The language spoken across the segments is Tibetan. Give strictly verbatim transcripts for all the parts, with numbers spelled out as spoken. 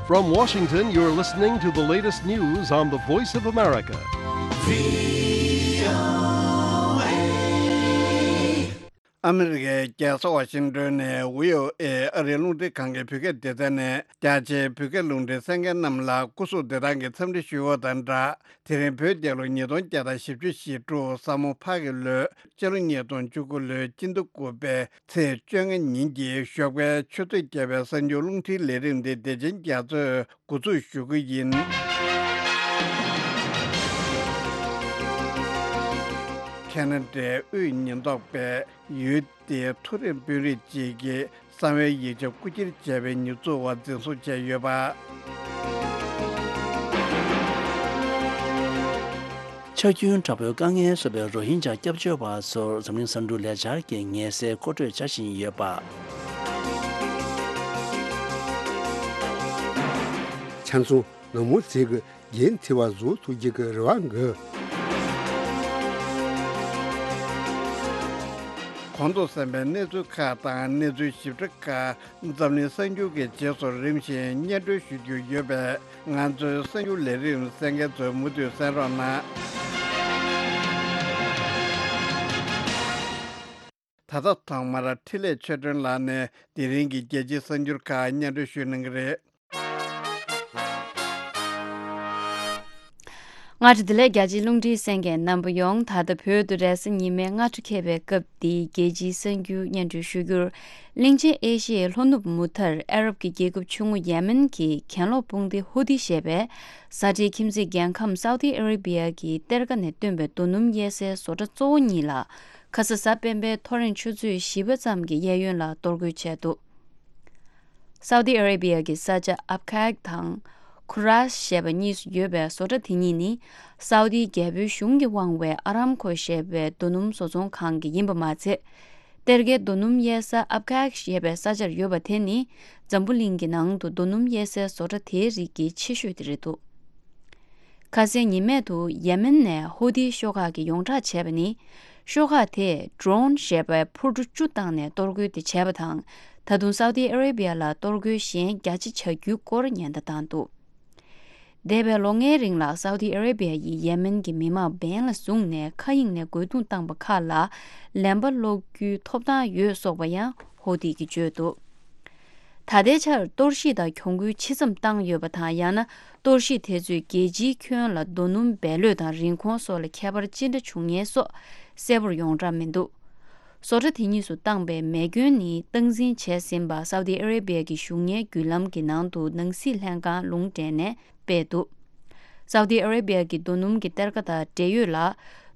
From Washington, you're listening to the latest news on the Voice of America. ཨ་མི་རི་ཀའི་རྒྱལ་ས་ཝ་ཤིང་ཏོན་ནས་བྷི་ཨོ་ཨེ་ཨ་རིའི་རླུང་འཕྲིན་ཁང་གི་བོད་སྐད་སྡེ་ཚན་ནས་རྒྱ་ཆེའི་བོད་སྐད་རླུང་འཕྲིན་གསན་མཁན་རྣམས་ལ་སྐུ་གཟུགས་བདེ་ཐང་གི་འཚམས་འདྲི་ཞུ་བ་དང་སྦྲགས། དེ་རིང་བོད་རྒྱལ་ལོ་ཉིས་སྟོང་བརྒྱ་དང་བཞི་བཅུ་ཞེ་དྲུག་ས་མོ་ཕག་གི་ལོའི་སྤྱི་ལོ་ཉིས་སྟོང་བཅུ་དགུ་ལོའི་སྤྱི་ཟླ་དགུ་པའི་ཚེས་བཅོ་ལྔ་ཉིན་གྱི་ཞོགས་པའི་ཆུ་ཚོད་བརྒྱད་པའི་གསར་འགྱུར་རླུང་འཕྲིན་ལས་རིམ་འདི་བདེ་ཆེན་རྒྱ་མཚོས་འགོ་འཛུགས་ཞུ་གི་ཡིན། ཁ་ན་ཌའི་དབུས་ཉེན་རྟོག་པས་ཡུལ་དེའི་མཐོ་རིམ་དཔོན་རིགས་གཅིག་གིས་གསང་བའི་ཡིག་ཆ་རྐུ་འཁྱེར་བྱས་པའི་ཉེས་འཛུགས་འོག་འཛིན་བཟུང་བྱས་ཡོད་པ། ཆག་སྐྱོན་དྲག་པོའི་དཀའ་ངལ་བཟོས་པའི་རོ་ཧིན་ཇཱ་སྐྱབས་བཅོལ་བ་ཚོར་འཛམ་གླིང་གསར་འགྱུར་ལས་འཆར་གྱི་ངལ་སེལ་མཁོ་སྤྲོད་བྱ་བཞིན་ཡོད་པ། ཆང་ཚོང་ནག་མོ་ཟིག་གི་རྒྱན་འཚིག་པ་བཟོ་ཐུབ་རྒྱུ་གི་རེ་བ་འགོད། གོང་དུ་གསན་པའི་གནས་ཚུལ་ཁག་དང་གནས་ཚུལ་ཞིབ་ཕྲ་ཁག་འཛམ་གླིང་གསར་འགྱུར་གྱི་རྗེས་སུ་རིམ་བཞིན་སྙན་སྒྲོན་ཞུ་རྒྱུ་ཡོད་པས། ང་ཚོའི་གསར་འགྱུར་ལས་རིམ་གསན་མཁན་ཚོས་མུ་མཐུད་གསན་རོགས་གནང་། ད་ལྟ་ཐོག་མར་འཕྲིན་ལས་ཆོས་སྒྲོན་ལགས་ནས་དེ་རིང་གི་རྒྱལ་སྤྱིའི་གསར་འགྱུར་ཁག་སྙན་སྒྲོན་ཞུ་གནང་གི་རེད། སྔ་དྲོ་བདེ་ལེགས། རྒྱལ་སྤྱིའི་རླུང་འཕྲིན་གསན་མཁན་རྣམ་པ་ཡོངས། ད་ལྟ་བོད་དུ་རེས་གཟའ་ཉི་མའི་སྔ་དྲོ་འཁེལ་བའི་སྐབས་འདིའི་རྒྱལ་སྤྱིའི་གསར་འགྱུར་སྙན་སྒྲོན་ཞུ་རྒྱུར། གླིང་ཆེན་ཨེ་ཤི་ཡའི་ལྷོ་ནུབ་མུ་མཐར་ཨ་རབ་ཀྱི་རྒྱལ་ཁབ་ཆུང་ངུ་ཡེ་མེན་གྱི་གྱེན་ལོག་དཔུང་སྡེ་ཧུ་ཏི་ཞེས་པས་ས་ཁྲའི་ཁྱིམ་མཚེས་རྒྱལ་ཁམས་སའུ་ཏི་ཨ་རེ་བི་ཡ་གི་གཏེར་ཁ་ནས་བཏོན་པའི་རྡོ་སྣུམ་གཡར་སའི་བཟོ་གྲྭ་གཙོ་བོ་གཉིས་ལ་ཁ་ས་གཟའ་སྤེན་པའི་ཐོ་རེངས་ཆུ་ཚོད་བཞི་པ་ཙམ་གྱི་གཡས་གཡོན་ལ་གཏོར་རྒོལ་བྱས་འདུག་སའུ་ཏི་ཨ་རེ་བི་ཡ་གི་ས་ཆ་ཨབ་ཁཱག་དང་ཁུ་རཱས་ཞེས་པ་གཉིས་སུ་ཡོད་པའི་བཟོ་གྲྭ་དེ་གཉིས་ནི་སའུ་ཏིའི་རྒྱལ་པོའི་གཞུང་གིས་དབང་བའི་ཨ་རམ་ཁོ་ཞེས་པའི་རྡོ་སྣུམ་བཟོ་ཚོང་ཁང་གི་ཡིན་པ་མ་ཚད། གཏེར་ཁའི་རྡོ་སྣུམ་གཡར་ས་ཨབ་ཁཱག་ཞེས་པའི་ས་ཆར་ཡོད་པ་དེ་ནི་འཛམ་བུ་གླིང་གི་ནང་དུ་རྡོ་སྣུམ་གཡར་སའི་བཟོ་གྲྭ་དེའི་རིགས་ཀྱི་ཆེ་ཤོས་དེ་རེད་འདུག་ཁ་སང་ཉི་མ་དུ་ཡེ་མེན་ནས་ཧུ་ཏི་ཤོག་ཁག་གིས་ཡོངས་བསྒྲགས་བྱས་པ་ནི། ཤོག་ཁག་དེས་ཌོ་རོན་ཞེས་པའི་འཕུར་གྲུ་བཅུ་བཏང་ནས་གཏོར་རྒོལ་དེ་བྱས་པ་དང་། ད་དུང་སའུ་ཏི་ཨ་རེ་བི་ཡ་ལ་གཏོར་རྒོལ་གཞན་བརྒྱ་ཆ་བྱ་རྒྱུའི་སྐོར་ཉེན་བརྡ་བཏང་འདུག་འདས་པའི་ལོ་ལྔའི་རིང་ལ་སའུ་ཏི་ཨ་རེ་བི་ཡ་ཡིས་ཡེ་མེན་གྱི་མི་མང་འབེན་ལ་བཟུང་ནས་མཁའ་དབྱིངས་ནས་རྒོལ་རྡུང་བཏང་པ་ཁག་ལ་ལན་པ་སློག་རྒྱུའི་ཐོབ་ཐང་ཡོད་སོགས་པ་ཡང་ཧོ་ཏི་གིས་བརྗོད་འདུག་ད་ལྟའི་ཆར་གཏོར་བཤིག་དང་གྱོང་གུན་ཇི་ཙམ་བཏང་ཡོད་པ་དང་། ཡང་ན་གཏོར་བཤིག་དེ་ཚོས་རྒྱལ་སྤྱིའི་ཁྱོན་ལ་རྡོ་སྣུམ་བེད་ལོས་དང་རིན་གོང་སོགས་ལ་ཁྱད་པར་ཅི་འདྲ་བྱུང་ངེས་སོགས་གསལ་པོར་ཡོངས་གྲགས་མི་འདུག་བཟོ་གྲྭ་དེ་གཉིས་སུ་བཏང་པའི་མེ་སྐྱོན་ནི་སྟངས་འཛིན་བྱས་ཟིན་པ་སའུ་ཏི་ཨ་རེ་བི་ཡ་གི་གཞུང་གཉེར་བརྒྱུད་ལམ་གྱི་ནང་དུ་ནང་སྲིད་ལྷན་ཁང་ལུང་འདྲེན་ནས་སྤེལ་འདུག་སའུ་ཏི་ཨ་རེ་བི་ཡ་གི་རྡོ་སྣུམ་གྱི་གཏེར་ཁ་དང་འབྲེལ་ཡོད་ལ།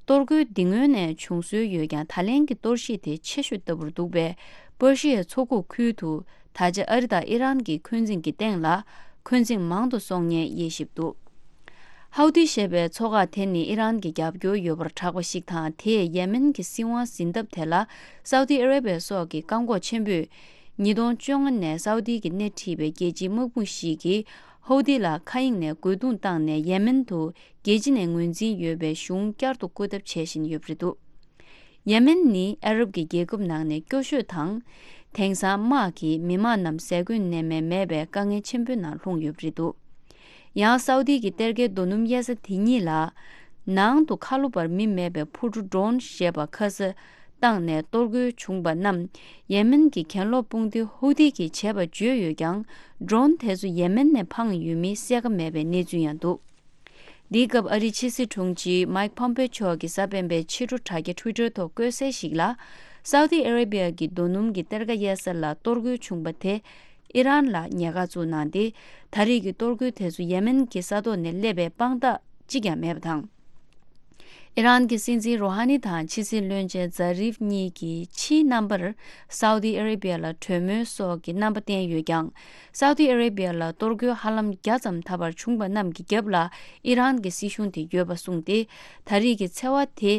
གཏོར་རྒོལ་འདི་སྔོན་ནས་བྱུང་སྲོལ་ཡོད་ཀྱང་། ད་ལན་གྱི་གཏོར་བཤིག་དེ་ཆེ་ཤོས་ལྟ་བུར་འདུག་པས། པར་ཤི་ཡའི་མཚོ་ཁུག་ཁུལ་དུ་ད་ཆ་ཨ་རི་དང་ཨི་རན་གྱི་འཁོན་འཛིང་གི་སྟེང་ལ་འཁོན་འཛིང་མང་དུ་སོང་ངེས་དབྱེ་ཞིབ་འདུག་ཧའུ་ཏི་ཞེས་པའི་མཚོ་འགག་དེ་ནི་ཨི་རན་གྱི་རྒྱབ་སྐྱོར་ཡོད་པར་གྲགས་པ་ཞིག་དང་། དེས་ཡེ་མེན་གྱི་སྲིད་དབང་འཛིན་ཐབས་དེ་ལ་སའུ་ཏི་ཨ་རེ་བྷི་ཡ་སོགས་ཀྱིས་བཀག་འགོག་ཆེན་པོས། ཉིས་སྟོང་བཅོ་ལྔ་ནས་སའུ་ཏི་གིས་སྣེ་ཁྲིད་པའི་རྒྱལ་སྤྱིའི་དམག་དཔུང་ཞིག་གིས་ཧའུ་ཏི་ལ་མཁའ་དབྱིངས་ནས་རྒོལ་རྡུང་བཏང་ནས་ཡེ་མེན་དུ་རྒྱལ་སྤྱི་ནས་ངོས་འཛིན་ཡོད་པའི་གཞུང་བསྐྱར་དུ་བསྐོ་ཐབས་བྱེད་བཞིན་ཡོད་པ་རེད་འདུག་ཡེ་མེན་ནི་ཨ་རབ་ཀྱི་རྒྱལ་ཁབ་ནང་ནས་སྐྱོ་ཤོས་དང་། དེང་སང་དམག་གིས་མི་དམངས་རྣམས་ཟས་གོས་གནས་མལ་མེད་པའི་དཀའ་ངལ་ཆེན་པོའི་ནང་ལྷུང་ཡོད་པ་རེད་འདུག་ཡང་སའུ་ཏི་གི་གཏེར་ཁའི་རྡོ་སྣུམ་གཡར་ས་དེ་གཉིས་ལ། ནང་དུ་ཁ་ལོ་བར་མི་མེད་པའི་འཕུར་གྲུ་ཌོ་རོན་ཞེས་པ་ཁ་ས་བཏང་ནས་གཏོར་རྒོལ་བྱུང་པ་རྣམས་ཡེ་མེན་གྱི་གྱེན་ལོག་དཔུང་སྡེ་ཧུ་ཏི་གིས་བྱས་པ་བརྗོད་ཡོད་ཀྱང་། ཌོ་རོན་དེ་ཚོ་ཡེ་མེན་ནས་འཕངས་ཡོད་མིན་གསལ་ཁ་མེད་པའི་གནས་ཚུལ་ཡང་འདུག་འདིའི་སྐབས་ཨ་རིའི་ཕྱི་སྲིད་དྲུང་ཆེ་མཱིག་ཕོམ་པེ་མཆོག་གིས་གཟའ་སྤེན་པའི་ཕྱི་དྲོ་དྲ་རྒྱ་ཊུའི་ཊར་ཐོག་བཀོད་གསལ་ཞིག་ལ། སའུ་ཏི་ཨ་རེ་བྷི་ཡ་གི་རྡོ་སྣུམ་གྱི་གཏེར་ཁ་གཡར་ས་ལ་གཏོར་རྒོལ་བྱུང་པ་དེ་ཨི་རན་ལ་ཉེས་ཁ་བཙུགས་གནང་སྟེ། ད་རེས་ཀྱི་གཏོར་རྒོལ་དེ་ཚོ་ཡེ་མེན་གྱི་ས་ཐོག་ནས་སླེབས་པའི་དཔང་རྟགས་གཅིག་ཀྱང་མེད་པ་དང་། ཨི་རན་གྱི་སྲིད་འཛིན་རོ་ཧ་ནི་དང་ཕྱི་སྲིད་བློན་ཆེན་ཛ་རིབ་གཉིས་ཀྱིས་ཕྱིའི་རྣམ་པར་སའུ་ཏི་ཨ་རེ་བྷི་ཡ་ལ་གྲོས་མོལ་སོགས་ཀྱི་རྣམ་པ་བསྟན་ཡོད་ཀྱང་། སའུ་ཏི་ཨ་རེ་བྷི་ཡ་ལ་གཏོར་རྒོལ་ཧ་ལམ་བརྒྱ་ཙམ་ད་བར་བྱུང་པ་རྣམས་ཀྱི་རྒྱབ་ལ་ཨི་རན་གྱི་སྲིད་གཞུང་དེ་ཡོད་པ་གསུངས་ཏེ། ད་རེས་ཀྱི་འཚེ་བ་དེ་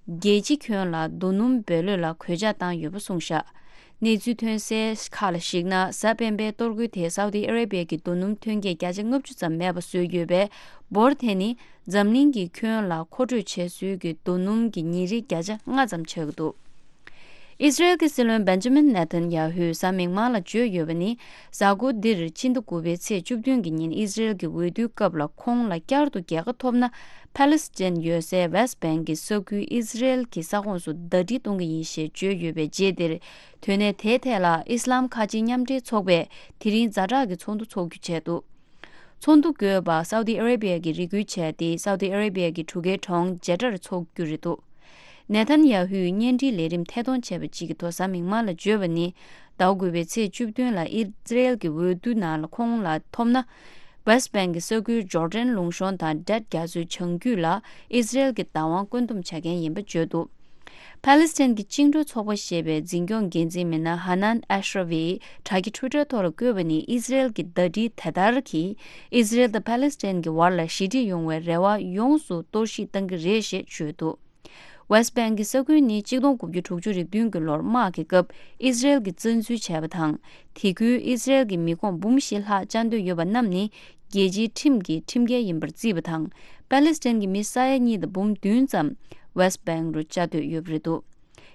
རྒྱལ་སྤྱི་ཁྱོན་ལ་རྡོ་སྣུམ་བེད་ལོས་ལ་གོད་ཆག་བཏང་ཡོད་པ་གསུངས་བཞག་གནས་ཚུལ་ཐོན་གསལ་ཁག་ལ་གཞིགས་ན། གཟའ་སྤེན་པའི་གཏོར་རྒོལ་དེས་སའུ་ཏི་ཨ་རེ་བྷི་ཡ་གི་རྡོ་སྣུམ་ཐོན་སྐྱེད་བརྒྱ་ཆ་ལྔ་བཅུ་ཙམ་མེད་པ་བཟོས་ཡོད་པས། འབོར་དེ་ནི་འཛམ་གླིང་གི་ཁྱོན་ལ་མཁོ་སྤྲོད་བྱེད་སྲོལ་གྱི་རྡོ་སྣུམ་གྱི་ཉིན་རེའི་བརྒྱ་ཆ་ལྔ་ཙམ་ཆགས་ཀྱི་འདུག་ཨི་སི་རེལ་གྱི་སྲིད་བློན་བན་ཇ་མིན་ནེ་ཐན་ཡ་ཧུས་གཟའ་མིག་དམར་ལ་བརྗོད་ཡོད་པ་ནི། གཟའ་འཁོར་འདིར་ཕྱི་ཟླ་དགུ་པའི་ཚེས་བཅུ་བདུན་གྱི་ཉིན་ཨི་སི་རེལ་གྱི་འོས་བསྡུའི་སྐབས་ལ་ཁོང་ལ་བསྐྱར་དུ་རྒྱལ་ཁ་ཐོབ་ན། ཕ་ལེ་སི་ཐན་ཡོད་སའི་ཝེ་སི་ཊི་བེང་གི་ས་ཁུལ་ཨི་སི་རེལ་གྱི་ས་ཁོངས་སུ་ཟླ་སྒྲིལ་གཏོང་གི་ཡིན་ཞེས་བརྗོད་ཡོད་པའི་རྗེས་འདིར། དོན་གནད་དེའི་ཐད་ལ་ཨི་སི་ལམ་ཁ་ཆེའི་མཉམ་འབྲེལ་ཚོགས་པས་དེ་རིང་ཛ་དྲག་གི་ཚོགས་འདུ་འཚོགས་རྒྱུ་བྱས་འདུག་ཚོགས་འདུ་དགོས་པ་སའུ་ཏི་ཨ་རེ་བྷི་ཡ་གིས་རེ་སྐུལ་བྱས་ཏེ། སའུ་ཏི་ཨ་རེ་བྷི་ཡ་གི་གྲུ་ཁའི་གྲོང་ཇེ་ཏར་འཚོགས་རྒྱུ་རེད་འདུག་ནེ་ཐན་ཡ་ཧུས་གཉེན་སྒྲིག་ལས་རིམ་ཐད་གཏོང་བྱས་པ་གཅིག་གི་ཐོག་གཟའ་མིག་དམར་ལ་བརྗོད་པ་ནི། ཟླ་དགུ་པའི་ཚེས་བཅུ་བདུན་ལ་ཨི་སི་རེལ་གྱི་འོས་བསྡུ་ནང་ལ་ཁོང་ལ་ཐོབ་ན། ཝེ་སི་ཊི་བེང་གི་ས་ཁུལ་ཇོར་ཌན་ལུང་གཤོང་དང་ཌེཊ་རྒྱ་མཚོའི་བྱང་རྒྱུད་ལ་ཨི་སི་རེལ་གྱི་བདག་དབང་བཀོད་འདོམས་བྱ་མཁན་ཡིན་པ་བརྗོད་འདུག་ཕ་ལེ་སི་ཐན་གྱི་བཅིངས་འགྲོལ་ཚོགས་པ་ཞེས་པའི་འཛིན་སྐྱོང་འགན་འཛིན་མི་སྣ་ཧ་ནན་ཨེ་ཤ་ར་ཝིས་དྲ་རྒྱ་ཊུ་ཝི་ཊར་ཐོག་ལ་བཀོད་པ་ནི། ཨི་སི་རེལ་གྱི་ཟླ་སྒྲིལ་དེ་ལྟར་གྱིས་ཨི་སི་རེལ་དང་ཕ་ལེ་སི་ཐན་གྱི་བར་ལ་ཞི་འགྲིག་ཡོང་བའི་རེ་བ་ཡོངས་སུ་གཏོར་བཤིག་བཏང་གི་རེད་ཞེས་བརྗོད་འདུག་ཝེ་སི་ཊི་བེང་གི་ས་ཁུལ་ནི་གཅིག་སྟོང་དགུ་བརྒྱ་དྲུག་ཅུ་རེ་བདུན་གྱི་ལོར་དམག་གི་སྐབས་ཨི་སི་རེལ་གྱིས་བཙན་འཛུལ་བྱས་པ་དང་། དེ་ཁུལ་ཨི་སི་རེལ་གྱི་མི་ཁོངས་འབུམ་བཞི་ལྷག་བཅའ་སྡོད་ཡོད་པ་རྣམས་ནི་རྒྱལ་སྤྱིའི་ཁྲིམས་ཀྱི་ཁྲིམས་འགལ་ཡིན་པར་བརྩིས་པ་དང་། པ་ལེ་སི་ཐན་གྱི་མི་ས་ཡ་གཉིས་དང་འབུམ་བདུན་ཙམ་ཝེ་སི་ཊི་བེང་རུ་བཅའ་སྡོད་ཡོད་པ་རེད་འདུག་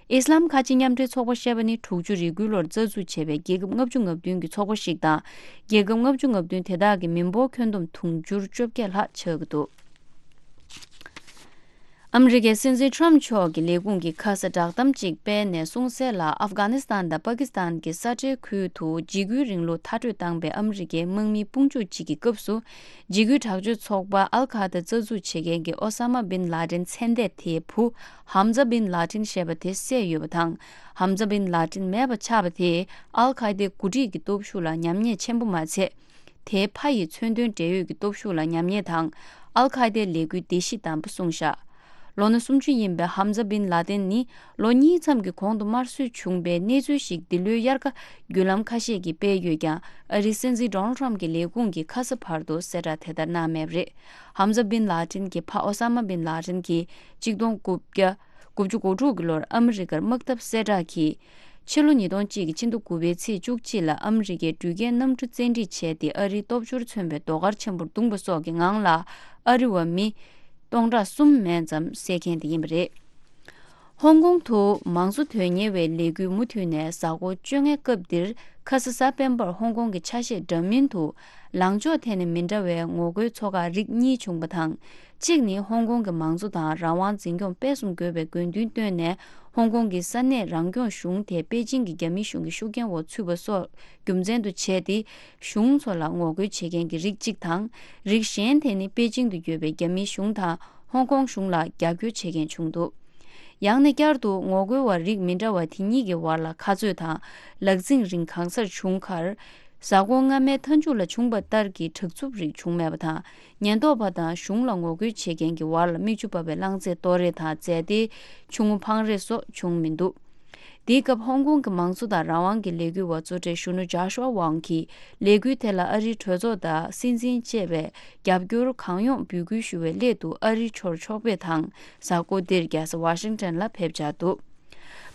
ཨི་སི་ལམ་ཁ་ཆེ་མཉམ་འབྲེལ་ཚོགས་པ་ཞེས་པ་ནི་དྲུག་ཅུ་རེ་དགུའི་ལོར་རྩ་འཛུགས་བྱས་པའི་རྒྱལ་ཁབ་ལྔ་བཅུ་ང་བདུན་གྱི་ཚོགས་པ་ཞིག་དང་། རྒྱལ་ཁབ་ལྔ་བཅུ་ང་བདུན་དེ་དག་གི་མི་འབོར་ཁྱོན་བསྡོམས་དུང་ཕྱུར་བཅོ་བརྒྱད་ལྷག་ཆགས་ཀྱི་འདུག་ཨ་མི་རི་ཀའི་སྲིད་འཛིན་ཊརམ་མཆོག་གི་ལས་ཁུངས་ཀྱིས་ཁ་ས་བསྒྲགས་གཏམ་གཅིག་སྤེལ་ནས་གསུངས་གསལ་ལ། ཨབ་གྷ་ནི་སི་ཐན་དང་པ་ཀི་སི་ཐན་གྱི་ས་འབྲེལ་ཁུལ་དུ་འཇིགས་སྐུལ་རིང་ལུགས་མཐར་སྐྲོད་བཏང་པའི་ཨ་མི་རི་ཀའི་དམག་མིའི་དཔུང་འཇུག་ཅིག་གི་སྐབས་སུ། འཇིགས་སྐུལ་དྲག་སྤྱོད་ཚོགས་པ་ཨལ་ཁ་ད་རྩ་འཛུགས་བྱེད་མཁན་གྱི་ཨོ་ས་མ་བིན་ལ་ཏིན་མཚན་ལྡན་དེའི་བུ་ཧམ་ཛ་བིན་ལ་ཏིན་ཞེས་པ་དེ་བསད་ཡོད་པ་དང་། ཧམ་ཛ་བིན་ལ་ཏིན་མེད་པ་ཆགས་པ་དེས་ཨལ་ཁ་ད་འགོ་ཁྲིད་ཀྱི་སྟོབས་ཤུགས་ལ་ཉམས་ཉེས་ཆེན་པོ་མ་ཚད། དེའི་ཕ་ཡི་མཚོན་དོན་འབྲེལ་ཡོད་ཀྱི་སྟོབས་ཤུགས་ལ་ཉམས་ཉེས་དང་། ཨལ་ཁ་ད་ལས་འགུལ་བདེ་གཤིས་དམ་པོ་སྲུང་བཞག་ལོ་ན་སུམ་ཅུ་ཡིན་པའི་ཧམ་ཛ་བིན་ལ་ཏིན་ནི་ལོ་གཉིས་ཙམ་གྱི་གོང་དུ་དམར་གསོད་བྱུང་པའི་གནས་ཚུལ་ཞིག་འདི་ལོའི་དབྱར་ཁ་བརྒྱུད་ལམ་ཁ་ཤས་ཀྱིས་སྤེལ་ཡོད་ཀྱང་། ཨ་རིའི་སྲིད་འཛིན་ཌོ་ནལ་ཊརམ་གྱི་ལས་ཁུངས་ཀྱིས་ཁ་ས་བར་དུ་གསལ་བསྒྲགས་དེ་ལྟར་གནང་མེད་པ་རེད། ཧམ་ཛ་བིན་ལ་ཏིན་གྱི་ཕ་ཨོ་ས་མ་བིན་ལ་ཏིན་གྱིས་གཅིག་སྟོང་དགུ་བརྒྱ་དགུ་བཅུ་གོ་དྲུག་གི་ལོར་ཨ་མི་རི་ཀར་དམག་འཐབ་གསལ་བསྒྲགས་ཀྱིས། ཕྱི་ལོ་ཉིས་སྟོང་གཅིག་གི་ཕྱི་ཟླ་དགུ་པའི་ཚེས་བཅུ་གཅིག་ལ་ཨ་མི་རི་ཀའི་འགྲུལ་སྐྱེལ་གནམ་གྲུ་བཙན་ཁྲིད་བྱས་ཏེ། ཨ་རིའི་སྟོབས་འབྱོར་མཚོན་པའི་ཟློས་གར་ཆེན་པོར་བརྡུངས་པ་སོགས་ཀྱི་ངང་ལ། ཨ་རི་བ་མི་སྟོང་ཕྲག་གསུམ་མན་ཙམ་བསད་མཁན་དེ་ཡིན་པ་རེད། ཧོང་ཀོང་དུ་མང་གཙོ་དོན་གཉེར་བའི་ལས་འགུལ་མུ་མཐུད་ནས་གཟའ་འཁོར་བཅོ་ལྔའི་སྐབས་འདིར། ཁ་ས་གཟའ་སྤེན་པར་ཧོང་ཀོང་གི་ཆ་ཤས་འདྲ་མིན་དུ། ལངས་ཕྱོགས་ཐད་ནས་མི་འདྲ་བའི་ངོ་རྒོལ་ཚོགས་ཁག་རིགས་གཉིས་བྱུང་པ་དང་། གཅིག་ནི་ཧོང་ཀོང་གི་མང་གཙོ་དང་རང་དབང་འཛིན་སྐྱོང་སྤེལ་གསུམ་དགོས་པའི་དགོས་འདུན་བཏོན་ནས། ཧོང་ཀོང་གི་ས་གནས་རང་སྐྱོང་གཞུང་དེ་པེ་ཅིང་གི་རྒྱ་མིའི་གཞུང་གི་ཤུགས་རྐྱེན་འོག་ཚུད་པ་སོགས་རྒྱུ་མཚན་དུ་བྱས་ཏེ། གཞུང་ཚོ་ལ་ངོ་རྒོལ་བྱེད་མཁན་གྱི་རིགས་གཅིག་དང་། རིགས་གཞན་དེ་ནི་པེ་ཅིང་དུ་ཡོད་པའི་རྒྱ་མིའི་གཞུང་དང་ཧོང་ཀོང་གཞུང་ལ་རྒྱབ་སྐྱོར་བྱེད་མཁན་བྱུང་འདུག་ཡང་ན་བསྐྱར་དུ་ངོ་རྒོལ་བ་རིགས་མི་འདྲ་བ་དེ་གཉིས་ཀྱི་བར་ལ་ཁ་རྩོད་དང་ལག་འཛིང་རིང་གང་སར་བྱུང་ཁར། གཟའ་འཁོར་སྔ་མའི་མཐའ་མཇུག་ལ་བྱུང་བ་ལྟར་གྱི་དྲག་རྩུབ་རིགས་བྱུང་མེད་པ་དང་། ཉེན་རྟོག་པ་དང་གཞུང་ལ་ངོ་རྒོལ་བྱེད་མཁན་གྱི་བར་ལ་མིག་ཆུ་འབབ་པའི་རླངས་རྫས་གཏོར་རེས་དང་རྫས་དེའི་ཆུང་ངུ་འཕང་རེས་སོགས་བྱུང་མི་འདུག་དེའི་སྐབས་ཧོང་ཀོང་གི་མང་གཙོ་དང་རང་དབང་གི་ལས་འགུལ་བ་གཙོ་གྲས་གཞོན་ནུ་ཇཱ་ཤུ་ཝ་ཝང་གིས་ལས་འགུལ་དེ་ལ་ཨ་རིའི་གྲོས་ཚོགས་དང་སྲིད་འཛིན་བཅས་པས་རྒྱབ་སྐྱོར་གང་ཡོང་འབོད་སྐུལ་ཞུ་བའི་སླད་དུ་ཨ་རིའི་ཕྱོགས་ཕྱོགས་ཕེབས་དང་། གཟའ་འཁོར་འདིར་རྒྱལ་ས་ཝ་ཤིང་ཊོན་ལ་ཕེབས་འཆར་འདུག་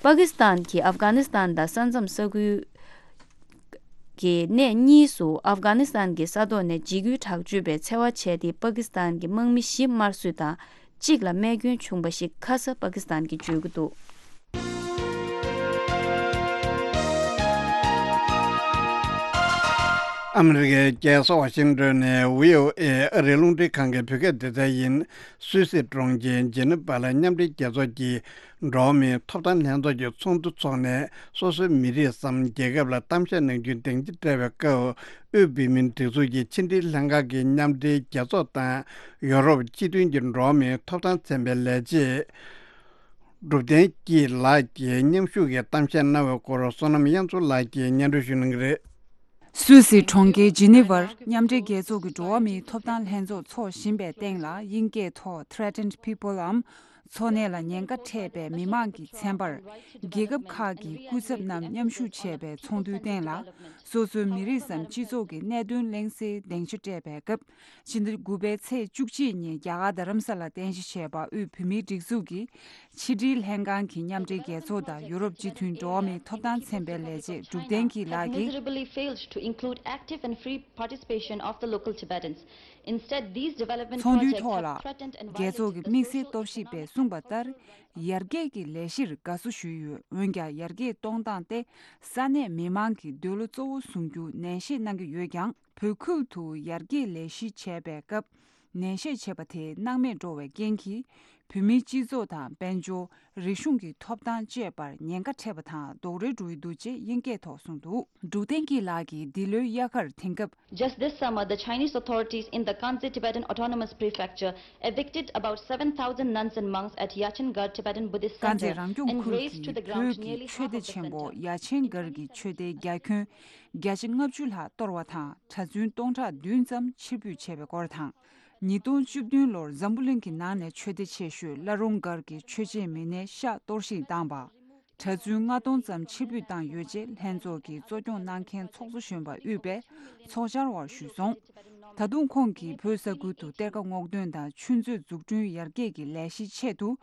པ་ཀི་སི་ཐན་གྱིས་ཨབ་གྷ་ནི་སི་ཐན་དང་ས་མཚམས་ས་ཁུལ་གྱི་གནས་གཉིས་སུ་ཨབ་གྷ་ནི་སི་ཐན་གྱི་ས་ཐོག་ནས་འཇིགས་སྐུལ་དྲག་སྤྱོད་པའི་འཚེ་བ་བྱས་ཏེ། པ་ཀི་སི་ཐན་གྱི་དམག་མི་བཞི་དམར་གསོད་དང་། གཅིག་ལ་རྨས་སྐྱོན་བྱུང་བ་ཞིག་ཁ་ས་པ་ཀི་སི་ཐན་གྱིས་བརྗོད་ཀྱི་འདུག་ཨ་མི་རི་ཀའི་རྒྱལ་ས་ཝ་ཤིང་ཊོན་ནས་བྷི་ཨོ་ཨེ་ཨ་རིའི་རླུང་འཕྲིན་ཁང་གི་བོད་སྐད་སྡེ་ཚན་ཡིན། སུད་སི་གྲོང་ཁྱེར་ཇི་ནི་ཝ་ལ་མཉམ་འབྲེལ་རྒྱལ་ཚོགས་ཀྱི་འགྲོ་བ་མིའི་ཐོབ་ཐང་ལྷན་ཚོགས་ཀྱི་ཚོགས་འདུ་འཚོགས་ནས། སོ་སོའི་མི་རིགས་སམ་རྒྱལ་ཁབ་ལ་གཏམ་བཤད་གནང་རྒྱུའི་སྡིངས་ཆ་སྤྲད་པའི་སྐབས། དབུས་བོད་མིའི་སྒྲིག་འཛུགས་ཀྱི་ཕྱི་འབྲེལ་ལྷན་ཁང་གི་མཉམ་འབྲེལ་རྒྱལ་ཚོགས་དང་ཡོ་རོབ་སྤྱི་མཐུན་གྱི་འགྲོ་བ་མིའི་ཐོབ་ཐང་ཚན་པའི་ལས་བྱེད་གྲུབ་བསྟན་སྐྱིད་ལགས་ཀྱིས་མཉམ་ཞུགས་ཀྱིས་གཏམ་བཤད་གནང་བའི་སྐོར། བསོད་ནམས་དབྱངས་མཚོ་ལགས་ཀྱིས་སྙན་སྒྲོན་ཞུ་གནང་གི་རེད། སུད་སི་གྲོང་ཁྱེར་ཇི་ནི་ཝར་མཉམ་འབྲེལ་རྒྱལ་ཚོགས་ཀྱི་འགྲོ་བ་མིའི་ཐོབ་ཐང་ལྷན་ཚོགས་འཚོགས་བཞིན་པའི་སྟེང་ལ། དབྱིན་སྐད་ཐོག་Threatened People འམ། འཚོ་གནས་ལ་ཉེན་ཁ་འཕྲད་པའི་མི་མང་གི་ཚན་པར། རྒྱལ་ཁབ་ཁག་གི་སྐུ་ཚབ་རྣམས་མཉམ་ཞུགས་བྱས་པའི་ཚོགས་འདུའི་སྟེང་ལ། སོ་སོའི་མི་རིགས་སམ་སྤྱི་ཚོགས་ཀྱི་གནད་དོན་གླེང་སའི་སྡིངས་ཆ་སྤྲད་པའི་སྐབས། ཕྱི་ཟླ་དགུ་པའི་ཚེས་བཅུ་གཅིག་ཉིན་རྒྱ་གར་རྡ་རམ་ས་ལ་རྟེན་གཞི་བྱས་པ་དབུས་བོད་མིའི་སྒྲིག་འཛུགས་ཀྱི་ཕྱི་དྲིལ་ལྷན་ཁང་གི་མཉམ་འབྲེལ་རྒྱལ་ཚོགས་དང་ཡུ་རོབ་སྤྱི་མཐུན་འགྲོ་བ་མིའི་ཐོབ་ཐང་ཚན་པའི་ལས་བྱེད་གྲུབ་བསྟན་སྐྱིད་ལགས་ཀྱིས། Miserably failed to include active and free participation of the local Tibetans. Instead, these development ཚོགས་འདུའི་projects ཐོག་ལ། have threatened and རྒྱལ་ཚོགས་ཀྱི་དམིགས་བསལ་རྟོག་ཞིབ་པས། གསུངས་པ་ལྟར། ཡར་རྒྱས་ཀྱི་ལས་གཞིར་དགའ་བསུ་ཞུས་ཡོད། འོན་ཀྱང་། ཡར་རྒྱས་གཏོང་སྟངས་ཏེ་ས་གནས་མི་མང་གི་འདོད་བློ་གཙོ་བོ་བཟུང་རྒྱུ་ནན་བཤད་གནང་གི་ཡོད་ཀྱང་། བོད་ཁུལ་དུ་ཡར་རྒྱས་ལས་གཞི་བྱས་པའི་སྐབས། ནན་བཤད་བྱས་པ་དེ་སྣང་མེད་འགྲོ་བའི་རྐྱེན་གྱིས། བོད་མིའི་སྤྱི་ཚོགས་དང་། དཔལ་འབྱོར། རིག་གཞུང་གི་ཐོབ་ཐང་བཅས་པར་ཉེན་ཁ་འཕྲད་པ་དང་། རྡོག་རོལ་འགྲོ་ཡི་འདུག་ཅེས་དབྱིན་སྐད་ཐོག་གསུངས་འདུག་འབྲུག་བསྟན་སྐྱིད་ལགས་ཀྱིས་འདི་ལོའི་དབྱར་ཁར་དེང་སྐབས། Just this summer, the Chinese authorities in the Kangxi Tibetan Autonomous Prefecture evicted about seven thousand nuns and monks at Yachengar Tibetan Buddhist Center and razed to the ground nearly half of the center. ཀང་ཙེ་རང་སྐྱོང་ཁུལ་གྱི་བོད་ཀྱི་ཆོས་སྡེ་ཆེན་པོ་ཡ་ཆེན་སྒར་གྱི་ཆོས་སྡེའི་རྒྱ་ཁྱོན་བརྒྱ་ཆ་ལྔ་བཅུ་ལྷག་གཏོར་བ་དང་། གྲྭ་བཙུན་སྟོང་ཕྲག་བདུན་ཙམ་ཕྱིར་འབུད་བྱས་པའི་སྐོར་དང་། ཉིས་སྟོང་བཅུ་བདུན་ལོར་འཛམ་བུ་གླིང་གི་ནང་ནས་ཆོས་སྡེ་ཆེ་ཤོས་བླ་རུང་སྒར་གྱི་ཆོས་བྱེད་མི་སྣའི་ཤག་གཏོར་བཤིག་བཏང་པ། གྲྭ་བཙུན་ལྔ་སྟོང་ཙམ་ཕྱིར་འབུད་བཏང་ཡོད་ཅེས་ལྷན་ཚོགས་ཀྱི་གཙོ་སྐྱོང་གནང་མཁན་ཚོགས་གཙོ་གཞོན་པ་དབུས་པས་ཚོགས་བཅར་བར་ཞུས་སོང་། ད་དུང་ཁོང་གིས་བོད་ས་ཁུལ་དུ་གཏེར་ཁ་སྔོག་འདོན་དང་ཆུ་མཛོད་འཛུགས་སྐྲུན་ཡར་རྒྱས་ཀྱི་ལས་གཞིའི་ཆེད་དུ།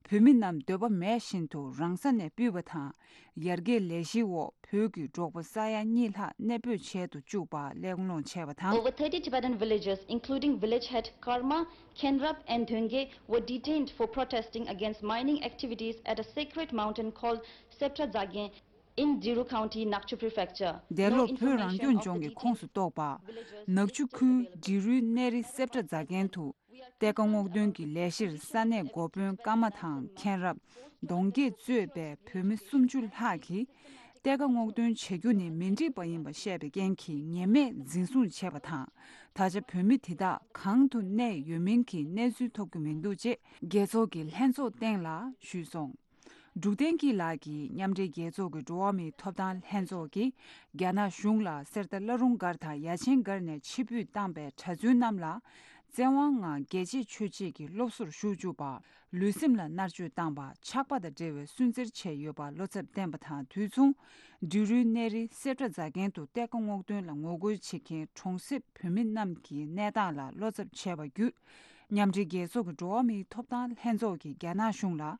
བོད་མི་རྣམས་འདོད་པ་མེད་བཞིན་དུ་རང་ས་ནས་ཕུད་པ་དང་། ཡར་རྒྱས་ལས་གཞིའི་འོག་བོད་ཀྱི་འབྲོག་པ་ས་ཡ་གཉིས་ལྷག་གནས་སྤོས་བྱེད་དུ་བཅུག་པ་གླེང་སློང་བྱས་པ་དང་། Over thirty Tibetan villagers, including village head Karma, Khenrap, and Dhunge, were detained for protesting against mining activities at a sacred mountain called Septra Dzagen in Diru County, Nakchu Prefecture. འདས་ལོར་བོད་རང་སྐྱོང་ལྗོངས་ཀྱི་ཁོངས་སུ་གཏོགས་པ། ནག་ཆུ་ཁུལ་འབྲི་རུའི་གནས་རི་སེབ་ཏྲ་རྫ་མཁན་དུ། གཏེར་ཁ་སྔོག་འདོན་གྱི་ལས་གཞིར་ས་གནས་འགོ་དཔོན་ཀརྨ་དང་མཁན་རབས། གདོང་རྒྱས་གཙོས་པའི་བོད་མི་སུམ་ཅུ་ལྷག་གིས། གཏེར་ཁ་སྔོག་འདོན་བྱ་རྒྱུ་ནི་མི་འགྲིག་པ་ཡིན་པ་བཤད་པའི་རྐྱེན་གྱིས་ཉེས་མེད་འཛིན་བཟུང་བྱས་པ་དང་། ད་ཆ་བོད་མི་དེ་དག་གང་དུ་གནས་ཡོད་མིན་གྱི་གནས་ཚུལ་ཐོབ་ཀྱི་མི་འདུག་ཅེས་རྒྱལ་ཚོགས་ཀྱི་ལྷན་ཚོགས་སྟེང་ལ་ཞུས་སོང་། འབྲུག་བསྟན་སྐྱིད་ལགས་ཀྱིས་མཉམ་འབྲེལ་རྒྱལ་ཚོགས་ཀྱི་འགྲོ་བ་མིའི་ཐོབ་ཐང་ལྷན་ཚོགས་ཀྱིས་རྒྱ་ནག་གཞུང་ལ་གསེར་རྟ་བླ་རུང་སྒར་དང་ཡ་ཆེན་སྒར་ནས་ཕྱིར་འབུད་བཏང་པའི་གྲྭ་བཙུན་རྣམས་ལ། བཙན་དབང་ངང་རྒྱལ་གཅེས་ཆོས་གཅེས་ཀྱི་སློབ་གསོར་ཞུགས་བཅུག་པ། ལུས་སེམས་ལ་མནར་གཅོད་བཏང་པ། ཆགས་པ་དང་འབྲེལ་བའི་སུན་གཙེར་བྱས་ཡོད་པ་བློ་འཚབ་བསྟན་པ་དང་དུས་མཚུངས། འབྲི་རུའི་གནས་རི་སེབ་ཏྲ་རྫ་མཁན་དུ་གཏེར་ཁ་སྔོག་འདོན་ལ་ངོ་རྒོལ་བྱེད་མཁན་གྲོང་གསེབ་བོད་མི་རྣམས་ཀྱི་གནས་སྟངས་ལ་བློ་འཚབ་བྱས་པ་བརྒྱུད། མཉམ་འབྲེལ་རྒྱལ་ཚོགས་ཀྱི་འགྲོ་བ་མིའི་ཐོབ་ཐང་ལྷན་ཚོགས་ཀྱིས་རྒྱ་ནག་གཞུང་ལ།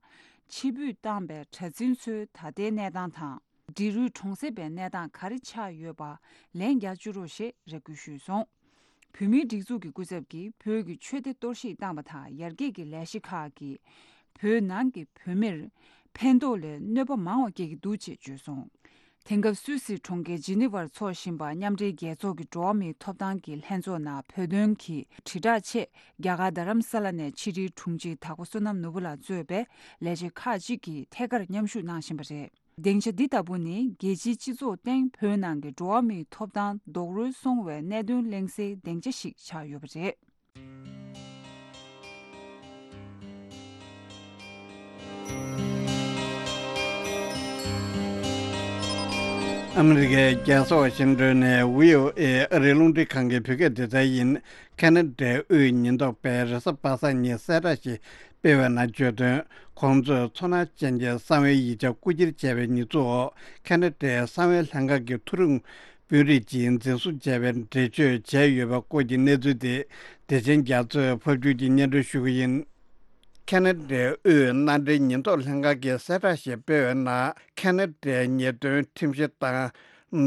ཕྱིར་འབུད་བཏང་པའི་གྲྭ་བཙུན་ཚོའི་ད་ལྟའི་གནས་སྟངས་དང་། འབྲི་རུའི་གྲོང་གསེབ་པའི་གནས་སྟངས་ག་རེ་ཆགས་ཡོད་པ་ལན་རྒྱག་བཅུག་རོགས་ཞེས་རེ་སྐུལ་ཞུས་སོང་། བོད་མིའི་སྒྲིག་འཛུགས་ཀྱི་སྐུ་ཚབ་ཀྱིས་བོད་ཀྱི་ཆོས་སྡེ་གཏོར་བཤིག་བཏང་པ་དང་ཡར་རྒྱས་ཀྱི་ལས་གཞི་ཁག་གིས་བོད་ནང་གི་བོད་མིར་ཕན་ཐོགས་ལས་གནོད་པ་མང་བ་སྐྱེལ་གྱི་འདུག་ཅེས་བརྗོད་སོང་། དེང་སྐབས་སུད་སི་གྲོང་ཁྱེར་ཇི་ནི་ཝར་འཚོགས་བཞིན་པ་མཉམ་འབྲེལ་རྒྱལ་ཚོགས་ཀྱི་འགྲོ་བ་མིའི་ཐོབ་ཐང་གི་ལྷན་ཚོགས་ནང་བོད་དོན་གྱི་དྲིལ་བསྒྲགས་ཆེད་རྒྱ་གར་རྡ་རམ་ས་ལ་ནས་ཕྱི་དྲིལ་དྲུང་ཆེ་དྭགས་པོ་བསོད་ནམས་ནོར་བུ་ལགས་གཙོས་པའི་ལས་བྱེད་ཁག་ཅིག་གིས་ཐད་ཀར་མཉམ་ཞུགས་གནང་བཞིན་པ་རེད། སྡིངས་ཆ་འདི་ལྟ་བུ་ནི་རྒྱལ་སྤྱིའི་སྤྱི་ཚོགས་སྟེང་བོད་ནང་གི་འགྲོ་བ་མིའི་ཐོབ་ཐང་རྡོག་རོལ་སོང་བའི་གནད་དོན་གླེང་སའི་སྡིངས་ཆ་ཞིག་ཆགས་ཡོད་པ་རེད། ཨ་མི་རི་ཀའི་རྒྱལ་ས་ཝ་ཤིང་ཏོན་ནས་བྷི་ཨོ་ཨེ་ཨ་རིའི་རླུང་འཕྲིན་ཁང་གི་བོད་སྐད་སྡེ་ཚན་ཡིན། ཁ་ན་ཌའི་དབུས་ཉེན་རྟོག་པས་རེས་གཟའ་པ་སངས་ཉིན་གསལ་བསྒྲགས་ཤིག་སྤེལ་བའི་ནང་བརྗོད་དོན། ཁོང་ཚོས་ཚོར་སྣང་ཅན་གྱི་གསང་བའི་ཡིག་ཆ་རྐུ་འཁྱེར་བྱས་པའི་ཉེས་འཛུགས་འོག་ཁ་ན་ཌའི་གསང་བའི་ལྷན་ཁང་གི་མཐོ་རིམ་དཔོན་རིགས་ཀྱིས་འཛིན་བཟུང་བྱས་པའི་འགྲེལ་བརྗོད་བྱས་ཡོད་པ་སྐོར་གྱི་གནས་ཚུལ་དེ། བདེ་ཆེན་རྒྱ་མཚོས་ཕབ་སྒྱུར་གྱིས་སྙན་སྒྲོན་ཞུ་གི་ཡིན། ཁ་ན་ཌའི་དབུས་མནའ་འབྲེལ་ཉེན་རྟོག་ལྷན་ཁང་གིས་གསལ་བསྒྲགས་ཤིག་སྤེལ་བའི་ནང་། ཁ་ན་ཌའི་ཉེས་དོན་ཁྲིམས་གཞི་དང་།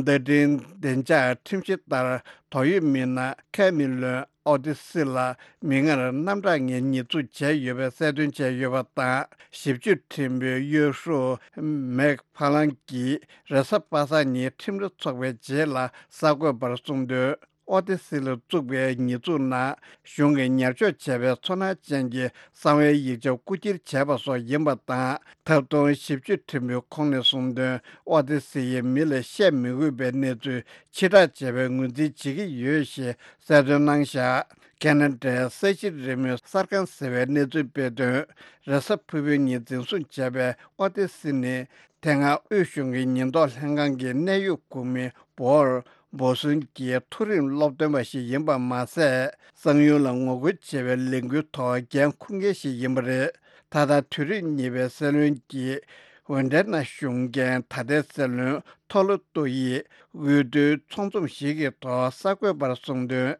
བརྡ་འཕྲིན་བདེ་འཇགས་ཁྲིམས་གཞི་ལྟར། དོགས་ཡོད་མི་སྣ་ཁེ་མི་ལོན་ཨོ་ཏི་སི་ལ་མིག་སྔར་རྣམ་གྲངས་ངན་ཉེས་འཛུགས་བྱས་ཡོད་པའི་གསལ་སྟོན་བྱས་ཡོད་པ་དང་། ཞིབ་དཔྱོད་ཁྲིམས་དཔོན་གཡོ་ཧྲུའུ་མེག་ཕ་ལང་གིས་རེས་གཟའ་པ་སངས་ཉིན་ཁྲིམས་ར་འཚོགས་པའི་རྗེས་ལ་གསར་འགོད་པར་གསུངས་དོན། ཨོ་ཏི་སི་ལ་བཙུགས་པའི་ཉེས་འཛུགས་ནང་གཞུང་གིས་ཉར་འཇོག་བྱས་པའི་ཚོར་སྣང་ཅན་གྱི་གསང་བའི་ཡིག་ཆ་རྐུ་འཁྱེར་བྱས་པ་སོགས་ཡིན་པ་དང་། ཐབས་སྡུག་ཞིབ་དཔྱོད་ཁྲིམས་དཔོན་ཁོང་ནས་གསུངས་དོན། ཨོ་ཏི་སི་ཡིས་མི་ལ་བཤད་མི་དགོས་པའི་གནས་ཚུལ་ཕྱིར་བསྒྲགས་བྱས་པའི་ངོས་འཛིན་བྱེད་ཀྱི་ཡོད་ཞེས་གསལ་སྟོན་གནང་བཞག་ཁ་ན་ཌའི་ས་གཞི་རི་མོའི་གསར་ཁང་ཟེར་བས་གནས་ཚུལ་སྤེལ་དོན། རེས་གཟའ་ཕུར་བུའི་ཉིན་འཛིན་བཟུང་བྱས་པའི་ཨོ་ཏི་སི་ནི། དེ་སྔ་དབུས་གཞུང་གི་ཉེན་རྟོག་ལྷན་ཁང་གི་གནད་ཡོད་འགོ་མི་བོར་བོ་སུན་གྱི་མཐོ་རིམ་སློབ་སྟོན་པ་ཞིག་ཡིན་པ་མ་ཟད། གསང་ཡུལ་ལ་ངོ་རྒོལ་བྱེད་པའི་ལས་འགུལ་ཐོག་འགན་འཁུར་མཁན་ཞིག་ཡིན་པ་རེད། ད་ལྟ་དུས་རབས་གཉིས་པའི་སྲིད་བློན་གྱི་འོས་འགྲན་ནང་ཞུགས་མཁན་ད་ལྟའི་སྲིད་བློན་ཐོ་ལོ་ཏོ་ཡིས་འོས་བསྡུའི་ཚོགས་འཛོམས་ཤིག་གི་ཐོག་གསར་འགོད་པར་གསུངས་དོན།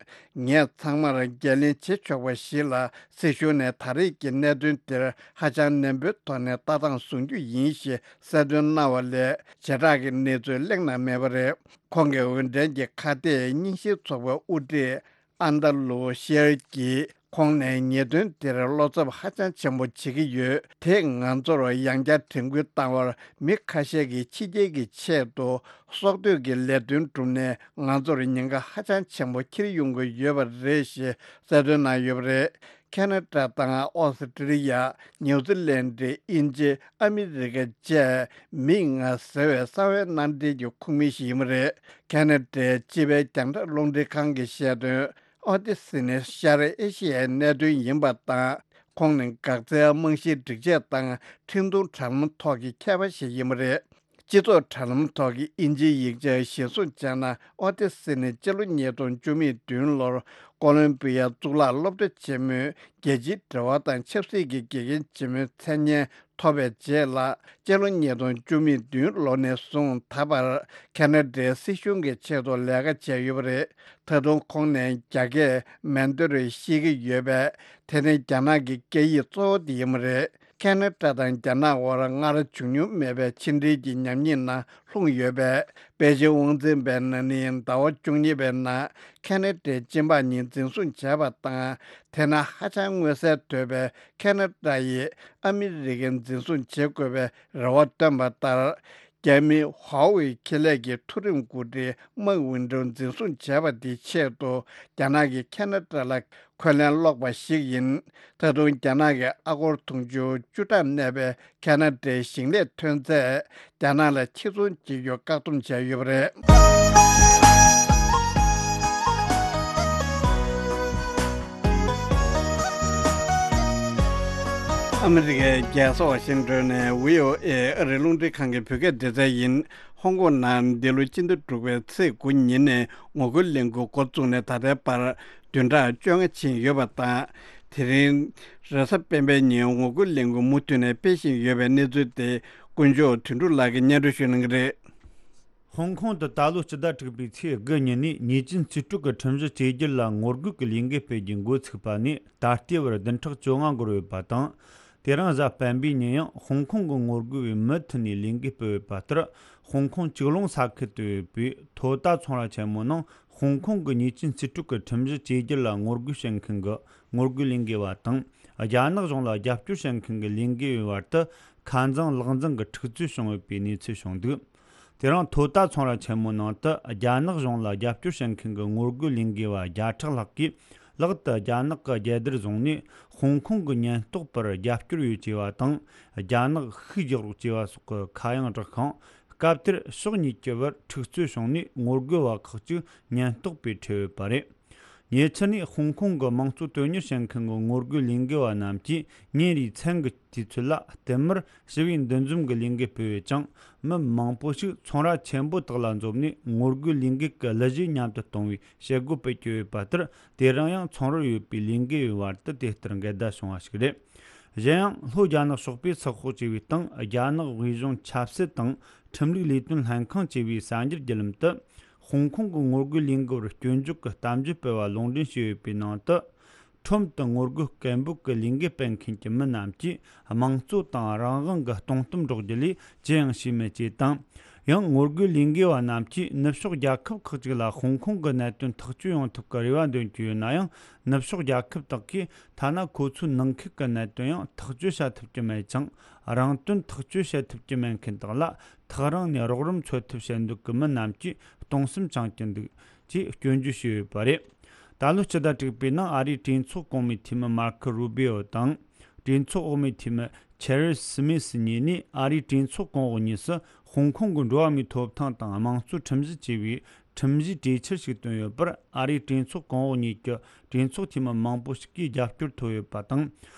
ངས་ཚང་མར་འགན་ལེན་བྱེད་ཆོག་པ་ཞིག་ལ། སྲིད་གཞུང་ནས་ད་རེས་ཀྱི་གནད་དོན་དེར་ཧ་ཅང་ནན་པོའི་ཐོག་ནས་ལྟ་སྟངས་བཟུང་རྒྱུ་ཡིན་ཞེས་གསལ་སྟོན་གནང་བ་ལས། བྱེ་བྲག་གི་གནས་ཚུལ་གླེང་གནང་མེད་པ་རེད། ཁོང་གི་འོས་འགྲན་གྱི་ཁ་གཏད་རྙིང་ཞེན་ཚོགས་པའི་དབུ་ཁྲིད་ཨན་ཏཱ་ལུ་ཤེར་གྱིས་ ཁོང་ནས་ཉེས་དོན་དེར་བློ་འཚབ་ཧ་ཅང་ཆེན་པོ་བྱེད་ཀྱི་ཡོད། དེས་ང་ཚོར་ཡང་བསྐྱར་དྲན་སྐུལ་བཏང་བར། མི་ཁ་ཤས་ཀྱིས་ཕྱི་རྒྱལ་གྱི་ཆེད་དུ་སྲོག་བསྡོས་ཀྱི་ལས་དོན་བསྒྲུབས་ནས། ང་ཚོར་ཉེན་ཁ་ཧ་ཅང་ཆེན་པོ་འཁྱེར་ཡོང་གི་ཡོད་པ་རེད་ཞེས་གསལ་སྟོན་གནང་ཡོད་པ་རེད། ཁེ་ན་ཌ་དང་ཨོ་སི་ཀྲི་ལི་ཡ། ནིའུ་ཛི་ལན་ཌི། དབྱིན་ཇི། ཨ་མི་རི་ཀ་བཅས་མིག་ལྔ་ཟེར་བའི་གསང་བའི་མནའ་འབྲེལ་གྱི་ཁོངས་མི་ཞིག་ཡིན་པ་རེད། ཁེ་ན་ཌའི་སྤྱི་པའི་རྒྱང་བསྒྲགས་རླུང་འཕྲིན་ཁང་གིས་བཤད་དོན། ཨོ་ཏི་སི་ནི་ཤར་ཨེ་ཤི་ཡའི་གནད་དོན་ཡིན་པ་དང་། ཁོང་ནི་འགག་རྩའི་རྨང་གཞིའི་སྒྲིག་ཆས་དང་འཕྲིན་གཏོང་དྲ་ལམ་ཐོག་གི་མཁས་པ་ཞིག་ཡིན་པ་རེད། སྤྱི་ཚོགས་དྲ་ལམ་ཐོག་གི་དབྱིན་ཇིའི་ཡིག་ཆ་གཞིར་བཟུང་བྱས་ན། ཨོ་ཏི་སི་ནི་སྤྱི་ལོ་ཉིས་སྟོང་བཅུ་མེད་བདུན་ལོར་ཀོ་ལོམ་བི་ཡའི་གཙུག་ལག་སློབ་གྲྭ་ཆེན་མོའི་རྒྱལ་སྤྱིའི་འབྲེལ་བ་དང་ཆབ་སྲིད་ཀྱི་དགེ་རྒན་ཆེན་མོའི་མཚན་སྙན་ཐོབ་པའི་རྗེས་ལ། སྤྱི་ལོ་ཉིས་སྟོང་བཅུ་མེད་བདུན་ལོ་ནས་བཟུང་ད་བར་ཁེ་ན་ཌའི་སྲིད་གཞུང་གི་ཆེད་དུ་ལས་ཀ་བྱས་ཡོད་པ་རེད། ད་དུང་ཁོང་ནས་རྒྱ་སྐད་མན་ཏོ་རེ་ཤེས་ཀྱི་ཡོད་པས། དེ་ནི་རྒྱ་ནག་གི་སྐད་ཡིག་གཙོ་བོ་དེ་ཡིན་པ་རེད། ཁེ་ན་ཌ་དང་རྒྱ་ནག་དབར་སྔར་བྱུང་མྱོང་མེད་པའི་ཕྱི་འབྲེལ་གྱི་ཉམས་ཉེས་ནང་ལྷུང་ཡོད་པས། པེ་ཅིང་དབང་འཛིན་པས་ན་ནིང་ཟླ་བ་བཅུ་གཉིས་པའི་ནང་ཁེ་ན་ཌའི་སྤྱི་འབངས་གཉིས་འཛིན་བཟུང་བྱས་པ་དང་། དེ་ནི་ཧ་ཅང་མངོན་གསལ་དོད་པའི་ཁེ་ན་ཌ་ཡིས་ཨ་མི་རི་ཀའི་འཛིན་བཟུང་བྱེད་དགོས་པའི་རེ་བ་བཏོན་པ་ལྟར། རྒྱ་མིའི་ཧྭ་ཝེ་ཁེ་ལས་ཀྱི་མཐོ་རིམ་འགོ་ཁྲིད་མཱིག་ཝིན་ཏྲོ་འཛིན་བཟུང་བྱས་པ་དེའི་ཆེད་དུ། རྒྱ་ནག་གིས་ཁེ་ན་ཌ་ལ་འཁོན་ལན་སློག་པ་ཞིག་ཡིན། ད་དུང་རྒྱ་ནག་གི་ཨ་སྒོར་དུང་ཕྱུར་བཅུ་ཕྲག་གནས་པའི་ཁེ་ན་ཌའི་ཞིང་ལས་ཐོན་རྫས་རྒྱ་ནག་ལ་ཕྱིར་ཚོང་བྱེད་རྒྱུ་བཀག་སྡོམ་བྱས་ཡོད་པ་རེད། ཨ་མི་རི་ཀའི་རྒྱལ་ས་ཝ་ཤིང་ཏོན་ནས་བྷི་ཨོ་ཨེ་ཨ་རིའི་རླུང་འཕྲིན་ཁང་གི་བོད་སྐད་སྡེ་ཚན་ཡིན། ཧོང་ཀོང་ནང་འདི་ལོ་སྤྱི་ཟླ་དྲུག་པའི་ཚེས་དགུ་ཉིན་ནས་ངོ་རྒོལ་ལས་འགུལ་འགོ་བཙུགས་ནས་ད་ལྟའི་བར་བདུན་ཕྲག་བཅོ་ལྔ་ཕྱིན་ཡོད་པ་དང་། དེ་རིང་རེས་གཟའ་སྤེན་པའི་ཉིན་ངོ་རྒོལ་ལས་འགུལ་མུ་མཐུད་ནས་སྤེལ་བཞིན་ཡོད་པའི་གནས་ཚུལ་དེ་དཀོན་མཆོག་དོན་གྲུབ་ལགས་ཀྱིས་སྙན་སྒྲོན་ཞུ་གནང་གི་རེད། ཧོང་ཀོང་དུ་ད་ལོ་སྤྱི་ཟླ་དྲུག་པའི་ཚེས་དགུ་ཉིན་ནས་ཉེས་ཅན་རྩིས་སྤྲོད་ཀྱི་ཁྲིམས་གཞི་བཅོས་བསྒྱུར་ལ་ངོ་རྒོལ་གྱི་ལས་འགུལ་སྤེལ་རྒྱུའི་འགོ་ཚུགས་པ་ནས་ད་ལྟའི་བར་བདུན་ཕྲག་བཅོ་ལྔ་འགོར་ཡོད་པ་དང་། དེ་རིང་གཟའ་སྤེན་པའི་ཉིན་ཡང་ཧོང་ཀོང་གི་ངོ་རྒོལ་བས་མུ་མཐུད་ནས་ལས་འགུལ་སྤེལ་ཡོད་པ་ལྟར། ཧོང་ཀོང་ཅིག་ལོང་ས་ཁུལ་དུ་ཡོད་པའི་ཐོ་ཏཱ་ཚོང་ར་ཆེན་མོ་ནང་ཧོང་ཀོང་གི་ཉེས་ཅན་རྩིས་སྤྲོད་ཀྱི་ཁྲིམས་གཞི་བཅོས་བསྒྱུར་ལ་ངོ་རྒོལ་བྱེད་མཁན་གྱི་ངོ་རྒོལ་ལས་འགུལ་བ་དང་། རྒྱ་ནག་གཞུང་ལ་རྒྱབ་སྐྱོར་བྱེད་མཁན་གྱི་ལས་འགུལ་བའི་བར་དུ་ཁ་འཛིང་ལག་འཛིང་གི་འཁྲུག་རྩོད་བྱུང་ཡོད་པའི་གནས་ཚུལ་བྱུང་འདུག་དེ་རིང་ཐོ་ཏཱ་ཚོང་ར་ཆེན་མོའི་ནང་དུ་རྒྱ་ནག་གཞུང་ལ་རྒྱབ་སྐྱོར་བྱེད་མཁན་གྱི་ངོ་རྒོལ་ལས་འགུལ་བ་བརྒྱ་ཕྲག་ལྷག་གིས་ལག་ཏུ་རྒྱ་ནག་གི་རྒྱལ་དར་བཟུང་ནས། ཧོང་ཀོང་གི་ཉེན་རྟོག་པར་རྒྱབ་སྐྱོར་ཡོད་ཅེས་པ་དང་། རྒྱ་ནག་ཤུགས་རྒྱག་རོགས་ཅེས་པ་སོགས་ཀྱི་ཁ་གཡང་བསྒྲགས་ཤིང་། སྐབས་དེར་ཕྱོགས་གཉིས་ཀྱི་བར་འཁྲུག་རྩོད་བྱུང་ནས། ངོ་རྒོལ་བ་ཁག་ཅིག་ཉེན་རྟོག་པས་ཁྲིད་ཡོད་པ་རེད། ཉེ་ཆར་ནས་ཧོང་ཀོང་གི་དམངས་གཙོ་དོན་གཉེར་བྱེད་མཁན་གྱི་ངོ་རྒོལ་ལས་འགུལ་བ་རྣམས་ཀྱིས་ཉིན་རེའི་མཚན་གྱི་དུས་ཚོད་ལ་བསྟུད་མར་ཞི་བའི་འདུ་འཛོམས་ཀྱི་ལས་འགུལ་སྤེལ་ཡོད་ཅིང་། མི་མང་པོ་ཞིག་ཚོང་ར་ཆེན་པོ་དག་ལ་འཛོམས་ནས་ངོ་རྒོལ་ལས་འགུལ་གྱི་གླུ་གཞས་མཉམ་དུ་གཏོང་བའི་བྱེད་སྒོ་སྤེལ་གྱི་ཡོད་པ་ལྟར། དེ་རིང་ཡང་ཚོང་རར་ཡོད་པའི་ལས་འགུལ་བའི་བར་དུ་དེ་ལྟར་འགལ་ཟླ་བྱུང་བ་ཞིག་རེད། གཞན་ཡང་། ལྷོ་རྒྱ་ནག་ཕྱོགས་པས་ཚགས་ཤོག་ཅེས་པའི་སྟེང་། རྒྱ་ནག་དབུས་གཞུང་ཆབ་སྲིད་དང་ཁྲིམས་ལུགས་ལས་དོན་ལྷན་ཁང་ཅེས་པའི་གསར་འགྱུར་བརྒྱུད་ལམ་དུ། ཧོང་ཀོང་གི་ངོ་རྒོལ་ལས་འགུལ་བར་སྐྱོན་བརྗོད་ཀྱི་གཏམ་བརྗོད་སྤེལ་བ་ལུང་འདྲེན་བྱས་ཡོད་པའི་ནང་དུ། ཁྲོམ་དུ་ངོ་རྒོལ་སྐད་འབོད་ཀྱི་ལས་འགུལ་སྤེལ་མཁན་གྱི་མི་རྣམས་ཀྱིས་དམངས་གཙོ་དང་རང་དབང་གི་སྟོང་གཏམ་སྒྲོག་རྒྱུ་ལས་ཅི་ཡང་བྱས་མེད་ཅེས་དང་། ཡང་། ངོ་རྒོལ་ལས་འགུལ་བ་རྣམས་ཀྱིས་ནུབ་ཕྱོགས་རྒྱལ་ཁབ་ཁག་ཅིག་ལ་ཧོང་ཀོང་གི་གནད་དོན་ཐག་གཅོད་ཡོང་ཐབས་ཀྱི་རེ་བ་འདོན་གྱི་ཡོད་ན་ཡང་། ནུབ་ཕྱོགས་རྒྱལ་ཁབ་དག་གིས་ཐ་ན་ཁོ་ཚོའི་ནང་ཁུལ་གྱི་གནད་དོན་ཡང་ཐག་གཅོད་བྱ་ཐུབ་ཀྱི་མེད་ཅིང་། རང་དོན་ཐག་གཅོད་བྱེད་ཐུབ་ཀྱི་མེད་མཁན་དག་ལ་ཐག་རིང་ནས་རོགས་རམ་འཚོལ་ཐབས་བྱེད་འདོད་ཀྱི་མི་རྣམས་ཀྱིས་གདུང་སེམས་བཅངས་ཀྱི་འདུག་ཅེས་སྐྱོན་བརྗོད་བྱས་ཡོད་པ་རེད། ད་ལོ་སྤྱི་ཟླ་དྲུག་པའི་ནང་ཨ་རིའི་གྲོས་ཚོགས་གོང་མའི་འཐུས་མི་མར་ཁོ་རུ་བྷི་ཨོ་དང་། གྲོས་ཚོགས་འོག་མའི་འཐུས་མི་ཆེ་རི་སི་མི་སི་གཉིས་ནས་ཨ་རིའི་གྲོས་ཚོགས་གོང་འོག་གཉིས་སུ་ཧོང་ཀོང་གི་འགྲོ་བ་མིའི་ཐོབ་ཐང་དང་དམངས་གཙོའི་ཁྲིམས་གཞི་ཅེས་པའི་ཁྲིམས་གཞིའི་གྲོས་འཆར་ཞིག་བཏོན་ཡོད་པར། ཨ་རིའི་གྲོས་ཚོགས་གོང་འོག་གཉིས་ཀྱི་གྲོས་ཚོགས་འཐུས་མི་མང་པོ་ཞིག་གིས་རྒྱབ་སྐྱོར་ཐོབ་ཡོད་པ་དང་།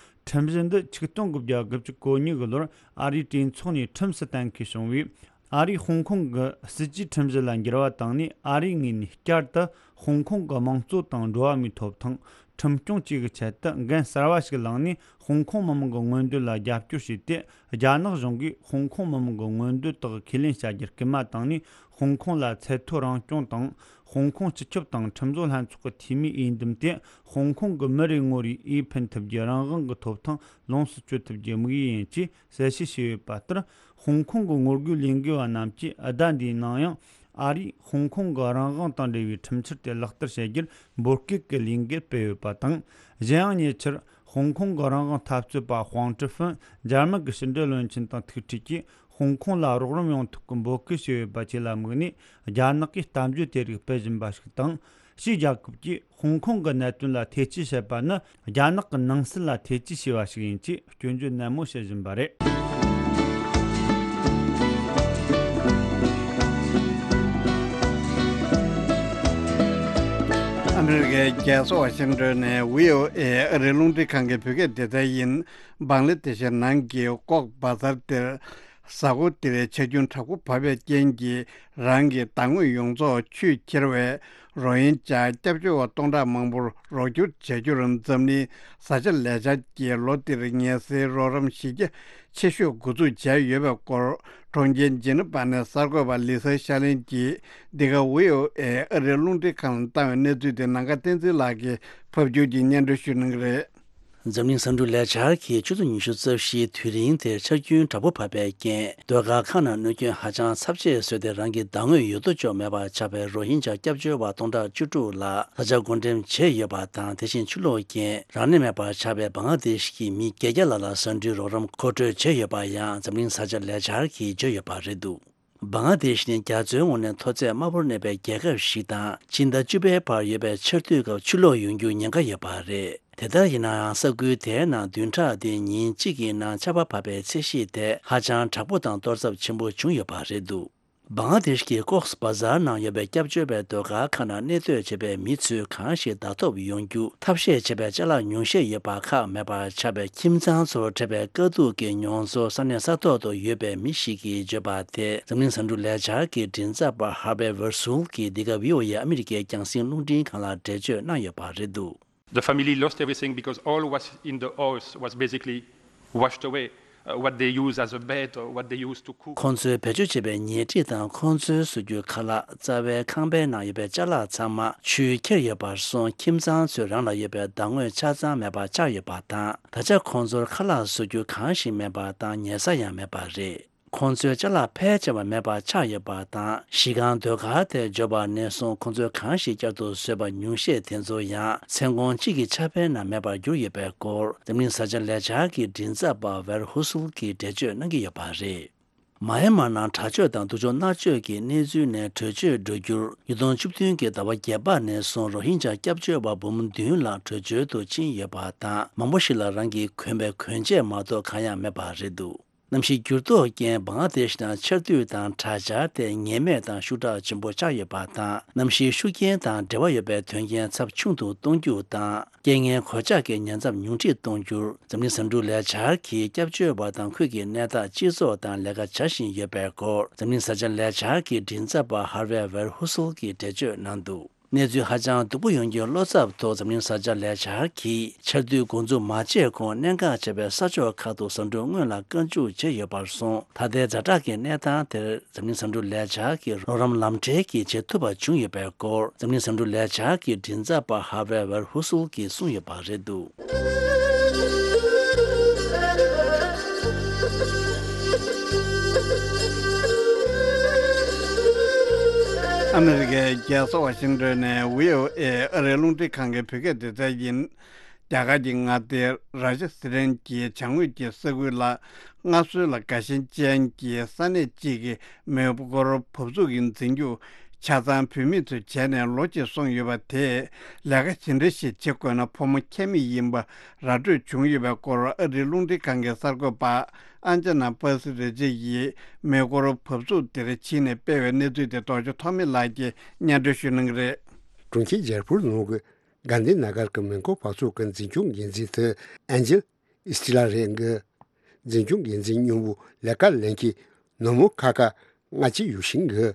ཁྲིམས་གཞི་འདི་ཆིག་སྟོང་དགུ་བརྒྱ་དགུ་བཅུ་གོ་གཉིས་ཀྱི་ལོར་ཨ་རིའི་གྲོས་ཚོགས་ནས་ཁྲིམས་སུ་གཏན་འཁེལ་བྱུང་བའི། ཨ་རིས་ཧོང་ཀོང་གི་སྲིད་ཇུས་ཁྲིམས་གཞི་ལ་འགྱུར་བ་བཏང་ནས། ཨ་རིའི་ངོས་ནས་བསྐྱར་དུ་ཧོང་ཀོང་གི་དམངས་གཙོ་དང་འགྲོ་བ་མིའི་ཐོབ་ཐང་ཁྲིམས་སྐྱོང་བཅས་ཀྱི་ཆེད་དུ་འགན་གསར་བ་ཞིག་བླངས་ནས། ཧོང་ཀོང་མི་མང་གི་མངོན་འདོད་ལ་རྒྱབ་སྐྱོར་བྱས་ཏེ། རྒྱ་ནག་གཞུང་གིས་ཧོང་ཀོང་མི་མང་གི་མངོན་འདོད་དག་ཁས་ལེན་བྱ་རྒྱུར་སྐུལ་མ་བཏང་ནས། ཧོང་ཀོང་ལ་ཚད་མཐོའི་རང་སྐྱོང་དང་། ཧོང་ཀོང་སྤྱི་ཁྱབ་དང་ཁྲིམས་བཟོ་ལྷན་ཚོགས་ཀྱི་འཐུས་མིའི་འོས་འདེམས་ཏེ། ཧོང་ཀོང་གི་མི་རེ་ངོ་རེའི་འོས་འཕེན་ཐུབ་རྒྱུའི་རང་དབང་གི་ཐོབ་ཐང་ལོངས་སུ་སྤྱོད་ཐུབ་རྒྱུའི་དམིགས་ཡུལ་ཡིན་ཅེས་གསལ་བཤད་བྱས་ཡོད་པ་ལྟར། ཧོང་ཀོང་གི་ངོ་རྒོལ་ལས་འགུལ་བ་རྣམས་ཀྱིས་ཟླ་འདིའི་ནང་ཡང་ ཨ་རིས་ཧོང་ཀོང་གི་རང་དབང་དང་འབྲེལ་བའི་ཁྲིམས་འཆར་དེ་ལག་བསྟར་བྱེད་རྒྱུར་འབོད་སྐུལ་གྱི་ལས་འགུལ་སྤེལ་ཡོད་པ་དང་། གཞན་ཡང་ཉེ་ཆར་ཧོང་ཀོང་གི་རང་དབང་འཐབ་རྩོད་པ་ཧུང་ཀྲི་ཧྥིན་འཇར་མན་གྱི་ཕྱི་འབྲེལ་བློན་ཆེན་དང་ཐུག་འཕྲད་ཀྱིས། ཧོང་ཀོང་ལ་རོགས་རམ་ཡོང་ཐབས་ཀྱི་འབོད་སྐུལ་བྱས་ཡོད་པ་བཅས་ལ་དམིགས་ནས། རྒྱ་ནག་གིས་གཏམ་བརྗོད་དེ་རིགས་སྤེལ་བཞིན་པ་ཞིག་དང་། ཕྱིའི་རྒྱལ་ཁབ་ཀྱིས་ཧོང་ཀོང་གི་གནད་དོན་ལ་ཐེ་ཇུས་བྱེད་པ་ནི། རྒྱ་ནག་གི་ནང་སྲིད་ལ་ཐེ་ཇུས་བྱས་པ་ཞིག་ཡིན་ཅེས་སྐྱོན་བརྗོད་ནན་མོ་བྱེད་བཞིན་པ་རེད། ཨ་མི་རི་ཀའི་རྒྱལ་ས་ཝ་ཤིང་ཏོན་ནས་བྷི་ཨོ་ཨེ་ཨ་རིའི་རླུང་འཕྲིན་ཁང་གི་བོད་སྐད་སྡེ་ཚན་ཡིན། བང་ལ་དེ་ཤི་ནང་གི་ཀོག་བ་ཛར་དེར། གཟའ་འཁོར་འདིར་ཆར་རྒྱུན་དྲག་པོ་བབས་པའི་རྐྱེན་གྱིས། རང་གི་བདག་དངོས་ཡོངས་རྫོགས་ཆུས་ཁྱེར་བའི་རོ་ཧིན་ཇཱ་སྐྱབས་བཅོལ་བ་སྟོང་ཕྲག་མང་པོར་རོགས་སྐྱོར་བྱ་རྒྱུར། འཛམ་གླིང་བཟའ་བཅའ་ལས་འཆར་གྱིས་ལོ་འདིར་ངལ་སེལ་རོགས་རམ་གཞི་རྒྱ་ཆེ་ཤོས་འགོ་འཛུགས་བྱས་ཡོད་པའི་སྐོར། གྲོང་ཁྱེར་ཇི་ནི་ཝ་ནས་གསར་འགོད་པ་ལི་སཱ་ཤར་ལིན་གྱིས་འདི་ག་བྷི་ཨོ་ཨེ་ཨ་རིའི་རླུང་འཕྲིན་ཁང་ལ་བཏང་བའི་གནས་ཚུལ་དེ་ནམ་མཁའ་བསྟན་འཛིན་ལགས་ཀྱིས་ཕབ་སྒྱུར་གྱིས་སྙན་སྒྲོན་ཞུ་གནང་གི་རེད། འཛམ་གླིང་ས་འབྲུ་ལས་འཆར་གྱིས་ཆུ་ཚོད་ཉི་ཤུ་རྩ་བཞིའི་དུས་རིང་དེར་ཆར་རྒྱུན་དྲག་པོ་བབས་པའི་རྐྱེན། ཟློས་གར་ཁང་ནང་གནོད་སྐྱོན་ཧ་ཅང་ཚབས་ཆེ་བཟོས་ཏེ། རང་གི་བདག་དངོས་ཡོད་དོ་ཅོག་མེད་པར་ཆགས་པའི་རོ་ཧིན་ཇཱ་སྐྱབས་བཅོལ་བ་སྟོང་ཕྲག་བཅུ་དྲུག་ལ་ད་ཆ་བགོ་འགྲེམས་བྱས་ཡོད་པ་དང་། དེ་བཞིན་ཆུ་ལོག་རྐྱེན་རང་གནས་མེད་པར་ཆགས་པའི་བང་ལ་དེ་ཤི་གི་མི་བརྒྱད་བརྒྱ་ལྷག་ལ་ཟ་འབྲུའི་རོགས་རམ་མཁོ་སྤྲོད་བྱས་ཡོད་པ་ཡང་འཛམ་གླིང་བཟའ་བཅའ་ལས་འཆར་གྱིས་བརྗོད་ཡོད་པ་རེད་འདུག་བང་ལ་དེ་ཤི་ནི་རྒྱ་མཚོའི་ངོས་ནས་མཐོ་ཚད་དམའ་པོར་གནས་པའི་རྒྱལ་ཁབ་ཞིག་དང་། ཕྱི་ཟླ་བཅུ་པའི་བར་ཡོད་པའི་ཆར་དུས་སྐབས་ཆུ་ལོག་ཡོང་རྒྱུའི་ཉེན་ཁ་ཡོད་པ་རེད། དེ་ལྟར་ཡིན་ནའང་། ས་ཁུལ་དེའི་ནང་བདུན་ཕྲག་འདིའི་ཉིན་གཅིག་གི་ནང་ཆར་པ་བབས་པའི་ཚད་གཞི་དེ་ཧ་ཅང་དྲག་པོ་དང་གཏོར་ཚབས་ཆེན་པོ་བྱུང་ཡོད་པ་རེད་འདུག་བང་ལ་དེ་ཤི་གི་ཀོག་སི་བ་ཛར་ནང་ཡོད་པའི་སྐྱབས་བཅོལ་བའི་ཟློས་གར་ཁང་ནང་གནས་སྡོད་བྱེད་པའི་མི་ཚོས་གང་ཞིག་བདག་ཐོབ་ཡོང་རྒྱུ་ཐབས་ཤེས་བྱེད་པའི་ཅ་ལག་ཉུང་ཤས་ཡོད་པ་ཁག་མེད་པར་ཆགས་པའི་ཁྱིམ་ཚང་ཚོར་འཕྲད་པའི་དཀའ་སྡུག་གི་མྱོང་ཚོར་ས་གནས་ས་ཐོག་ཏུ་ཡོད་པའི་མི་ཞིག་གིས་བརྗོད་པ་དེ། འཛམ་གླིང་ས་འབྲུ་ལས་འཆར་གྱི་མགྲིན་ཚབ་པ་ཧར་ཝེ་ཝར་སུལ་གྱིས་འདི་ག་བྷི་ཨོ་ཨེ་ཨ་མི་རི་ཀའི་རྒྱང་སྲིང་རླུང་འཕྲིན་ཁང་ལ་འགྲེལ་བརྗོད་གནང་ཡོད་པ་རེད་འདུག The family lost everything because all was in the house was basically washed away. Uh, what they use as a bed, or what they use to cook. ཁོང་ཚོའི་བེད་སྤྱོད་བྱས་པའི་ཉལ་ཁྲི་དང་། ཁོང་ཚོའི་བཟོ་རྒྱུའི་ཁ་ལག་རྩ་བའི་ཁང་པའི་ནང་ཡོད་པའི་ཅ་ལག་ཚང་མ་ཆུས་ཁྱེར་ཡོད་པར་སོང་། ཁྱིམ་ཚང་ཚོའི་རང་ལ་ཡོད་པའི་བདག་དངོས་ཆ་ཚང་མེད་པར་ཆགས་ཡོད་པ་དང་། ད་ཆ་ཁོང་ཚོར་ཁ་ལག་བཟོ་རྒྱུ་གང་ཞིག་མེད་པ་དང་། ཉལ་ས་ཡང་མེད་པ་རེད། ཁོང་ཚོའི་ཅ་ལག་ཕལ་ཆེ་བ་མེད་པར་ཆགས་ཡོད་པ་དང་། གཞི་རྐང་ཟློས་གར་དེར་འབྱོར་བ་ནས་བཟུང་། ཁོང་ཚོས་གང་ཞིག་བསྐྱར་དུ་བཟོས་པ་ཉུང་ཤས་དེ་ཚོ་ཡང་། མཚན་གུང་གཅིག་གི་ཆར་པའི་ནང་མེད་པར་གྱུར་ཡོད་པའི་སྐོར། འཛམ་གླིང་བཟའ་བཅའ་ལས་འཆར་གྱི་མགྲིན་ཚབ་པ་ཝེར་ཧུ་སུལ་གྱིས་འགྲེལ་བརྗོད་གནང་གི་ཡོད་པ་རེད། མཱ་ཡན་མར་ནང་དྲག་སྤྱོད་དང་། སྡུག་སྦྱོང་མནར་གཅོད་ཀྱི་གནས་ཚུལ་ནས་བྲོས་བྱོལ་འགྲོ་རྒྱུར། ཉིས་སྟོང་བཅུ་བདུན་གྱི་ཟླ་བ་བརྒྱད་པ་ནས་བཟུང་། རོ་ཧིན་ཇཱ་སྐྱབས་བཅོལ་བ་འབུམ་བདུན་ལྷག་བྲོས་བྱོལ་དུ་ཕྱིན་ཡོད་པ་དང་། མང་པོ་ཞིག་ལ་རང་གིས་གོན་པའི་གོན་ཆས་མ་གཏོགས་གང་ཡང་མེད་པ་རེད་འདུག་གནམ་གཤིས་འགྱུར་ལྡོག་རྐྱེན། བང་ལ་དེ་ཤི་ནང་ཆར་དུས་དང་དྲག་ཆར་དེ་ངེས་མེད་དང་ཤུགས་དྲག་ཆེན་པོ་ཆགས་ཡོད་པ་དང་། གནམ་གཤིས་ཤུགས་རྐྱེན་དང་འབྲེལ་བ་ཡོད་པའི་དོན་རྐྱེན་ཚབས་ཆུང་དུ་གཏོང་རྒྱུ་དང་། རྐྱེན་ངན་གོད་ཆག་གི་ཉེན་ཚབས་ཉུང་འཕྲི་གཏོང་རྒྱུར། འཛམ་གླིང་ས་འབྲུ་ལས་འཆར་གྱིས་སྐྱབས་བཅོལ་བ་དང་ཁུལ་གྱི་གནས་སྟངས་སྤྱི་ཚོགས་དང་ལས་ཀ་བྱ་བཞིན་ཡོད་པའི་སྐོར། འཛམ་གླིང་བཟའ་བཅའ་ལས་འཆར་གྱི་མགྲིན་ཚབ་པ་ཧར་ཝེ་ཝེར་ཧུ་སུལ་གྱིས་འགྲེལ་བརྗོད་གནང་འདུག་གནས་ཚུལ་ཧ་ཅང་སྡུག་པོ་ཡོང་རྒྱུའི་བློ་འཚབ་ཐོག་འཛམ་གླིང་བཟའ་བཅའ་ལས་འཆར་གྱིས་ཆར་དུས་འགོ་འཛུགས་མ་བྱས་གོང་གནད་འགག་ཆེ་བའི་ས་ཕྱོགས་ཁག་ཏུ་ཟ་འབྲུ་སྔོན་ལ་བཀའ་འཇུག་བྱས་ཡོད་པར་སོང་། ད་ལྟའི་ཛ་དྲག་གི་གནས་སྟངས་དེར་འཛམ་གླིང་ཟ་འབྲུ་ལས་འཆར་གྱི་རོགས་རམ་ལམ་འབྲེལ་གྱིས་བྱེད་ཐུབ་པ་བྱུང་ཡོད་པའི་སྐོར། འཛམ་གླིང་ཟ་འབྲུ་ལས་འཆར་གྱི་མགྲིན་ཚབ་པ་ཧར་ཝེ་ཝེར་ཧུ་སུལ་གྱིས་གསུངས་ཡོད་པ་རེད་འདུག་ཨ་མི་རི་ཀའི་རྒྱལ་ས་ཝ་ཤིང་ཏོན་ནས་བྷི་ཨོ་ཨེ་ཨ་རིའི་རླུང་འཕྲིན་ཁང་གི་བོད་སྐད་སྡེ་ཚན་ཡིན། རྒྱ་གར་གྱི་མངའ་སྡེ་རཱ་ཇ་སི་ཐན་གྱི་བྱང་ངོས་ཀྱི་ས་ཁུལ་ལ། སྔར་སྲོལ་ལ་དགའ་ཞེན་ཅན་གྱི་ས་གནས་གཅིག་གི་མེ་འཁོར་འབབ་ཚུགས་ཀྱི་འཛིན་སྐྱོང་ཆ་ཚང་བུད་མེད་ཚོས་བྱས་ནས་ལོ་གཅིག་སོང་ཡོད་པ་དེས། ལས་ཀ་ཇི་འདྲ་ཞིག་བྱེད་དགོས་ན་ཕོ་མོ་ཁྱད་མེད་ཡིན་པ་ར་སྤྲོད་བྱུང་ཡོད་པའི་སྐོར། ཨ་རིའི་རླུང་འཕྲིན་ཁང་གི་གསར་འགོད་པ་ཨན་ཅ་ན་པར་སི་རེ་ཇི་ཡིས་མེ་འཁོར་འབབ་ཚུགས་དེར་ཕྱིན་ནས་སྤེལ་བའི་གནས་ཚུལ་དེ་རྡོ་རྗེ་ཐོགས་མེད་ལགས་ཀྱིས་སྙན་སྒྲོན་ཞུ་གནང་གི་རེད། གྲོང་ཁྱེར་ཇལ་པུར་ནང་གི་གྷན་དྷི་ན་གར་གྱི་མེ་འཁོར་འབབ་ཚུགས་ཀྱི་འཛིན་སྐྱོང་འགན་འཛིན་དེ་ཨན་ཇེལ་ཨིས་ཏི་ལ་རེད་འདུག་འཛིན་སྐྱོང་འགན་འཛིན་སྔོན་པོ་ལས་ཀ་ལེན་མཁན་ནུ་མོ་ཁ་ཁ་ལྔ་བཅུ་ཡོད་བཞིན་འདུག་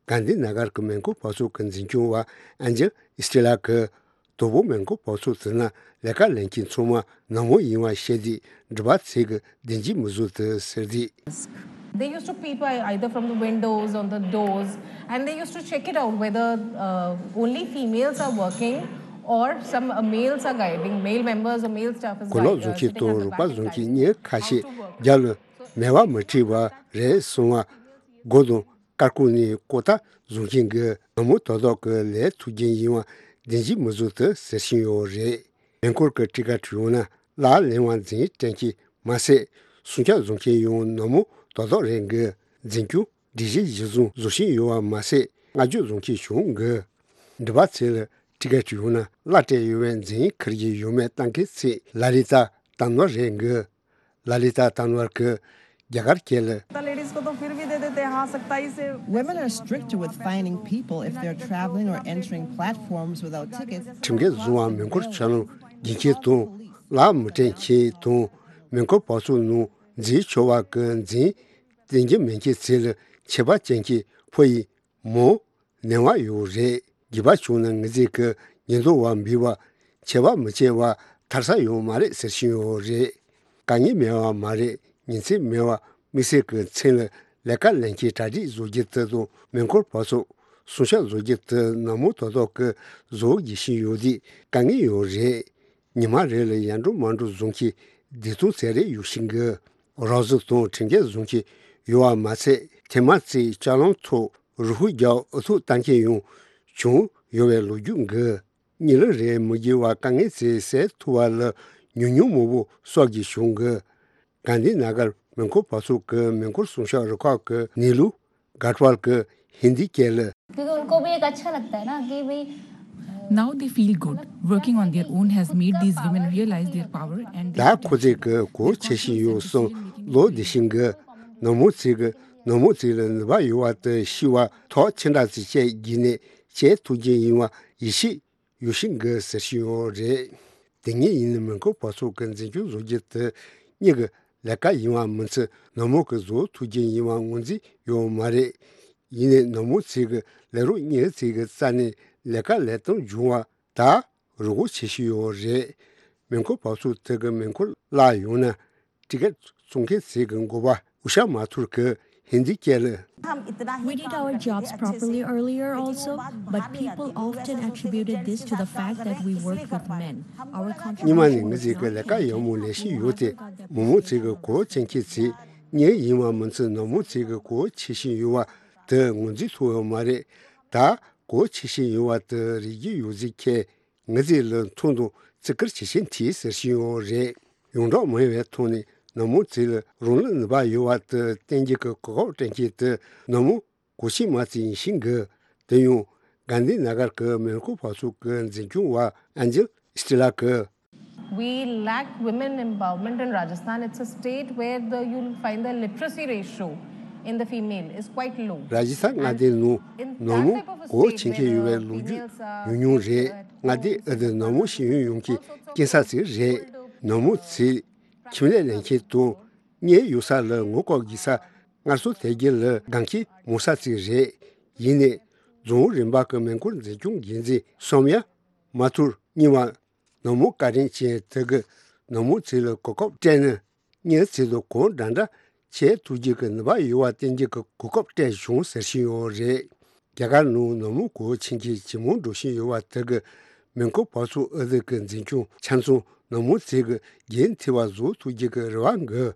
གྷན་དྷི་ན་གར་གྱི་མེ་འཁོར་འབབ་ཚུགས་ཀྱི་འཛིན་སྐྱོང་བ་ཨན་ཇེལ་ཨིས་ཏི་ལ་གིས། དང་པོ་མེ་འཁོར་འབབ་ཚུགས་དེ་ནང་ལས་ཀ་ལེན་མཁན་ཚང་མ་ནུ་མོ་ཡིན་པ་བཤད་དུས་འགྲུལ་པ་ཚོས་ཀྱིས་བདེན་འཛིན་མི་བཟོ་འདུག་ཟེར་དུས། They used to peep ei- either from the windows or the doors, and they used to check it out whether uh, only females are working or some uh, males are guiding, male members or male staff is གོས་ལོག་བཟོ་མཁན་དང་རོགས་པ་བཟོ་མཁན་གཉིས་ཁ་ཤས་རྒྱབ་ལ་མེ་བ་མི་ཁྲིད་པ་རེད་གསུངས་པ། སྒོ་དང་སྐར་ཁུང་ནས་ཀོ་ཏ་ བཟུང་མཁན་གྱི་ནག་མོ་དོ་བདག་གི་ལས་ཐུགས་རྒྱལ་ཡིན་པ་བདེན་བཞི་མི་བཟོ་ཐུབ་ཟེར་བཞིན་ཡོད་རེད། མེ་འཁོར་གྱི་ཊི་ཀེ་ཊི་ཡོད་ན་གླ་ལེན་པ་འཛིན་སྐྲན་གྱི་མ་ཟད། སྲུང་སྐྱོབ་བཟོ་མཁན་ཡང་ནག་མོ་དོ་བདག་རེད་འགི། འཛིན་སྐྱོང་སྒྲིག་གཞི་གཞིར་བཟུང་བཟོ་བཞིན་ཡོད་པ་མ་ཟད། བསྔགས་བརྗོད་བཟོ་མཁན་བྱུང་འགི། འགྲུལ་པ་ཚོ་ལ་ཊི་ཀེ་ཊི་ཡོད་ན་གླ་སྤྲད་ཡོད་པའི་འཛིན་ཁུར་གྱི་ཡོད་མེད་ལྟ་མཁན་ཚོས་ལ་ལི་ཏཱ་ཏང་ནོར་རེད་འགི། ལ་ལི་ཏཱ་ཏང་ནོར་གྱིས་རྒྱ་གར་སྐད་ལ། लेडीज को तो फिर भी दे देते हैं, हाँ, सख्ताई से। Women are strict with fining people if they're traveling or entering platforms without tickets. ཁྲིམས་འགལ་བཟོ་བ་མེ་འཁོར་ཆ་ནང་འགྱིང་མཁན་དང་གླ་མི་སྤྲད་མཁན་དང་མེ་འཁོར་བབས་ཚུགས་ནང་འཛུལ་ཆོག་པ་གི་འཛིན་བསྟན་རྒྱུ་མེད་མཁན་ཚོ་ལ་ཆད་པ་བཅད་མཁན་ཕོ་ཡི་མོ་ནས་བ་ཡོད་རེད། སྒྱིད་པ་བྱུང་ན་ངེད་ཚོས་ཀྱི་ཉེན་རྟོག་པ་འབུལ་བ་ཆད་པ་མི་བཅད་པ་ཐར་ས་ཡོད་མ་རེད་ཟེར་བཞིན་ཡོད་རེད། དཀའ་ངལ་མེད་པ་མ་རེད། ཉིན་མཚན་མེད་པ་དམིགས་བསལ་གྱི་མཚན་ལ་ལས་ཀ་ལེན་མཁན་གྲ་སྒྲིག་བཟོ་རྒྱུ་དེ་དང་མེ་འཁོར་བབས་ཚུགས་སྲུང་སྐྱོབ་བཟོ་རྒྱུ་དེ་ནག་མོ་དོ་བདག་གིས་བཟོ་རྒྱུ་ཞིག་ཡོད་དུས་དཀའ་ངལ་ཡོད་རེད། ཉི་མ་རེ་ལ་ཡར་འགྲོ་མར་འགྲོ་བཟོ་མཁན་བདུན་སྟོང་ཙམ་རེ་ཡོད་བཞིན་གི། རོགས་ཟུར་དང་ཁྲིམས་འགལ་བཟོ་མཁན་ཡོད་པ་མ་ཚད་ཐེངས་མ་ཚོས་ལྕགས་ལམ་ཐོག་རུ་ཧུ་རྒྱག་ཨུ་ཐུག་བཏང་མཁན་ཡང་བྱུང་ཡོད་པའི་ལོ་རྒྱུས་འགི། གཉིད་ལམ་རེ་མི་རྒྱུ་བ་དཀའ་ངལ་ཚོ་སེལ་ཐུབ་པ་ལ་ཉུང་ཉུང་མང་པོ་གསོག་རྒྱུ་བྱུང་གི། གྷན་དྷི་ན་གར་མེ་འཁོར་བབས་ཚུགས་ཀྱི་མེ་འཁོར་སྲུང་སྐྱོབ་རུ་ཁག་གི་ནི་ལུ་གྷ་ཊ་ཝལ་གྱིས་ཧིན་དིའི་སྐད་ལ། क्योंकि उनको भी एक अच्छा लगता है ना कि भाई, Now they feel good. Working on their own has made these women realize their power and their ད་ཁོ་ཚོས་ཀྱི་གོ་ཆེ་ཤིང་ཡོད་སོང་ལོ་འདི་ཤིང་གི་ནག་མོ་ཚོས་ཀྱི་ནག་མོ་ཚོས་ལ་ནུས་པ་ཡོད་པ་དེ་ཤི་བ་ཐོག་ཅི་འདྲ་ཚོས་བྱས་བགྱིས་ནས་བྱས་ཐུགས་རྗེ་ཡིན་པ་ཡིད་ཆེས་ཡོད་ཤིང་གི་ཟེར་ཤིང་ཡོད་རེད། དེ་ངས་ཡིན་ནི་མེ་འཁོར་བབས་ཚུགས་ཀྱི་འཛིན་སྐྱོང་བཟོ་རྒྱུ་དེ་གཉིས་ཀྱི་ལས་ཀ་ཡིན་པ་མིན་ཚུལ་ནག་མོ་གི་བཟོ་ཐུབ་རྒྱུ་ཡིན་པ་ངོས་འཛིན་ཡོད་མ་རེད། ཡིན་ནའི་ནག་མོ་ཚོས་ཀྱི་ལས་རོགས་གཉིས་ཚོས་ཀྱི་རྩ་ནས་ལས་ཀ་ལས་སྟངས་བྱུང་བ་ད་རུ་སྒོ་ཆེ་ཤོས་ཡོད་རེད། མེ་འཁོར་བབས་ཚུགས་དེ་གི་མེ་འཁོར་བརླག་ཡོང་ན་ཊི་ཀེ་ཊི་བཙོང་མཁན་ཚོས་ཀྱི་འགོ་པ་ཨུ་ཤ་མ་ཐུར་གྱིས་ཧིན་དིའི་སྐད་ལ། We did our jobs properly earlier also, but people often attributed this to the fact that we worked with men. Our སྔོན་མ་ནས་contribution ངེད་was ཚོས་ཀྱི་not ལས་ཀ་ཡག་མོ་ལས་བཞིན་ཡོད་དེ་མོ་མོ་ཚོས་ཀྱི་གོ་ཆེན་ཁྱེད་ཚོས་གཉེར་ཡིན་པ་མིན་ཚུལ་ནག་མོ་ཚོས་ཀྱི་གོ་ཆེ་བཞིན་ཡོད་པ་དེ་ངོས་འཛིན་ཐུབ་ཡོད་མ་རེད། ད་གོ་ཆེ་བཞིན་ཡོད་པ་དེ་རིག་རྒྱུ་ཡོད་ཚིག་ཁྱེད། ངེད་ཚོས་ལ་མཐོང་དང་བརྩི་བཀུར་ཇི་བཞིན་མཐིལ་ཟེར་བཞིན་ཡོད་རེད། ཡོངས་གྲགས་མ་ཡིན་པའི་ཐོག་ནས་ནག་མོ་ཚོས་ལ་རང་ལ་ནུས་པ་ཡོད་པ་དེ་བསྟན་རྒྱུ་གི་གོ་སྐབས་སྤྲད་མཁན་དེ་ནག་མོ་གོ་ཆེན་མ་ཚོ་ཡིན་ཤིང་གི། དེ་ཡང་གྷན་དྷི་ན་གར་གྱི་མེ་འཁོར་བབས་ཚུགས་ཀྱི་འཛིན་སྐྱོང་བ་ཨན་ཇེལ་སི་ཏི་ལ་གིས། We lack women empowerment in Rajasthan. It's a state where the, you'll find the literacy ratio in the female is quite low. ར་ཇི་སྟན་མངའ་སྡེ་ནང་ནག་མོ་གོ་ཆེན་མཁན་ཡོད་པའི་ལོ་རྒྱུས་ཉུང་ཉུང་རེད། མངའ་སྡེ་འདི་ནག་མོ་ཤེས་ཡོན་ཡོང་མཁན་སྐྱིན་ས་ཚིགས་རེད། ནག་མོ་ཚོས་ཁྱིམ་ལས་ལས་མཁན་དང་གཉེར་ཡོད་ས་ལ་ངོ་ལྐོག་བགྱིས་ས་སྔར་སྲོལ་དར་རྒྱས་ལ་དགའ་མཁན་མང་ས་ཚིགས་རེད། ཡིན་ནའི་རྫོང་རིམ་པ་གི་མེ་འཁོར་འཛིན་སྐྱོང་འགན་འཛིན་སོམ་ཡ་མ་ཐུར་གཉིས་པ་ནག་མོ་བཀའ་དྲིན་ཅན་དེ་གིས་ནག་མོ་ཚོ་ལ་གོ་སྐབས་སྤྲད་ན་གཉེར་ཚོ་དང་གང་འདྲ་འདྲ་བྱེད་ཐུབ་རྒྱུ་གི་ནུས་པ་ཡོད་པ་བསྟན་རྒྱུ་གི་གོ་སྐབས་སྤྲད་བྱུང་ཟེར་བཞིན་ཡོད་རེད། རྒྱ་གར་ནང་ནག་མོ་གོ་ཆེན་གྱི་ཇེ་མང་འགྲོ་བཞིན་ཡོད་པ་དེ་གིས་མེ་འཁོར་བབས་ཚུགས་ཨ་ཟི་གི་འཛིན་སྐྱོང་ཆ་ཚང་ནག་མོ་ཚོ་གི་རྒྱུན་མཐུད་པ་བཟོ་ཐུབ་རྒྱུ་གི་རེ་བ་འགོད།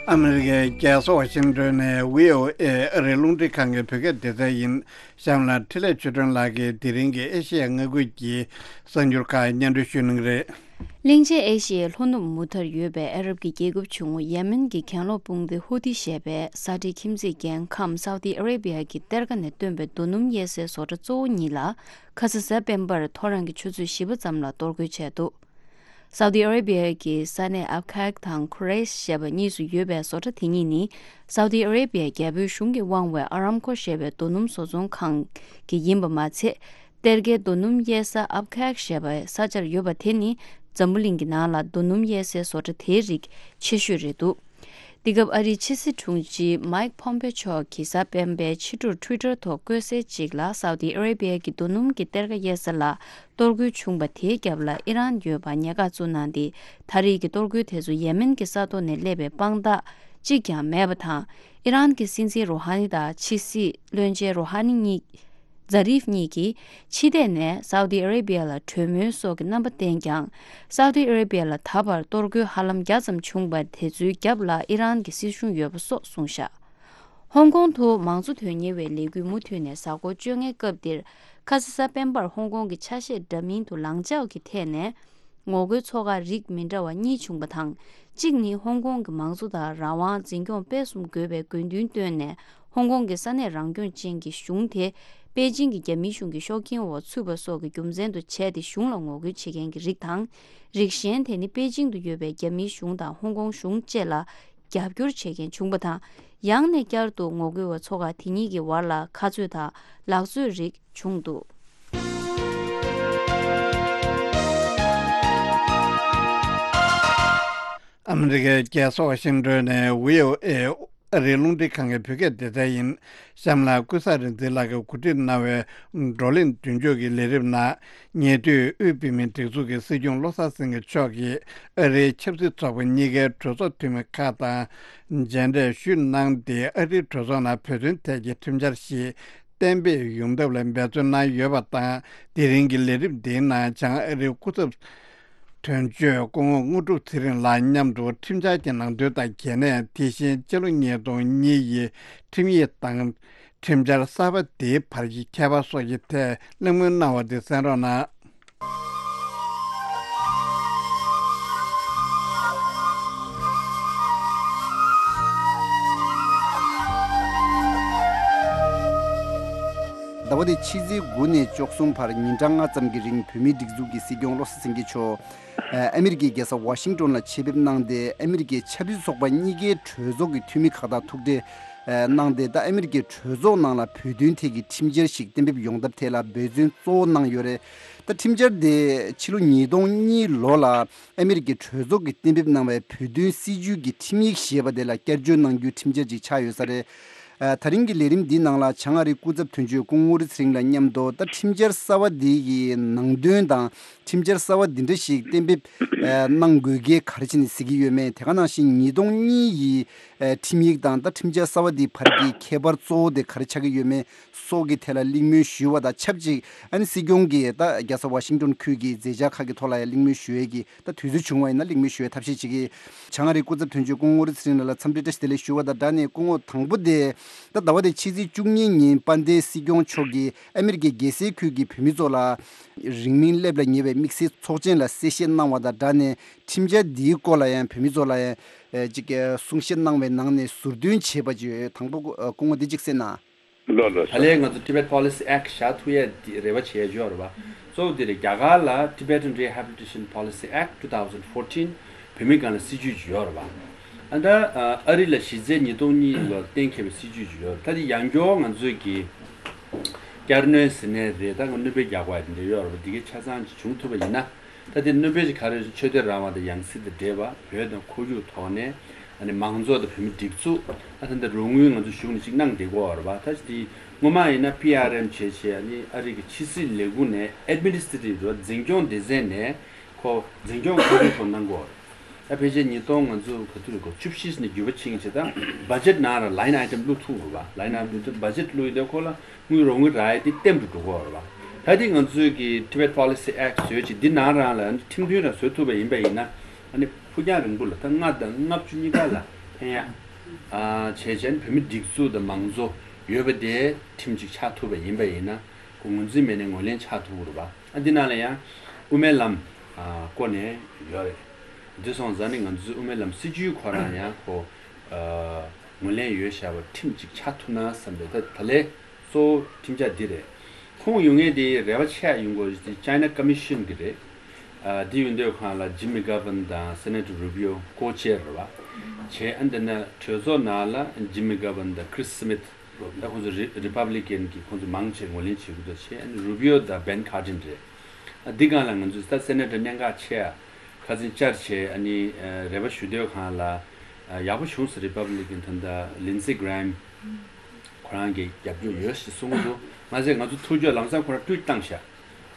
ཨ་མི་རི་ཀའི་རྒྱལ་ས་ཝ་ཤིང་ཏོན་ནས་བྷི་ཨོ་ཨེ་ཨ་རིའི་རླུང་འཕྲིན་ཁང་གི་བོད་སྐད་སྡེ་ཚན་ཡིན། གཤམ་ལ་འཕྲིན་ལས་ཆོས་སྒྲོན་ལགས་ཀྱིས་དེ་རིང་གི་ཨེ་ཤེ་ཡ་མངའ་ཁུལ་གྱི་གསར་འགྱུར་ཁག་སྙན་སྒྲོན་ཞུ་གནང་གི་རེད། གླིང་ཆེན་ཨེ་ཤེ་ཡའི་ལྷོ་ནུབ་མུ་མཐར་ཡོད་པའི་ཨ་རབ་ཀྱི་རྒྱལ་ཁབ་ཆུང་ངུ་ཡེ་མེན་གྱི་གྱེན་ལོག་དཔུང་སྡེ་ཧུ་ཐི་ཞེས་པས་ས་ཁྲའི་ཁྱིམ་མཚེས་རྒྱལ་ཁམས་སའུ་ཏི་ཨ་རེ་བི་ཡ་གི་གཏེར་ཁ་ནས་བཏོན་པའི་རྡོ་སྣུམ་གཡར་སའི་བཟོ་གྲྭ་གཙོ་བོ་གཉིས་ལ་ཁ་ས་གཟའ་སྤེན་པར་ཐོ་རངས་ཀྱི་ཆུ་ཚོད་བཞི་པ་ཙམ་ལ་གཏོར་རྒོལ་བྱས་འདུག་སའུ་ཏི་ཨ་རེ་བི་ཡ་གི་ས་གནས་ཨབ་ཁཱག་དང་ཁུ་རེ་ཤ་ཞེས་པ་གཉིས་སུ་ཡོད་པའི་བཟོ་གྲྭ་དེ་གཉིས་ནི་སའུ་ཏི་ཨ་རེ་བི་ཡ་རྒྱལ་པོའི་གཞུང་གིས་དབང་བའི་ཨ་རམ་ཁོ་ཞེས་པའི་རྡོ་སྣུམ་བཟོ་ཚོང་ཁང་གི་ཡིན་པ་མ་ཚད། གཏེར་ཁའི་རྡོ་སྣུམ་གཡར་ས་ཨབ་ཁཱག་ཞེས་པའི་ས་ཆར་ཡོད་པ་དེ་ནི་འཛམ་བུ་གླིང་གི་ནང་ལ་རྡོ་སྣུམ་གཡར་སའི་བཟོ་གྲྭ་དེའི་རིགས་ཆེ་ཤོས་རེད་འདུག་འདི་སྐབས་ཨ་རིའི་ཕྱི་སྲིད་དྲུང་ཆེ་མཱིག་ཕོམ་པེ་མཆོག་གིས་གཟའ་སྤེན་པའི་ཕྱི་དྲོར་ཊུའི་ཊར་ཐོག་བཀོད་གསལ་ཅིག་ལ་སའུ་ཏི་ཨ་རེ་བི་ཡ་གི་རྡོ་སྣུམ་གྱི་གཏེར་ཁ་གཡར་ས་ལ་གཏོར་རྒོལ་བྱུང་བ་དེའི་རྒྱབ་ལ་ཨི་རན་ཡོད་པ་ཉེན་ཁ་བཙུགས་གནང་སྟེ། ད་རེས་ཀྱི་གཏོར་རྒོལ་དེ་ཚོ་ཡེ་མེན་གྱི་ས་ཐོག་ནས་སླེབས་པའི་དཔང་རྟགས་གཅིག་ཀྱང་མེད་པ་དང་། ཨི་རན་གྱི་སྲིད་འཛིན་རུ་ཧ་ནི་དང་ཕྱི་སྲིད་བློན་ཆེན་རུ་ཧ་ནི་གཉིས། ཛ་རིབ་གཉིས་ཀྱིས་ཕྱི་བལྟས་ནས་སའུ་ཏི་ཨ་རེ་བྷི་ཡ་ལ་གྲོས་མོལ་སོགས་ཀྱི་རྣམ་པ་བསྟན་ཀྱང་། སའུ་ཏི་ཨ་རེ་བྷི་ཡ་ལ་ད་བར་གཏོར་རྒོལ་ཧ་ལམ་བརྒྱ་ཙམ་བྱུང་བར། དེ་ཚོའི་རྒྱབ་ལ་ཨི་རན་གྱི་སྲིད་གཞུང་ཡོད་པ་སོགས་གསུངས་བཞག་ཧོང་ཀོང་དུ་མང་གཙོ་དོན་གཉེར་བའི་ལས་འགུལ་མུ་མཐུད་ནས་གཟའ་འཁོར་བཅོ་ལྔའི་སྐབས་འདིར། ཁ་ས་གཟའ་སྤེན་པར་ཧོང་ཀོང་གི་ཆ་ཤས་འདྲ་མིན་དུ་ལངས་འཇགས་ཀྱི་ཐད་ནས་ངོ་རྒོལ་ཚོགས་ཁག་རིགས་མི་འདྲ་བ་གཉིས་བྱུང་བ་དང་། གཅིག་ནི་ཧོང་ཀོང་གི་མང་གཙོ་དང་རང་དབང་འཛིན་སྐྱོང་སྤེལ་གསུམ་དགོས་པའི་དགོས་འདུན་བཏོན་ནས། ཧོང་ཀོང་གི་ས་གནས་རང་སྐྱོང་ཅན་གྱི་གཞུང་དེ་པེ་ཅིང་གི་རྒྱ་མིའི་གཞུང་གི་ཤོག་འགན་འོག་ཚུད་པ་སོགས་ཀྱི་རྒྱུ་མཚན་དུ་བྱས་ཏེ་གཞུང་ལ་ངོ་རྒོལ་བྱེད་མཁན་གྱི་རིགས་དང་། རིགས་གཞན་དེ་ནི་པེ་ཅིང་དུ་ཡོད་པའི་རྒྱ་མིའི་གཞུང་དང་ཧོང་ཀོང་གཞུང་བཅས་ལ་རྒྱབ་སྐྱོར་བྱེད་མཁན་བྱུང་བ་དང་། ཡང་ནས་བསྐྱར་དུ་ངོ་རྒོལ་བ་ཚོ་ཁག་དེ་གཉིས་ཀྱི་བར་ལ་ཁ་རྩོད་དང་ལག་རྩོད་རིགས་བྱུང་འདུག་ཨ་མི་རི་ཀའི་རྒྱལ་ས་ཝ་ཤིང་ཏོན་ནས་བྷི་ཨོ་ཨེ་ཨ་རིའི་རླུང་འཕྲིན་ཁང་གི་བོད་སྐད་སྡེ་ཚན་ཡིན། གཤམ་ལ་ཀུན་བཟང་རིག་འཛིན་ལགས་ཀྱིས་གོ་སྒྲིག་གནང་བའི་བགྲོ་གླེང་མདུན་སྐྱོད་ཀྱི་ལས་རིམ་ནང་། ཉེ་དུས་དབུས་བོད་མིའི་སྒྲིག་འཛུགས་ཀྱི་སྲིད་སྐྱོང་བློ་བཟང་སེང་གེ་མཆོག་གིས་ཨ་རིའི་ཆབ་སྲིད་ཚོགས་པ་གཉིས་ཀའི་གྲོས་ཚོགས་འཐུས་མི་ཁག་དང་མཇལ་འཕྲད་ཞུས་གནང་སྟེ། ཨ་རིའི་གྲོས་ཚོགས་ནང་བོད་དོན་ཐད་ཀྱི་ཁྲིམས་འཆར་ཞིག་གཏན་འབེབས་ཡོང་ཐབས་ལ་འབད་བརྩོན་གནང་ཡོད་པ་དང་། དེ་རིང་གི་ལས་རིམ་འདིའི་ནང་བྱང་ཨ་རིའི་སྐུ་ཚབ་དོན་གཅོད་སྐུ་ངོ་དངོས་གྲུབ་ཚེ་རིང་ལགས་མཉམ་དུ་ཁྲིམས་འཆར་གྱི་ནང་དོན་དང་གལ་གནད། དེ་བཞིན་སྤྱི་ལོ་ཉིས་སྟོང་གཉིས་ཡི་ཁྲིམས་ཡིག་དང་ཁྲིམས་འཆར་གསར་པ་དེའི་བར་གྱི་ཁྱད་པར་སོགས་ཀྱི་ཐད་གླེང་མོལ་གནང་བ་དེ་གསན་རོགས་གནང་། ཟླ་བ་འདིའི་ཕྱི་ཚེས་དགུ་ནས་བཅུ་གསུམ་བར་ཉིན་གྲངས་ལྔ་ཙམ་གྱི་རིང་བོད་མིའི་སྒྲིག་འཛུགས་ཀྱི་སྲིད་སྐྱོང་བློ་བཟང་སེང་གེ་མཆོག་ཨ་མི་རི་ཀའི་རྒྱལ་ས་ཝ་ཤིང་ཏོན་ལ་ཆེད་ཕེབས་གནང་སྟེ། ཨ་མི་རི་ཀའི་ཆབ་སྲིད་ཚོགས་པ་གཉིས་ཀའི་གྲོས་ཚོགས་ཀྱི་འཐུས་མི་ཁག་དང་ཐུག་འཕྲད་གནང་སྟེ། ད་ཨ་མི་རི་ཀའི་གྲོས་ཚོགས་ནང་ལ་བོད་དོན་ཐད་ཀྱི་ཁྲིམས་འཆར་ཞིག་གཏན་འབེབས་ཡོང་ཐབས་ཐད་ལ་འབད་བརྩོན་གཙོ་བོ་གནང་ཡོད་རེད། ད་ཁྲིམས་འཆར་དེ་ཕྱི་ལོ་ཉིས་སྟོང་གཉིས་ལོ་ལ་ཨ་མི་རི་ཀའི་གྲོས་ཚོགས་ཀྱིས་གཏན་འབེབས་གནང་བའི་བོད་དོན་སྲིད་བྱུས་ཀྱི་ཁྲིམས་ཡིག་ཞེས་པ་དེ་ལ་བསྐྱར་བཅོས་གནང་རྒྱུའི་ཁྲིམས་འཆར་ཅིག་ཆགས་ཡོད་ས་རེད། ཨ། ད་རིང་གི་ལས་རིམ་འདིའི་ནང་ལ་བྱང་ཨ་རིའི་སྐུ་ཚབ་དོན་གཅོད་སྐུ་ངོ་ངོ་རི་ཚེ་རིང་ལགས་མཉམ་དུ། ད་ཁྲིམས་འཆར་གསར་བ་འདི་ཡི་ནང་དོན་དང་། ཁྲིམས་འཆར་གསར་བ་འདི་འདྲ་ཞིག་གཏན་འབེབས་ཨ་གནང་དགོས་གལ་ག་རེ་བྱས་ནས་གཟིགས་ཀྱི་ཡོད་མེད། དེ་ག་ནང་བཞིན་ཉིས་སྟོང་གཉིས་ཡི་ཨ་ཁྲིམས་ཡིག་དང་ད་ཁྲིམས་འཆར་གསར་བ་འདིའི་བར་གྱི་ཁྱད་པར་གཙོ་བོ་དེ་ག་རེ་ཆགས་ཀྱི་ཡོད་མེད་སོགས་ཀྱི་ཐད་ལ་གླེང་མོལ་ཞུས་པ་དང་ཆབས་ཅིག་ཨ་ནི་སྲིད་སྐྱོང་གིས་ད་རྒྱལ་ས་ཝ་ཤིང་ཏོན་ཁུལ་གྱི་མཛད་འཆར་ཁག་གི་ཐོག་ལ་ཡང་གླེང་མོལ་ཞུ་ཡས་ཀྱི། ད་དུས་ཚོད་བྱུང་བ་ཡིན་ན་གླེང་མོལ་ཞུ་བའི་ཐབས་ཤེས་བྱེད་ཀྱི། བྱང་ཨ་རིའི་སྐུ་ཚབ་དོན་གཅོད་སྐུ་ངོ་ངོ་རི་ཚེ་རིང་ལགས་ལ་འཚམས་འདྲི་བཀྲ་ཤིས་བདེ་ལེགས་ཞུ་བ་དང་སྦྲགས་ནས། སྐུ་ངོ་དང་པོ་དེ། ད་ཟླ་བ་འདིའི་ཕྱི་ཚེས་བཅུ་གཉིས་ཉིན་དཔལ་ལྡན་སྲིད་སྐྱོང་མཆོག་གིས་ཨ་མི་རི་ཀའི་རྒྱལ་སའི་ཁུལ་གྱི་བོད་མི་ཚོ་ལ་རིང་མིན་སླེབས་ལ་ཉེ་བའི་དམིགས་བསལ་ཚོགས་ཆེན་ལ་གསལ་བཤད་གནང་བ་དང་སྦྲགས་ནས། ཁྲིམས་འཆར་འདིའི་སྐོར་ལ་ཡང་བོད་མི་ཚོ་ལ་ཡང་ཅིག་གསུང་བཤད་གནང་བའི་ནང་ནས་ཟུར་འདོན་བྱས་པ་ཅིག་ཡོད། དང་པོ་སྐུ་ངོ་འདི་གཅིག་གསན་ན། ལགས་ལགས་ད་ལན་ང་ཚོ་Tibet Policy Act བཞག་ཐུབ་ཡས་འདི་རེ་བ་བྱས་ཡོད་རེད་པ། གཙོ་བོ་འདི་རེད། རྒྱ་གར་ལ་Tibetan Rehabilitation Policy Act two thousand fourteen བོད་མི་སྒང་ལ་སྲིད་ཇུས་ཅིག་ཡོད་རེད་པ། ཨ་ད་ཨ་རི་ལ་གཞི་རྩའི་ཉིས་སྟོང་གཉིས་ལོར་གཏན་འཁེལ་བའི་སྲིད་ཇུས་ཅིག་ཡོད་རེད། ད་འདི་ཡང་སྐྱར་ང་ཚོས་ཀྱི་བསྐྱར་སྣོན་ཟེར་ནའི་རེད། ད་ང་གནོན་པའི་རྒྱག་པ་འདི་འདྲ་ཡོད་རེད་པ། འདི་གའི་ཆ་ཚང་ཅིག་བྱུང་ཐུབ་པ་ཡིན་ན། ད་དེ་གནོད་པའི་ཆ་ག་རེ་ཆོས་དད་རང་དབང་དང་ཡང་སྲིད་དང་འབྲེལ་བ། བོད་དང་ཁོར་ཡུག་ཐོག་ནས་ཨ་ནི་མང་གཙོ་དང་བོད་མི་སྒྲིག་འཛུགས། ཨ་ད་ལྟ་རོགས་དངུལ་ང་ཚོ་གཞུང་ནས་ཅིག་གནང་བསྡད་ཀྱི་ཡོད་རེད་པ། ད་ཅི་དེ་སྔོན་མ་ཡིན་ན་པི་ཨར་ཨེམ་བྱས་བྱས། ཨ་ནི་ཨ་རི་གི་ཕྱི་སྲིད་ལས་ཁུངས་ནས་ཨེཌ་མི་ནི་སི་ཊྲེ་ཊིབ་རེད་པ། འཛིན་སྐྱོང་སྡེ་ཚན་ནས་ཁོ་འཛིན་སྐྱོང་ཁོ་རང་ཁོ་གནང་གི་ཡོད་རེད། ད་ཕལ་ཆེར་ཉིས་སྟོང་ང་ཚོ་ག་དུས་རེད། ཁོ་བཅུ་བཞི་ནས་བརྒྱུད་པ་ཕྱིན་བྱས། ད་བ་ཇེཊ་ནང་ལ་ལའིན་ཨའི་ཊེམ་བླུགས་ཐུབ་རེད་པ། ལའིན་ཨའི་ཊེམ་བླུགས་ཐུབ། བ་ཇེཊ་བླུགས་ཡོང་དུས་ཁོ་ལ་དངུལ་རོགས་དངུལ་རག་ཡས་དེ་ལྟེམ་དུ་འགྲོ་གི་ཡོད་རེད་པ། ད་དེ་ང་ཚོས་ཀྱི་Tibet Policy Act བཟོས་བྱས་འདི་ནང་རང་ལ་ཁྲིམས་མཐུན་རང་བཟོ་ཐུབ་པ་ཡིན་པ་ཡིན་ན། ཨ་ནི་ཕུགས་རྒྱང་རིང་པོ་ལ་ད་ལྔ་དང་ལྔ་བཅུ་གཉིས་ཀ་ལ་ཕན་ཡག་ཨ་བྱས་བྱས། ཨ་ནི་བོད་མི་སྒྲིག་འཛུགས་དང་མང་གཙོ་ཡོད་པ་དེ་ཁྲིམས་ཅིག་ཆགས་ཐུབ་པ་ཡིན་པ་ཡིན་ན། ཁོ་ངོས་འཛིན་མེད་ནའི་ངོས་ལེན་ཆགས་ཐུབ་ཀྱི་རེད་པ། ཨ་འདི་ནང་ལ་ཡང་དབུ་མའི་ལམ་ཨ་བསྐོར་ནས་ཡོད་རེད། འདི་སོང་ཙང་ནི་ང་ཚོའི་དབུ་མའི་ལམ་སྲིད་བྱུས་ཁོ་རང་ཡང་ཁོ་ཨ་ངོས་ལེན་ཡོད་བཞག་པ་ཁྲིམས་ཅིག་ཆགས་ཐུབ་ན་བསམ་པའི། ད་ད་ལན་གཙོ་བོ་ཁྲིམས་འཆར་འདི་རེད། ཁོང་ཡོང་མཁན་དེ་རེ་བ་ཆེ་ཡ་ཡོང་དགོས་དེ་China Commission གི་རེད། ཨ་འདི་ཡོང་དུས་སྒང་ལ་Jim McGovern དང་Senator Rubio ཀོ་ཅེར་རེད་པ། བྱས། ཨ་འདི་ན་གྲོས་ཚོགས་ནང་ལ་Jim McGovern དང་Chris Smith ད་ཁོང་ཚོ་རི་Republican གི་ཁོང་ཚོ་མང་ཆེ་ངོས་ལེན་བྱེད་ཀྱི་འདུག་བྱས། ཨ་ནི་Rubio དང་Ben Cardin རེད། ཨ་འདི་སྒང་ལ་ང་ཚོས་ད་Senator གནད་འགག་ཆེ་ཡ་ཁ་སང་བཅར་བྱས། ཨ་ནི་ཨ་རེ་བ་ཞུ་དུས་སྒང་ལ་ཨ་ཡག་པོ་བྱུང་སོང་། Republican ད་ལྟ་Lindsey Graham ཁོ་རང་གིས་རྒྱབ་སྐྱོར་ཡོད་ཞེས་གསུང་གི་འདུག་མ་ཟད་ང་ཚོ་ཐུགས་རྒྱུས་ལམ་སང་ཁོ་རང་ཊུ་ཝིཊ་བཏང་ཤག་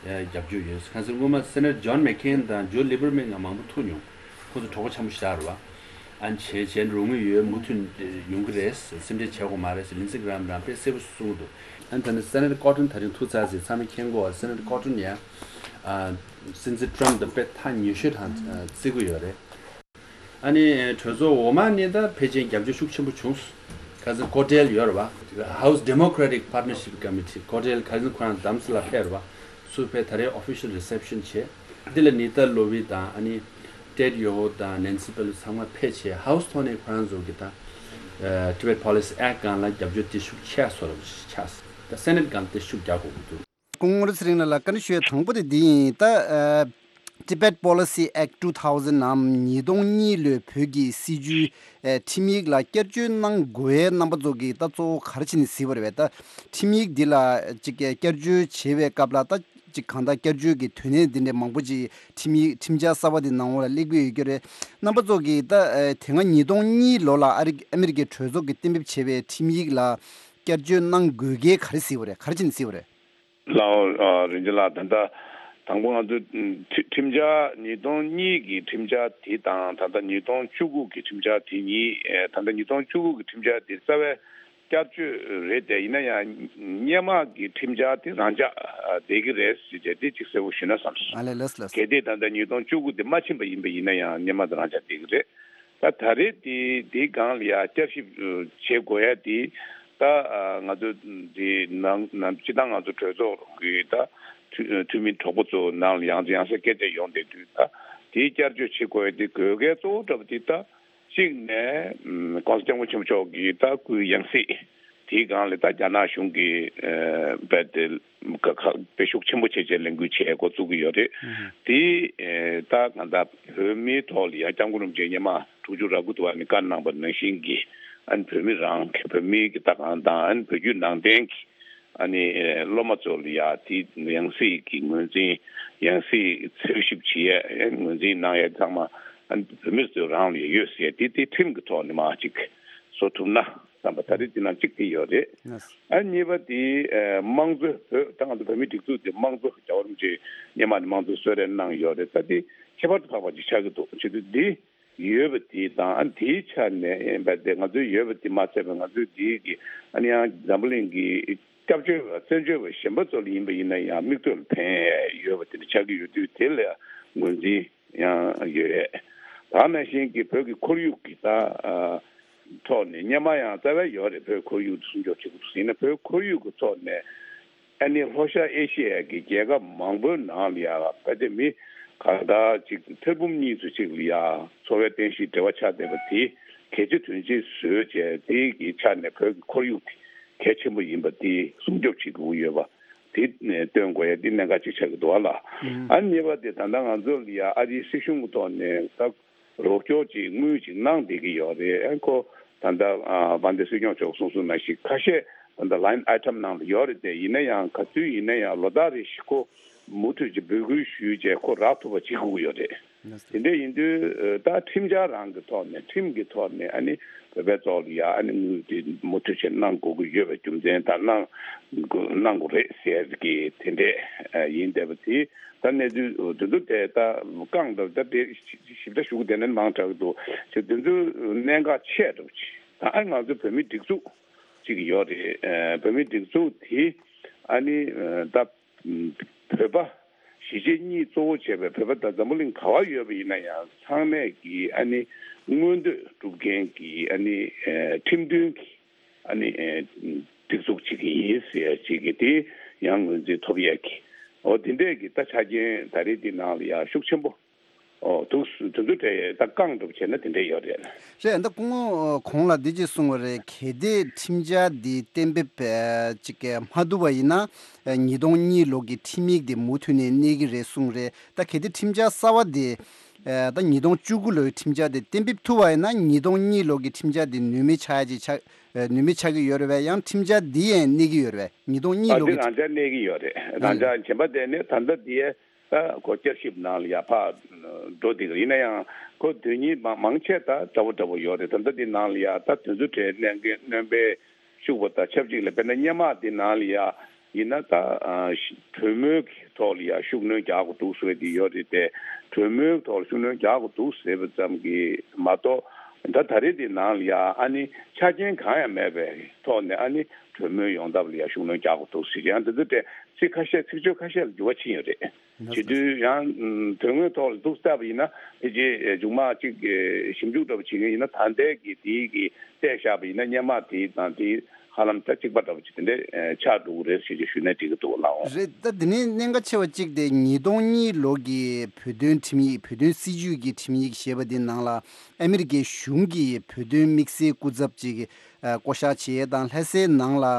ཡ་རྒྱབ་སྐྱོར་ཡོད། ཁ་སང་སྔོན་མ་Senator John McCain དང་Joe Lieberman ང་མང་པོ་ཐུག་མྱོང་། ཁོ་ཚོ་གྲོགས་པོ་འཆམ་པོ་ཞེ་དྲག་རེད་པ། ཨ་ནི་བྱས་བྱས་རུང་མི་ཡོད། མུ་མཐུད་ཡོང་གི་རེད། སེམས་ཁྲལ་བྱེད་དགོས་མ་རེད་ཟེར་ལིན་སི་གྷི་རམ་རང་དཔེ་གསལ་པོ་གསུངས་འདུག་ཨ་ནི་ད་ནི་སེ་ནེ་ཊར་ཀོ་ཊོན་ད་རིང་ཐུག་ཚར་ཟེར། ཚང་མས་མཁྱེན་གོ། སེ་ནེ་ཊར་ཀོ་ཊོན་ཡང་ཨ་སྲིད་འཛིན་ཊམ་དང་དཔེ་ཐག་ཉེ་ཤོས་དང་ཨ་བརྩི་གི་ཡོད་རེད། ཨ་ནི་གྲོས་ཚོགས་འོག་མ་ནས་ད་ཕལ་ཆེར་རྒྱབ་སྐྱོར་ཤུགས་ཆེན་པོ་བྱུང་། ཁ་སང་ཀོ་ཊེལ་ཡོད་རེད་བ། House Democratic Partnership Committee ཀོ་ཊེལ་ཁ་སང་ཁོ་རང་དམ་སི་ལ་ཕེབས་རེད་བ། སུ་ཕེབས། ད་རེས་ཨོ་ཕི་ཤལ་རི་སེབ་ཤན་བྱས། འདི་ལ་ནི་ཏཱ་ལོ་ཝི་དང་ཨ་ནི་ཏེད་ཡོ་ཧོ་དང་ནན་སི་པེ་ལོ་ཚང་མ་ཕེབས་བྱས། ཧའུ་སི་ཐོག་ནས་ཁོ་རང་ཚོ་གི་ད་ཨ་Tibet Policy Act སྒང་ལ་རྒྱབ་སྐྱོར་དེ་ཤུགས་ཆེ་བཟོ་འདྲ་ཆགས། ད་སེ་ནེ་ཊི་སྒང་ལ་དེ་ཤུགས་རྒྱག་དགོས་ཀྱི་འདུག་སྐུ་ངོ་ཚེ་རིང་ལགས་ལ་བཀའ་འདྲི་ཞུ་ཡ་དང་པོ་དེ་འདི་ཡིན། ད་ཨ་Tibet Policy Act two thousand ནམ་ཉིས་སྟོང་གཉིས་ལོའི་བོད་ཀྱི་སྲིད་ཇུས་ཨ་ཁྲིམས་ཡིག་ལ་བསྐྱར་བཅོས་གནང་དགོས་ཡའི་རྣམ་པ་ཚོ་གིས་ད་གཙོ་བོ་ག་རེ་བྱས་ནས་གཟིགས་པ་རེད་པས། ད་ཁྲིམས་ཡིག་འདི་ལ་ཅིག་བསྐྱར་བཅོས་བྱེད་པའི་སྐབས་ལ་ད་ཅིག་གང་ལྟར་བསྐྱར་བཅོས་ཀྱི་དོན་གནད་འདི་འདྲའི་མང་པོ་ཅིག་ཁྲིམས་ཡིག་ཁྲིམས་འཆར་གསར་པ་འདི་ནང་ལོགས་ལ་སླེབས་ཀྱི་ཡོད་ཀྱི་རེད། རྣམ་པ་ཚོ་གིས་ད་ཨ་དེ་སྔ་ཉིས་སྟོང་གཉིས་ལོ་ལ་ཨ་རི་ཨ་མི་རི་ཀའི་གྲོས་ཚོགས་ཀྱིས་གཏན་འབེབས་བྱས་པའི་ཁྲིམས་ཡིག་ལ་བསྐྱར་བཅོས་གནང་དགོས་གལ་ག་རེ་གཟིགས་པ་རེད། ག་རེ་བྱས་ནས་གཟིགས་པ་རེད། ལགས་འོ། ཨ་རིན་ཆེན་ལགས། ད་ལྟ་དང་པོ་ང་ཚོས་ཁྲི་ཁྲིམས་འཆར་ཉིས་སྟོང་གཉིས་ཀྱི་ཁྲིམས་འཆར་དེ་དང་ད་ལྟ་ཉིས་སྟོང་བཅུ་དགུ་གི་ཁྲིམས་འཆར་དེ་གཉིས། ཨེ་ད་ལྟ་ཉིས་སྟོང་བཅུ་དགུ་གི་ཁྲིམས་འཆར་དེ་རྩ་བའི་བསྐྱར་བཅོས་རེད་དེ། ཡིན་ན་ཡང་སྔོན་མ་གི་ཁྲིམས་འཆར་དེ་རང་འཇགས་བསྡད་ཀྱི་རེད་ཟེར་བྱས་དེ་གཅིག་གསལ་པོ་ཞུས་ན་བསམ་སོང་། ཨ་ལས། ལགས་ལགས། གལ་ཏེ་ད་ལྟ་ཉིས་སྟོང་བཅུ་དགུ་དེ་མ་ཕྱིན་པ་ཡིན་པ་ཡིན་ན་ཡང་སྔོན་མ་དེ་རང་འཇགས་བསྡད་ཀྱི་རེད། ད་ད་རེས་དེ་དེའི་སྒང་ལ་ཡ་བསྐྱར་ཞིབ་བྱེད་དགོས་ཡ་དེ། ད་ང་ཚོ་དེ་ནང་ནང་སྤྱི་བཏང་ང་ཚོ་གྲོས་ཚོགས་ཀྱི་ད་འཐུས་འཐུས་མི་གྲོགས་པོ་ཚོ་ནང་ལ་ཡང་ཡང་སེ་སྐད་ཆ་ཡོང་བསྡད་དུས། ད་དེའི་བསྐྱར་བཅོས་བྱེད་དགོས་ཡ་དེ་དགོས་གལ་གཙོ་བོ་འདྲ་པོ་དེ། ད་གཅིག་ནས་༸གོང་ས་༸སྐྱབས་མགོན་ཆེན་པོ་མཆོག་གི་ད་སྐུའི་ཡང་སྲིད་དེའི་སྒང་ལ་ད་རྒྱ་ནག་གཞུང་གིས་རྦད་དེ་ཁ་ཁ་དཔེ་ཤུགས་ཆེན་པོ་བྱས་བྱས་ལས་འགུལ་བྱས་འགོ་བཙུགས་ཀྱི་ཡོད་རེད། དེ་ད་གང་ལྟར་བོད་མིའི་ཐོག་ལ་ཡང་སྐྱབས་མགོན་རིན་པོ་ཆེ་སྔོན་མ་དྲུག་ཅུ་རེ་དགུ་དུ་བ་ནས་བཀའ་གནང་པ་ནང་བཞིན་གྱི། ཨ་ནི་བོད་མི་རང་གི་བོད་མིའི་གི་ད་གང་དང་། ཨ་ནི་བོད་བརྒྱུད་ནང་བསྟན་གྱི་ཨ་ནི་སློབ་མ་ཚོ་ལ་ཡ་དེ་ཡང་སྲིད་ཀྱི་ངོས་འཛིན། ཡང་སྲིད་འཚོལ་ཞིབ་བྱེད་ཡས་ངོས་འཛིན་གནང་ཡས་ཚང་མ་ཨ་ནི་བོད་མི་ཚོ་རང་ལ་ཡ་ཡོད་ཟེར་ཡས་དེ་དེ་ཁྲིམས་ཀྱི་ཐོག་ནས་མར་ཅིག་བཟོ་ཐུབ་ན་བསམ་པ། ད་རེས་དེ་ནང་གཅིག་དེ་ཡོད་རེད། ཨ་གཉིས་པ་དེ་ཨ་དམངས་གཙོའི་བོད་ད་ང་ཚོ་བོད་མིའི་སྒྲིག་འཛུགས་དེ་དམངས་གཙོ་རྒྱལ་བ་རིན་པོ་ཆེས་སྔོན་མ་ནས་དམངས་གཙོ་གསོལ་རས་གནང་ཡོད་རེད། ད་དེ་ཁྱད་པར་དུ་འཕགས་པ་ཅིག་ཆགས་ཀྱི་འདུག་བྱེད་དུས་འདི་ཡོད་པ་དེ་དང་། ཨ་དེའི་ཆ་ནས་ཡིན་པ་དེ་ང་ཚོའི་ཡོད་པ་དེ་མ་ཚད་པ་ང་ཚོའི་འདིའི་གི་ཨ་ནི་ཡང་འཛམ་བུ་གླིང་གི་སྐྱབས་བཅོལ་བ་བཙན་བྱོལ་བ་གཞན་པ་ཚོ་ལ་ཡིན་པ་ཡིན་ན་ཡང་མིག་ལྟོས་ལ་ཕན་ཡས་ཡོད་པ་དེ་འདྲ་ཆགས་ཀྱི་ཡོད་དུས་དེ་ལ་ངོས་འཛིན་ཡང་ཡོད་རེད། ད་ནང་བཞིན་གྱི་བོད་ཀྱི་ཁོར་ཡུག་གི་ད་ཨ་ཐོག་ནས་སྔོན་མ་ཡང་རྩ་བའི་ཡོད་རེད། བོད་ཁོར་ཡུག་སྲུང་སྐྱོབ་བྱེད་དགོས་ཟེར་ན། བོད་ཁོར་ཡུག་གི་ཐོག་ནས་ཨ་ནི་ལྷོ་ཤར་ཨེ་ཤི་ཡ་གི་རྒྱལ་ཁབ་མང་པོའི་ནང་ལ་ཡ་ཕལ་ཆེར་མི་གང་ལྟར་ཅིག་ཐེར་འབུམ་གཉིས་ཚོ་ཅིག་ལ་ཡ་འཚོ་བའི་རྟེན་གཞི་འབྲེལ་བ་ཆགས་བསྡད་པ་དེ་གལ་ཆེ་དོན་ཆེ་བཟོས་བྱས། དེ་གི་ཆ་ནས་བོད་ཀྱི་ཁོར་ཡུག་དེ་གལ་ཆེན་པོ་ཡིན་པ་དེ་སྲུང་སྐྱོབ་བྱེད་དགོས་ཀྱི་ཡོད་པ་དེ་སྟོན་དགོས་ཡ་དེ་གནད་འགག་ཅིག་ཆགས་ཀྱི་འདུག་ཨ་ལགས། ཨ་གཉིས་པ་དེ་ད་ལྟ་ང་ཚོ་ལ་ཡ་ཨ་རིའི་སྲིད་གཞུང་གི་ཐོག་ནས་ད་རོགས་སྐྱོར་ཅིག་དངུལ་ཅིག་གནང་བསྡད་ཀྱི་ཡོད་རེད། ཨ་ཁོ་ད་ལྟ་ཨ་དཔལ་ལྡན་སྲིད་སྐྱོང་མཆོག་གསུངས་གསུངས་ནང་བཞིན་ཁ་ཤས་ད་ལྟ་ལའིན་ཨའི་ཊམ་ནང་ལ་ཡོད་རེད་དེ། ཡིན་ན་ཡང་ག་ཚོད་ཡིན་ན་ཡང་ལོ་ལྟར་རེ་བཞིན་ཁོ་མུ་མཐུད་ཅིག་འབོད་སྐུལ་ཞུས་བྱས་ཁོ་རག་ཐུབ་པ་བྱེད་དགོས་ཀྱི་ཡོད་རེད། དེ་འདྲ་ཡིན་དུས་ད་ཁྲིམས་འཆར་རང་གི་ཐོག་ནས། ཁྲིམས་ཀྱི་ཐོག་ནས་ཨ་ནི་བོད་པའི་ཐོག་ལ་ཡ་ཨ་ནི་དངུལ་དེ་མུ་མཐུད་བྱས་གནང་དགོས་ཀྱི་ཡོད་པའི་རྒྱུ་མཚན་དང་། གནང་གནང་དགོས་རེད་ཟེར་གི་དེ་འདྲས་ཡིན་བསྡད་པ་དེ། ད་གནས་ཚུལ་དེ་ཚོ་དེ་ད་བཀང་འདུག་ད་དེ་ཞིབ་ཕྲ་ཞུ་གི་བསྡད་ན་མང་དྲགས་འདུག་ཅེས། དེ་ཚོ་གནད་འགག་ཆེ་འགྲོ་ཅིག་ད་ཨ་ང་ཚོ་བོད་མི་སྒྲིག་འཛུགས་ཅིག་ཡོད་རེད། ཨ་བོད་མི་སྒྲིག་འཛུགས་དེ་ཨ་ནི་ཨ་ད་བོད་པ་གཞིས་བྱེས་གཉིས་གཙོ་བོ་བྱས་པའི་བོད་པ་ད་འཛམ་བུ་གླིང་ག་བ་ཡོད་པ་ཡིན་ན་ཡང་ཚང་མས་ཀྱི་ཨ་ནི་མངོན་འདོད་སྒྲུབ་མཁན་གྱི་ཨ་ནི་ཨ་ཁྲིམས་མཐུན་གྱི་ཨ་ནི་ཨེ་སྒྲིག་འཛུགས་ཅིག་ཡིན་ཟེར་ཅིག་གི་དེ་ཡང་ངོས་འཛིན་ཐོབ་ཡས་ཀྱི། འོ་དེ་འདྲས་ཀྱི་ད་ཆ་རྐྱེན་ད་རེས་འདི་ནང་ལ་ཡང་ཤུགས་ཆེན་པོ་འོ་འདུག་དེ་ཚོ་གྲས་ད་བཀང་སྒྲུབ་བྱས་ན་དེ་འདྲས་ཡོད་རེད། རེད། ད་སྐུ་ངོ་གོང་ལ་འདི་ཅིག་གསུངས་པ་རེད། གལ་ཏེ་ཁྲིམས་འཆར་འདི་གཏན་འབེབས་ཨེ་ཅིག་མ་ཐུབ་པ་ཡིན་ན་ཨེ་ཉིས་སྟོང་གཉིས་ལོ་གི་ཁྲིམས་ཡིག་དེ་མུ་མཐུད་ནས་གནས་ཀྱི་རེད་གསུངས་རེད། ད་གལ་ཏེ་ཁྲིམས་འཆར་གསར་བ་དེ་ཨེ་ད་ཉིས་སྟོང་བཅུ་དགུ་ལོའི་ཁྲིམས་འཆར་དེ་གཏན་འབེབས་ཐུབ་པ་ཡིན་ན་ཉིས་སྟོང་གཉིས་ལོ་གི་ཁྲིམས་འཆར་དེ་ནུས་མེད་ཆགས་ཡ་ཅིག་ཆགས་ཨེ་ནུས་མེད་ཆགས་ཀྱི་ཡོད་རེད་པས། ཡང་ཁྲིམས་འཆར་འདི་ཡང་གནས་ཀྱི་ཡོད་རེད་པས། ཉིས་སྟོང་གཉིས་ཨ་ལོ་འདི་གི་རང་འཇགས་གནས་ཀྱི་ཡོད་རེད། རང་འཇགས་གཞན་པ་དེ་ནི་ད་ལྟ་འདི་ད་ཁོ་བསྐྱར་ཞིབ་ནང་ལ་ཡ་ཕར་འགྲོ་བསྡད་ཀྱི་རེད། ཡིན་ན་ཡང་ཁོ་དོན་སྙིང་མང་མང་ཆེ་ད་འདྲ་བོ་འདྲ་བོ་ཡོད་རེད། ད་ལྟ་འདི་ནང་ལ་ཡ་ད་དོན་ཚུལ་གྲས་གནད་འགན་སྣོན་པའི་ཤུགས་པ་དང་ཆབས་ཅིག་ལ། དཔེར་ན་སྔོན་མ་འདི་ནང་ལ་ཡ་ཡིན་ན་ད་ཨ་གྲོས་མོལ་གྱི་ཐོག་ལ་ཡ་ཤུགས་སྣོན་རྒྱག་དགོས་འདུག་ཟེར་བ་འདི་ཡོད་རེད་དེ། གྲོས་མོལ་གྱི་ཐོག་ལ་ཤུགས་སྣོན་རྒྱག་དགོས་འདུག་ཟེར་བ་ཙམ་གྱིས་མ་གཏོགས་ ད་ད་རེས་འདི་ནང་ལ་ཡ་ཨ་ནི་ཆ་རྐྱེན་གང་ཡང་མེད་པའི་ཐོག་ནས་ཨ་ནི་གྲོས་མོལ་ཡོང་ཐབས་ལ་ཡ་ཤུགས་སྣོན་རྒྱག་དགོས་འདུག་ཟེར་ཡང་འདི་ཚོ་དེ་ཚིག་ཁ་ཤས་ཚིག་བརྗོད་ཁ་ཤས་ལ་འགྱུར་བ་ཕྱིན་ཡོད་རེད། བྱེད་དུས་ཡང་དོན་དངོས་ཐོག་ལ་འདུག་བལྟས་པ་ཡིན་ན་ཕལ་ཆེར་མཇུག་མ་གཅིག་ཞིབ་འཇུག་འདྲ་པོ་བྱེད་མཁན་ཡིན་ན་ད་ལྟའི་གི་དེའི་གི་བལྟས་བཞག་པ་ཡིན་ན་སྔོན་མ་དེ་དང་དེ་ཧ་ལམ་ད་གཅིག་པ་འདྲ་པོ་ཅིག་དེ་འདྲས་ཆགས་འགྲོ་གི་རེད་ཟེར་གྱི་ཞུས་ན་འགྲིག་གི་འདུག་ལགས། རེད། ད་དེ་ནས་གནད་འགག་ཆེ་བ་གཅིག་དེ་ཉིས་སྟོང་གཉིས་ལོ་གི་བོད་དོན་ཁྲིམས་ཡིག་བོད་དོན་སྲིད་བྱུས་ཀྱི་ཁྲིམས་ཡིག་ཞེས་པ་དེ་ནང་ལ་ཨ་མི་རི་ཀའི་གཞུང་གིས་བོད་དོན་དམིགས་བསལ་སྐུ་ཚབ་ཅིག་ཨ་བསྐོ་བཞག་བྱས་དང་ལྷ་སའི་ནང་ལ་ཨ་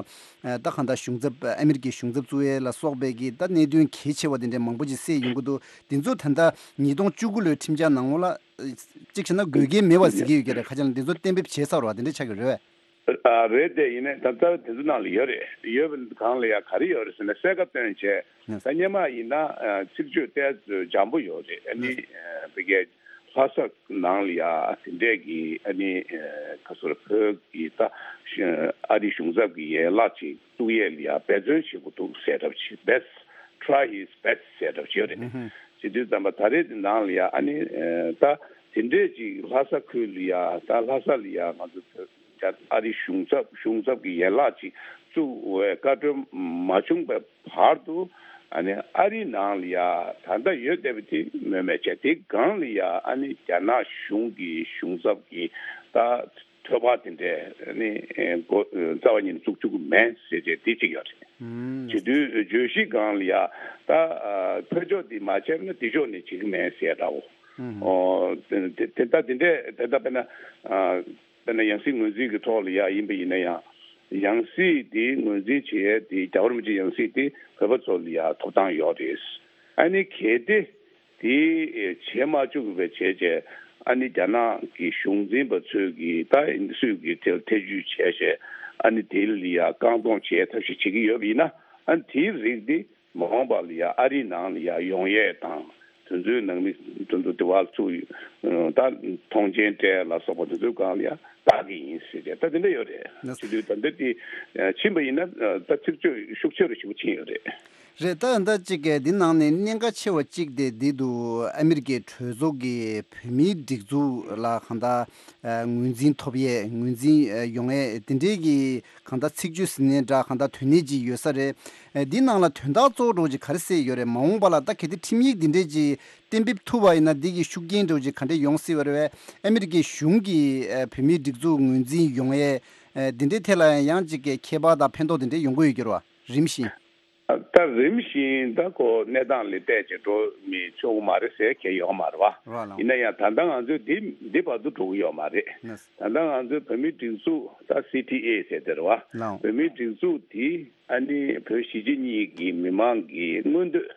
ད་གང་ལྟར་གཞུང་ཚབ་ཨ་མི་རི་ཀའི་གཞུང་ཚབ་བཙུགས་ཡས་ལ་སོགས་པའི་གི་ད་གནད་དོན་གལ་ཆེ་བ་དེ་འདྲའི་མང་པོ་ཅིག་གསལ་ཡོང་གི་འདུག་དེ་ཚོ་ད་ལྟ་ཉིས་སྟོང་བཅུ་དགུ་ལོའི་ཁྲིམས་འཆར་ནང་ལོགས་ལ་ཨ་གཅིག་བྱས་ན་དགོས་གལ་མེད་པ་ཟེར་གྱི་ཡོད་ཀྱི་རེད། ཁ་ཆེ་ན་དེ་ཚོ་གཏན་འབེབས་བྱས་ཚར་བ་དེ་འདྲ་ཆགས་ཀྱི་རེད་བས། ཨ་རེད་དེ་ཡིན་ནའི་ད་རྩ་བ་དེ་ཚོ་ནང་ལ་ཡོད་རེད། ཡོད་པའི་སྒང་ལ་ཡ་ག་རེ་ཡོད་རེད་ཟེར་ན་གསལ་ཁ་སྟོན་བྱས་ད་སྔོན་མ་ཡིན་ན་ཨ་ཚིག་བརྗོད་ཏོག་ཙམ་འཇམ་པོ་ཡོད་རེད། ཨ་ནི་ཨ་བི་གའི་ལྷ་ས་ནང་ལ་ཡ་དེ་འདྲས་ཀྱི་ཨ་ནི་ཨ་ག་ཚོད་བོད་ཀྱི་ད་ཨ་རི་གཞུང་ཚབ་ཀྱི་ཡན་ལག་ཅིག་བཙུགས་ཡས་ལ་ཡ་འབད་བརྩོན་བྱེད་དགོས་འདུག་ཟེར་འདྲ་པོ་ཅིག best try his best ཟེར་འདྲ་པོ་ཅིག་ཡོད་རེད། བྱེད་དུས་ཙམ་པ་ད་རེས་དེ་ནང་ལ་ཡ་ཨ་ནི་ཨ་ད་དེ་འདྲས་ཅིག་ལྷ་ས་ཁུལ་ལ་ཡ་ད་ལྷ་ས་ལ་ཡ་ང་ཚོ་བོད་རྒྱ་ཨ་རི་གཞུང་ཚབ་གཞུང་ཚབ་ཀྱི་ཡན་ལག་ཅིག་བཙུགས་འོས་བཀའ་འཁྲོལ་མ་བྱུང་བའི་བར་དུ་ཨ་ནི་ཨ་རི་ནང་ལ་ཡ་ད་ལྟ་ཡོད་བསྡད་པ་དེ་མོས་མོས་བྱས། དེའི་སྒང་ལ་ཡ་ཨ་ནི་རྒྱ་ནག་གཞུང་གི་གཞུང་ཚབ་ཀྱི་ད་ཐོབ་པ་དེ་འདྲས་ཨ་ནི་ཨེ་འགོ་རྩ་བ་ཉིད་ནས་བཙུགས་བཅུག་གི་མེད་ཟེར་བྱས་དེ་གཅིག་ཡོད་རེད། ཨུམ། བྱེད་དུས་བརྗོད་གཞི་སྒང་ལ་ཡ་ད་ཨ་ཕར་ཕྱོགས་དེ་མ་བྱས་ན་འདི་ཕྱོགས་ནས་བྱེད་ཀྱི་མེད་ཟེར་འདྲ་བོ། ཨུམ། ཨོ་དེ་དེ་དེ་ད་དེ་འདྲས་དེ་ད་དཔེར་ན་ཨ། དཔེར་ན་ཡང་སྲིད་ངོས་འཛིན་གྱི་ཐོག་ལ་ཡ་ཡིན་པ་ཡིན་ན་ཡང་། ཡང་སྲིད་དེ་ངོས་འཛིན་བྱེད་ཡས་དེ་རྒྱལ་བ་རིན་པོ་ཆེ་ཡང་སྲིད་དེ་བོད་པ་ཚོ་ལ་ཡ་ཐོབ་ཐང་ཡོད་རེད། ཨ་ནི་གལ་ཏེ་དེ་བྱེད་མ་བཅུག་པའི་བྱས་རྗེས་ཨ་ནི་རྒྱ་ནག་གི་གཞུང་འཛིན་པ་ཚོས་ཀྱི་ད་སུས་ཀྱི་དེ་ལ་ཐེ་ཇུས་བྱས་བྱས་ཨ་ནི་དེ་ལ་ཡ་རྐང་སྟོང་བྱེད་ཐབས་ཤིག་བྱེད་ཀྱི་ཡོད་པ་ཡིན་ན་ཨ་ནི་དེའི་རིགས་དེ། མ་འོངས་པ་ལ་ཡ་ཨ་རིའི་ནང་ལ་ཡ་ཡོང་ཡས་དང་དེ་ཚོའི་ནང་མི་དེ་ཚོ་དེ་བ་ཚུགས་ད་མཐོང་མཆན་སྤྲད་ལ་སོགས་པ་དེ་ཚོའི་སྒང་ལ་ཡ་བལྟ་གི་ཡིན་ཟེར་ཏེ་ད་དེ་འདྲ་ཡོད་རེད། ན་བྱེད་དུས་ད་འདི་དེ་ཕྱིན་པ་ཡིན་ན་ད་ཚིག་བརྗོད་ཤུགས་ཆེ་རུ་ཞེ་པོ་ཕྱིན་ཡོད་རེད། རེད། ད་ད་ཅིག་གི་འདི་ནང་ནས་གནད་འགག་ཆེ་བ་གཅིག་དེ་འདི་འདུག་ཨ་མི་རི་ཀའི་གྲོས་ཚོགས་ཀྱི་བོད་མིའི་སྒྲིག་འཛུགས་ལ་གང་ལྟར་ངོས་འཛིན་ཐོབ་ཡས་ངོས་འཛིན་ཡོང་ཡས་དེ་འདྲའི་གི་གང་ལྟར་ཚིག་བརྗོད་ཟིན་ནས་འདྲ་གང་ལྟར་དོན་གནད་ཅིག་ཡོད་ས་རེད། ཨེ་འདི་ནང་ལ་དོན་དག་གཙོ་བོ་འདྲ་ཅིག་ག་རེ་གསལ་ཡོད་རེད། མ་འོངས་པ་ལ་ད་གལ་ཏེ་ཁྲིམས་ཡིག་འདི་འདྲས་ཅིག་གཏན་འབེབས་ཐུབ་པ་ཡིན་ན་འདི་གི་ཤུགས་རྐྱེན་འདྲ་ཅིག་ག་འདྲས་ཡོང་སྲིད་པ་རེད་བས། ཨ་མི་རི་ཀའི་གཞུང་གིས་ཨེ་བོད་མིའི་སྒྲིག་འཛུགས་ངོས་འཛིན་ཡོང་ཡས་ཨེ་འདི་འདྲའི་ཐད་ལ་ཡང་ཅིག་གི་ཁྱད་པར་དང་ཕན་ཐོགས་འདི་འདྲས་ཡོང་གི་ཡོད་ཀྱི་རེད་བ། རིམ་བཞིན། ད་རིམ་བཞིན་ད་ཁོ་གནས་སྟངས་ལ་བལྟས་བྱས་འགྲོ་མི་ཆོག་གི་མ་རེད་ཟེར་མཁན་ཡོད་མ་རེད་བ། རེད་ལགས། ཡིན་ན་ཡང་ད་ལྟ་ང་ཚོས་འདི་འདི་བར་དུ་འགྲོ་གི་ཡོད་མ་རེད། ལགས། ད་ལྟ་ང་ཚོའི་བོད་མིའི་སྒྲིག་འཛུགས་ད་སི་ཊི་ཨེ་ཟེར་དེ་རེད་བ། ལགས། བོད་མིའི་སྒྲིག་འཛུགས་འདི་ཨ་ནི་བོད་གཞིས་བྱེས་གཉིས་ཀྱི་མི་མང་གི་མངོན་འདོད་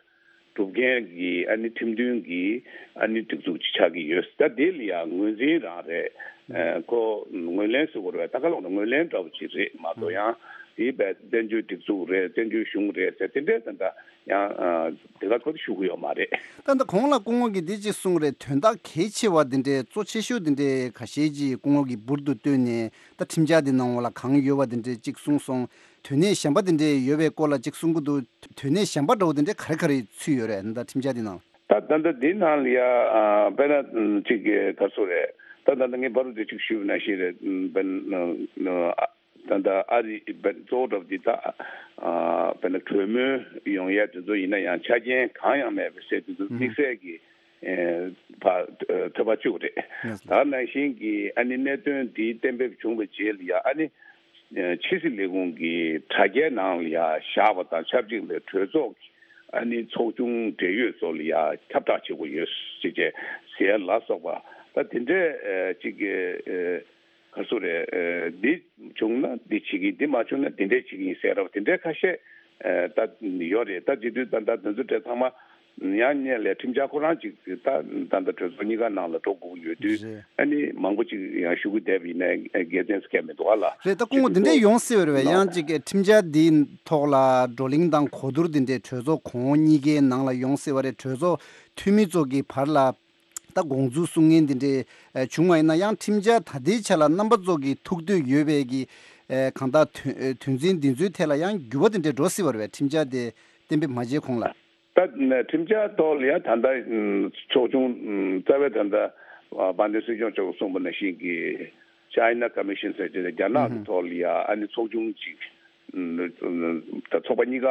སྒྲུབ་མཁན་གྱི་ཨ་ནི་ཁྲིམས་མཐུན་གྱི་ཨ་ནི་སྒྲིག་འཛུགས་ཅིག་ཆགས་ཀྱི་ཡོད། ད་དེ་ལ་ཡང་ངོས་འཛིན་རང་རེད། ཨ་ཁོ་ངོས་ལེན་ཟེར་དགོས་རེད་བས། ད་ག་ལོག་ན་ངོས་ལེན་འདྲ་བོ་ཅིག་རེད་མ་གཏོགས་ཡང་། དེའི་བས་བཙན་བྱོལ་སྒྲིག་འཛུགས་རེད། བཙན་བྱོལ་གཞུང་རེད་ཟེར་དེ་འདྲའི་ད་ལྟ་ཡང་ཨ་དེ་ག་ཁོ་ཚོ་ཞུ་གི་ཡོད་མ་རེད། ད་ལྟ་གོང་ལ་སྐུ་ངོ་གིས་འདི་གཅིག་གསུངས་རེད། དོན་དག་གལ་ཆེ་བ་འདི་འདྲའི་གཙོ་ཆེ་ཤོས་འདི་འདྲའི་ཁ་ཤས་ཅིག་སྐུ་ངོ་གིས་འབུར་དུ་བཏོན་ནས་ད་ཁྲིམས་འཆར་འདི་ནང་ལ་གང་ཡོད་པ་འདི་འདྲའི་གཅིག་གསུངས་སོང་། དོན་གནད་གཞན་པ་འདི་འདྲའི་ཡོད་པའི་སྐོར་ལ་གཅིག་གསུང་གི་འདུག་དོན་གནད་གཞན་པ་འདྲ་བོ་འདི་འདྲའི་ག་རེ་ག་རེ་ཚུད་ཡོད་རེད། ད་ཁྲིམས་འཆར་འདི་ནང་ལ། ད་ད་ལྟ་འདི་ནང་ལ་ཡ་ཨ་དཔེར་ན་ཅིག་ག་ཚོད་རེད། ད་ད་ལྟ་ངས་བར་དུ་ཅིག་ཞུས་པ་ནང་བཞིན་རེད། དཔེར་ན་ཨ། ད་ལྟ་ཨ་རི་བན་གཙོ་བོ་འདྲ་པོ་འདི་ད་ཨ་དཔེར་ན་གྲོས་མོལ་ཡོང་ཡ་དེ་ཚོ་ཡིན་ན་ཡང་ཆ་རྐྱེན་གང་ཡང་མེད་པའི་སྲིད་དེ་ཚོ་དམིགས་བསལ་གྱི་ཨེ་ཕ་ཐོབ་པ་བཅུག་རེད། ད་ནང་བཞིན་གྱི་ཨ་ནི་གནད་དོན་འདི་གཏན་འབེབས་བྱུང་བའི་རྗེས་ལ་ཡ་ཨ་ནི་ཕྱི་སྲིད་ལས་ཁུངས་ཀྱི་དྲ་རྒྱའི་ནང་ལ་ཡ་བཞག་པ་དང་ཆབས་ཅིག་ལ་གྲོས་ཚོགས་ཀྱི་ཨ་ནི་ཚོགས་ཆུང་འབྲེལ་ཡོད་ཚོ་ལ་ཡ་ཁྱབ་བསྒྲགས་བྱེད་དགོས་ཡོད་ཅེས་ཟེར་ལ་སོགས་པ་ད་དེ་འདྲའི་ཅིག་གི་ག་ཚོད་རེད། འདི་བྱུང་ན་འདི་བྱེད་ཀྱི་འདི་མ་བྱུང་ན་འདི་འདྲས་བྱེད་ཀྱི་ཡིན་ཟེར་ར་བ་དེ་འདྲའི་ཁ་ཤས་ད་ཡོད་རེད། ད་བྱེད་དུས་ད་ད་དོན་ཚོ་འདྲ་ཚང་མ་ཡང་སྙན་ལས་ཁྲིམས་འཆར་ཁོ་རང་ཅིག་ད་ད་ད་གྲོས་ཚོགས་གཉིས་ཀ་ནང་ལ་འགྲོ་དགོས་ཀྱི་ཡོད་དུས་རེད། ཨ་ནི་མང་པོ་ཅིག་ཡང་ཞུ་གི་བསྡད་པ་ཡིན་ན་དགེ་མཚན་སྐད་མི་འདུག་ཨ་ལ། རེད། ད་སྐུ་ངོ་འདི་འདྲས་ཡོང་སྲིད་པ་རེད་བས། ཡང་ཅིག་ཁྲིམས་འཆར་འདིའི་ཐོག་ལ་བགྲོ་གླེང་དང་གོ་བསྡུར་འདི་འདྲས་གྲོས་ཚོགས་གོང་འོག་གཉིས་ཀའི་ནང་ལ་ཡོང་སྲིད་པ་རེད། གྲོས་ཚོགས་འཐུས་མི་ཚོ་གི་བར་ལ། ད་དགོངས་ཚུལ་གསུང་མཁན་འདི་འདྲའི་ཨ་བྱུང་བ་ཡིན་ན་ཡང་ཁྲིམས་འཆར་ད་ལྟའི་ཆ་ལ་རྣམ་པ་ཚོ་གི་ཐུགས་འདོད་ཡོད་པའི་གི་ཨ་གང་ལྟར་དོན་དོན་ཚན་འདི་ཚོའི་ཐད་ལ་ཡང་འགྱུར་བ་དེ་འདྲའི་འགྲོ་སྲིད་པ་རེད་པས། ཁྲིམས་འཆར་དེ་གཏན་འབེབས་མ་བྱས་གོང་ལ། ད་ཁྲིམས་འཆར་ཐོག་ལ་ཡང་ད་ལྟ་ཚོགས་ཆུང་རྩ་བའི་ད་ལྟ་ དཔལ་ལྡན་སྲིད་སྐྱོང་མཆོག་གསུངས་པ་ནང་བཞིན་གྱི་China Commission ཟེར་གྱི་རྒྱ་ནག་གི་ཐོག་ལ་ཡ་ཨ་ནི་ཚོགས་ཆུང་ཅིག་ད་ཚོགས་པ་གཉིས་ཀ་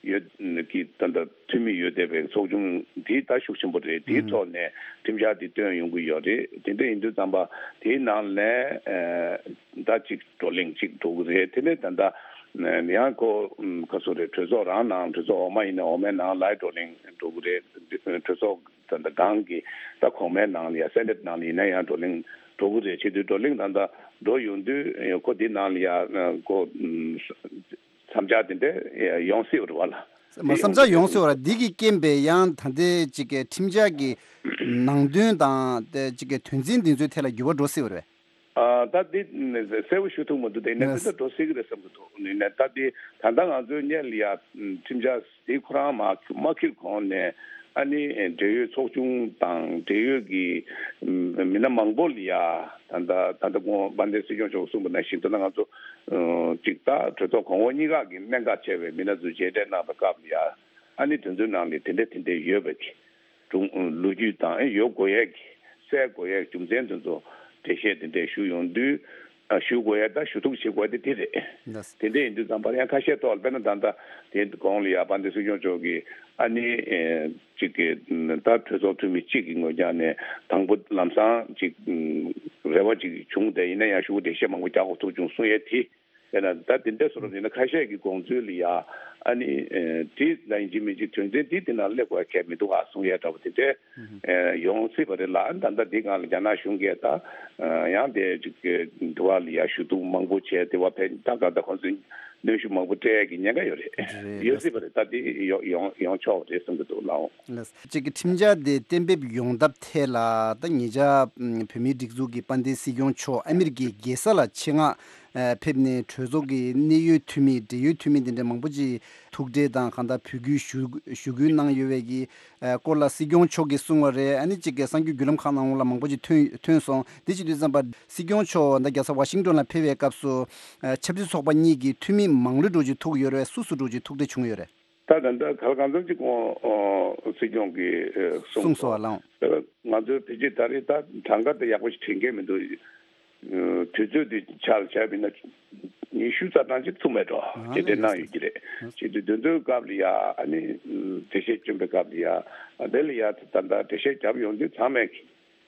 ཡོད་ཀྱི་ད་ལྟ་འཐུས་མི་ཡོད་བསྡད་པའི་ཚོགས་ཆུང་འདི་ད་ཤུགས་ཆེན་པོ་རེད། དེའི་ཐོག་ནས་ཁྲིམས་འཆར་འདི་བཏོན་ཡོང་གི་ཡོད་རེད། དེ་འདྲ་ཡིན་དུས་ཙམ་པ་དེའི་ནང་ནས་ད་ཅིག་བགྲོ་གླེང་ཅིག་འགྲོ་གི་རེད། དེ་ནས་ད་ལྟ་ཡང་ཁོ་ག་ཚོད་རེད། གྲོས་ཚོགས་རང་ནང་གྲོས་ཚོགས་འོག་མ་ཡིན་ན་འོག་མའི་ནང་ལ་བགྲོ་གླེང་འགྲོ་གི་རེད། གྲོས་ཚོགས་ད་ལྟ་སྒང་གི་ད་གོང་མའི་ནང་ལ་ཡ་སེ་ནེ་ཊི་ནང་ལ་ཡིན་ན་ཡང་བགྲོ་གླེང་འགྲོ་གི་རེད། བྱེད་དུས་བགྲོ་གླེང་ད་ལྟ་འགྲོ་ཡོང་དུས་ཁོ་འདི་ནང་ལ་ཡ་ཁོ་བསམ་འཆར་དེ་འདྲ་ཡོང་སྲིད་པ་རེད་བ་ལ། མ་བསམ་འཆར་ཡོང་སྲིད་པ་རེད། འདི་གི་རྐྱེན་པས་ཡང་ད་ལྟའི་ཅིག་གི་ཁྲིམས་འཆར་གྱི་ནང་དོན་དང་དེ་ཅིག་གི་དོན་ཚན་འདི་ཚོའི་ཐད་ལ་འགྱུར་བ་འགྲོ་སྲིད་པ་རེད། ཨ་ད་འདི་གསལ་པོ་ཞུ་ཐུབ་མི་འདུག་དེ་ནས་ནས་འདི་ལྟར་འགྲོ་སྲིད་ཀྱི་རེད་བསམ་གྱི་འདུག་ནས་ད་འདི་ད་ལྟ་ང་ཚོའི་སྔོན་ལ་ཡ་ཁྲིམས་འཆར་དེ་ཁོ་རང་མ་མ་འཁྱེར་གོང་ནས་ཨ་ནི་འབྲེལ་ཡོད་ཚོགས་ཆུང་དང་འབྲེལ་ཡོད་ཀྱི་མི་སྣ་མང་པོ་ལ་ཡ་ད་ལྟ་ད་ལྟ་དགོངས་དཔལ་ལྡན་སྲིད་སྐྱོང་མཆོག་གསུངས་པ་ནང་བཞིན་ད་ལྟ་ང་ཚོ་ཅིག་ད་གྲོས་ཚོགས་གོང་འོག་གཉིས་ཀ་གི་གནད་འགག་ཆེ་བའི་མི་སྣ་ཚོས་མཇལ་འཕྲད་གནང་བའི་སྐབས་ལ་ཡ་ཨ་ནི་དེ་ཚོའི་ནང་ལ་དེ་འདྲ་དེ་འདྲ་ཡོད་པ་གི་སྒྲུང་ལོ་རྒྱུས་དང་ཡོད་དགོས་ཡས་ཀྱི་གསལ་དགོས་ཡས་ཀྱི་རྒྱུ་མཚན་དེ་ཚོ་འགྲེལ་བཤད་དེ་འདྲས་ཞུ་ཡོང་དུས་ཨ་ཞུ་དགོས་ཡས་དང་ཞུ་གཏུག་བྱེད་དགོས་ཡས་དེ་དེ་རེད། ལགས། དེ་འདྲས་ཡིན་དུས་ཙམ་པར་ཡང་ཁ་ཤས་ཐོག་ལ་དཔེར་ན་ད་ལྟ་དེ་གོང་ལ་ཡ་དཔལ་ལྡན་སྲིད་སྐྱོང་མཆོག་གིས་ཨ་ནི་ཨེ་གཅིག་གི་ད་གྲོས་ཚོགས་འཐུས་མི་གཅིག་གི་ངོས་རྒྱག་ནས་དང་པོ་ལམ་སང་གཅིག་རེ་བ་གཅིག་བྱུང་། དེ་ཡིན་ན་ཡང་ཞུ་འགྲེལ་བཤད་མང་པོ་རྒྱག་དགོས་ཐུག་བྱུང་གསུང་ཡས་དེ། དེ་ན་ད་དེ་འདྲ་བཟོ་འདྲ་ཡིན་ན་ཁ་ཤས་ཀྱི་དགོངས་ཚུལ་ལ་ཡ་ཨ་ནི་ཨེ་དེ་ལ་ཡིན་གཅིག་མིན་གཅིག་དོན་ཚན་དེ་དེ་ན་སླེབས་དགོས་གལ་མི་འདུག་ག་གསུང་ཡས་འདྲ་པོ་དེ་འདྲ་ཨེ་ཡོང་སྲིད་པ་རེད་ལ། ཨ་ནི་ད་ལྟ་འདི་སྒང་ལ་རྒྱ་ནག་གཞུང་གིས་ད་ཨ་ཡང་དེ་ཅིག་གི་འདི་བ་ལ་ཡ་ཞུ་གཏུག་མང་པོ་བྱས། དེ་བ་ཕན་ད་ག་ད་ཁོང་ཚོས་གནོན་ཤུགས་མང་པོ་སྤྲད་ཀྱི་ཉེན་ཁ་ཡོད་རེད། རེད། ཡོད་སྲིད་པ་རེད། ད་དེ་ཡོང་ཡོང་ཡོང་ཆོག་རེད་བསམ་གྱི་འདུག་ལགས། ལགས། གཅིག་གི་ཁྲིམས་འཆར་དེ་གཏན་འབེབས་ཡོང་ཐབས་ཐད་ལ་ད་ཉེ་ཆར་བོད་མིའི་སྒྲིག་འཛུགས་ཀྱི་དཔལ་ལྡན་སྲིད་སྐྱོང་མཆོག་ཨ་མི་རི་ཀའི་རྒྱལ་ས་ལ་ཆེད་མངགས་ཕེབས་ནས་གྲོས་ཚོགས་ཀྱི་གནད་ཡོད་འཐུས་མི་འབྲེལ་ཡོད་འཐུས་མི་དེ་འདྲ་མང་པོ་ཅིག་ཐུག་འཕྲད་དང་གང་ལྟར་འབོད་སྐུལ་ཞུ་ཞུ་སྐུལ་གནང་ཡོད་པའི་གི་སྐོར་ལ་སྲིད་སྐྱོང་མཆོག་གིས་གསུངས་པ་རེད། ཨ་ནི་གཅིག་གི་གསར་འགྱུར་བརྒྱུད་ལམ་ཁག་ནང་ལ་མང་པོ་ཅིག་ཐོན་ཐོན་སོང་། དེ་བྱེད་དུས་ཙམ་པ་སྲིད་སྐྱོང་མཆོག་ད་རྒྱལ་ས་ཝ་ཤིང་ཏོན་ལ་ཕེབས་པའི་སྐབས་སུ་ཆབ་སྲིད་ཚོགས་པ་གཉིས་ཀྱི་འཐུས་མི་མང་ལོས་འགྲོ་ཅིག་ཐུག་ཡོད་རེད། སུ་སུ་འགྲོ་ཅིག་ཐུག་འཕྲད་བྱུང་ཡོད་རེད། ད་ད་ལྟ་ག་ལ་གང་འཚམ་ཅིག་ཁོང་སྲིད་སྐྱོང་གིས་གསུངས་གསུངས་སོང་། སོང་བ་ལགས། ང་ཚོའི་ཕལ་ཆེར་ད་རེས་ད་གྲངས་ཀ་དེ་ཡག་པོ་ཞིག་དྲན་གྱི་མི་འདུག་དུས་ཚོད་དེ་ཆ་ལ་བྱས་པ་ཡིན་ན་ཉི་ཤུ་རྩ་གྲངས་ཅིག་ཐུག་མེད་འགྲོ། ཨ་དེ་འདྲ་གནང་ཡོད་ཀྱི་རེད། ཨ་བྱེད་དུས་དེ་ཚོའི་སྐབས་ལ་ཡ་ཨ་ནི་འགྲེལ་བཤད་བསྐྱོན་པའི་སྐབས་ལ་ཡ་དེ་ལ་ཡ་ད་ལྟ་འགྲེལ་བཤད་བརྒྱབ་ཡོང་དུས་ཚང་མས་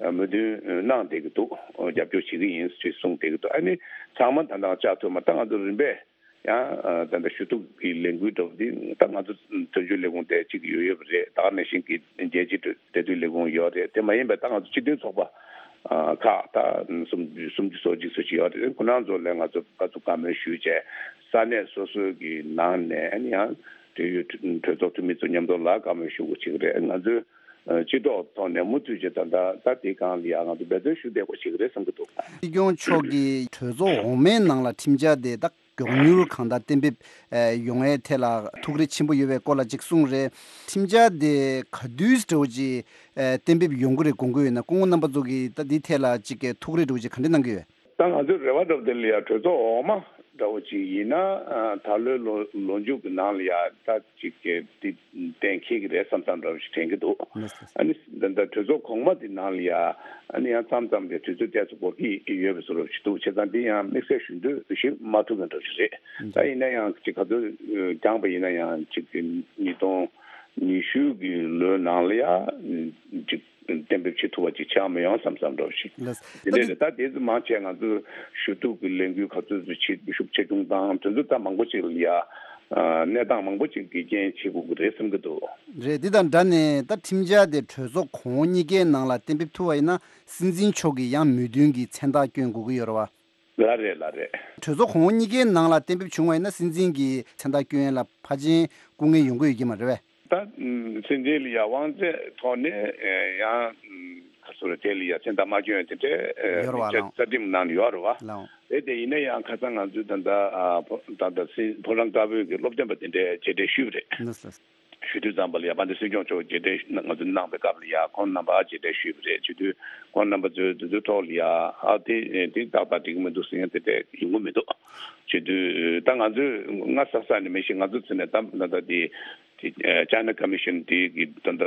མོས་མཐུན་གནང་བསྡད་ཀྱི་འདུག་རྒྱབ་སྐྱོར་བྱེད་ཀྱི་ཡིན་ཞེས་གསུངས་བསྡད་ཀྱི་འདུག་ཨ་ནི་ཚང་མ་ད་ལྟ་བཅར་ཐུབ་མ། ད་ང་ཚོ་རིམ་པས་ཡང་ད་ལྟ་ཞུ་གཏུག་གི་ལས་འགུལ་འགྲོ་བ་འདི་ད་ང་ཚོ་དོན་གཅོད་ལས་ཁུངས་དེ་གཅིག་ཡོད་ཡོད་པ་རེད། ད་ག་ནང་བཞིན་གྱི་རྒྱལ་སྤྱིའི་འབྲེལ་མཐུད་ལས་ཁུངས་ཡོད་རེད། དེ་མ་ཡིན་པའི་ད་ང་ཚོ་སྤྱི་མཐུན་ཚོགས་པ་ཁག་ད་སུམ་སུམ་ཅུ་སོ་གཅིག་སོ་གཅིག་ཡོད་རེད། ཁོ་རང་ཚོ་ལ་ང་ཚོ་བཀའ་ཚོ་བཀའ་མོལ་ཞུས་བྱས་ས་གནས་སོ་སོའི་གི་ནང་ནས་ཨ་ནི་ཡང་འབྲེལ་ཡོད་གྲོས་ཚོགས་འཐུས་མི་ཚོ་མཉམ་དུ་ལ་བཀའ་མོལ་ཞུ་དགོས་བྱེད་ཀྱི་རེད། ང་ཚོའི་སྤྱི་ཚོགས་ཐོག་ནས་མུ་མཐུད་བྱས་ད་ལྟ་ད་དེའི་སྒང་ལ་ཡང་ང་ཚོ་འབད་བརྩོན་ཞུ་བསྡད་དགོས་བྱེད་ཀྱི་རེད་བསམ་གྱི་འདུག་སྲིད་སྐྱོང་མཆོག་གིས་གྲོས་ཚོགས་འོག་མའི་ནང་ལ་ཁྲིམས་འཆར་དེ་ད་མགྱོགས་མྱུར་གང་ལྟར་གཏན་འབེབས་ཡོང་ཡའི་ཐད་ལ་ཐུགས་རེ་ཆེན་པོ་ཡོད་པའི་སྐོར་ལ་ཅིག་གསུངས་རེད། ཁྲིམས་འཆར་དེ་ག་དུས་འདྲ་བོ་ཅིག་གཏན་འབེབས་ཡོང་གི་རེད་དགོངས་ཀྱི་ཡོད་ན་སྐུ་ངོ་རྣམ་པ་ཚོ་གིས་ད་འདིའི་ཐད་ལ་ཅིག་ཐུགས་རེ་འདྲ་བོ་ཅིག་ག་འདྲ་གནང་གི་ཡོད། ད་ང་ཚོའི་རེ་བ་འདྲ་བོ་དེ་ལ་ཡ་གྲོས་ཚོགས་འོག་མ་འདྲ་བོ་ཅིག་ཡིན་ན་ད་ལོའི་ལོ་ལོ་མཇུག་གི་ནང་ལ་ཡ་ད་ཅིག་གི་དེ་གཏན་འཁེལ་གྱི་རེད་བསམ་བསམ་འདྲ་བོ་ཞིག་དྲན་གྱི་འདུག་ཨ་ནི་ད་ལྟ་གྲོས་ཚོགས་གོང་མ་དེ་ནང་ལ་ཡ་ཨ་ནི་ཡང་མཚམས་མཚམས་ལ་དུས་ཚོད་ཏོག་ཙམ་འགོར་གྱི་ཡོད་པའི་བཟོ་འདྲ་ཞིག་འདུག་བྱས་ཙང་དེ་ཡང་དམིགས་བསལ་ཞུ་འདོད་ཞིག་མ་ཐུབ་མཁན་འདྲ་བོ་ཞིག་རེད། ད་ཡིན་ན་ཡང་ཅིག་ག་ཚོད་འགྱངས་པ་ཡིན་ན་ཡང་ཅིག་ཉིས་སྟོང་ཉི་ཤུ་གི་ལོའི་ནང་ལ་ཡ་ཅིག་གཏན་འབེབས་བྱེད་ཐུབ་པ་ཅིག་ཆགས་མི་ཡོང་བསམ་བསམ་འདྲ་བོ་ཞིག་ལགས། དེ་འདྲ་རེད། ད་དེ་ཚོ་མང་ཆེ་ང་ཚོས་ཞུ་གཏུག་གི་ལས་འགུལ་ག་ཚོད་ཚོད་བྱེད་ཤུགས་ཆེ་ཆུང་དང་དེ་ཚོ་ད་མང་པོ་ཅིག་ལ་ཡ་གནས་སྟངས་མང་པོ་ཅིག་གི་རྐྱེན་བྱེད་དགོས་ཀྱི་རེད་བསམ་གྱི་འདུག་རེད། འདི་དང་འདྲ་ནས་ད་ཁྲིམས་འཆར་དེ་གྲོས་ཚོགས་གོང་འོག་གཉིས་ཀའི་ནང་ལ་གཏན་འབེབས་ཐུབ་པ་ཡིན་ན་སྲིད་འཛིན་མཆོག་གིས་ཡང་མོས་མཐུན་གྱི་མཚན་རྟགས་བསྐྱོན་དགོས་ཀྱི་ཡོད་རེད་བ། ལགས་རེད། ལགས་རེད། གྲོས་ཚོགས་གོང་འོག་གཉིས་ཀའི་ནང་ལ་གཏན་འབེབས་བྱུང་བ་ཡིན་ན་སྲིད་འཛིན་གྱི་མཚན་རྟགས་བསྐྱོན་ཡས་ལ་ཕལ་ཆེར་སྐུ་ངལ་ཡོང་གི་ཡོད་ཀྱི་མ་རེད་བས། ད་སྲིད་འཛིན་ལ་ཡ་དབང་ཚད་ཐོག་ནས་ཡང་ག་ཚོད་རེད། དེ་ལ་ཡ་མཚན་རྟགས་མ་བསྐྱོན་ཡ་དེ་འདྲའི་ཡོད་རེད་བ། རྩ་ལགས། རྩ་ཁྲིམས་ནང་ལ་ཡོད་རེད་བ། ལགས། དེ་དེ་ཡིན་ན་ཡང་ཁ་སང་ང་ཚོས་ད་ལྟ་ད་ལྟ་སྲིད་ཕོ་བྲང་དཀར་པོའི་གི་སློབ་སྟོན་པ་དེ་འདྲའི་མཇལ་འཕྲད་ཞུས་པ་རེད། ལགས་སོ། ཞུ་དུས་ཙམ་པ་ལ་ཡ་དཔལ་ལྡན་སྲིད་སྐྱོང་མཆོག་མཇལ་འཕྲད་ང་ཚོ་གནང་བའི་སྐབས་ལ་ཡ་ཁོང་རྣམ་པ་མཇལ་འཕྲད་ཞུས་པ་རེད། ཞུ་དུས་ཁོང་རྣམ་པ་ཚོས་དེ་ཚོའི་ཐོག་ལ་ཡ་ཨ་དེ་དེ་ཏག་ཏག་འགྲིག་གི་མི་འདུག་ཟེར་མཁན་དེ་འདྲ་ཡོང་གི་མི་འདུག་ཞུ་དུས་ད་ང་ཚོས་སྔ་ས་ས་ནས་མི་ཤེས། ང་ཚོ་ཚོ་ནས་ད་ད་ལྟ་དེ་ དེ་ཨ་China Commission དེ་གི་ད་ལྟ་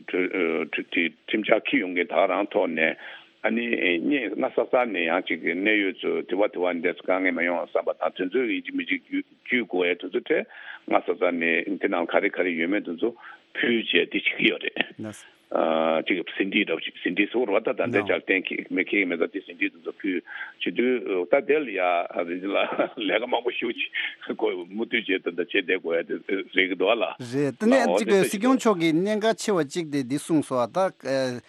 གྲོས་གྲོས་དེ་ཁྲིམས་འཆར་འཁྱེར་ཡོང་མཁན་ད་ག་རང་ཐོག་ནས། ཨ་ནི་ཨེ་སྔ་ས་ས་ནས་ཡང་ཅིག་གི་གནད་ཡོད་ཚོ་དེ་བ་དེ་བ་འདི་ཚོ་དཀའ་ངལ་མ་ཡོང་བསམ་པ་དང་། དེ་ཚོའི་ཡིན་གཅིག་མིན་གཅིག་བརྒྱུད་བརྒྱུད་དགོས་ཡ་དེ་ཚོ་གྲས་སྔ་ས་ས་ནས་དེ་ནང་ག་རེ་ག་རེ་ཡོད་མེད་དེ་ཚོ་ཕུལ་བྱས་དེ་བྱེད་ཀྱི་ཡོད་རེད། ལགས་སོ། ཨ་ཅིག་ཟིན་བྲིས་འདྲ་པོ་ཅིག་ཟིན་བྲིས་སོགས་ར་ད་ད་ལྟའི་ཆར་གཏན་འཁེལ་མེད་ཁེལ་མེད་ད་དེ་ཟིན་བྲིས་དེ་ཚོ་ཕུལ་བྱེད་དུས། ད་དེ་ལ་ཡ་རིན་ཆེན་ལགས་ལས་ཀ་མང་པོ་ཞེ་པོ་ཅིག་དགོས་མུ་མཐུད་བྱས་ད་ད་བྱས་བསྡད་དགོས་ཡ་དེ་རེད་ཀྱི་འདུག་ཨ་ལགས། རེད། དེ་ནས་ཨོ་ཅིག་དེ་སྲིད་སྐྱོང་མཆོག་གིས་གནད་འགག་ཆེ་བ་གཅིག་དེ་འདི་གསུངས་སོང་། ད་ཨ་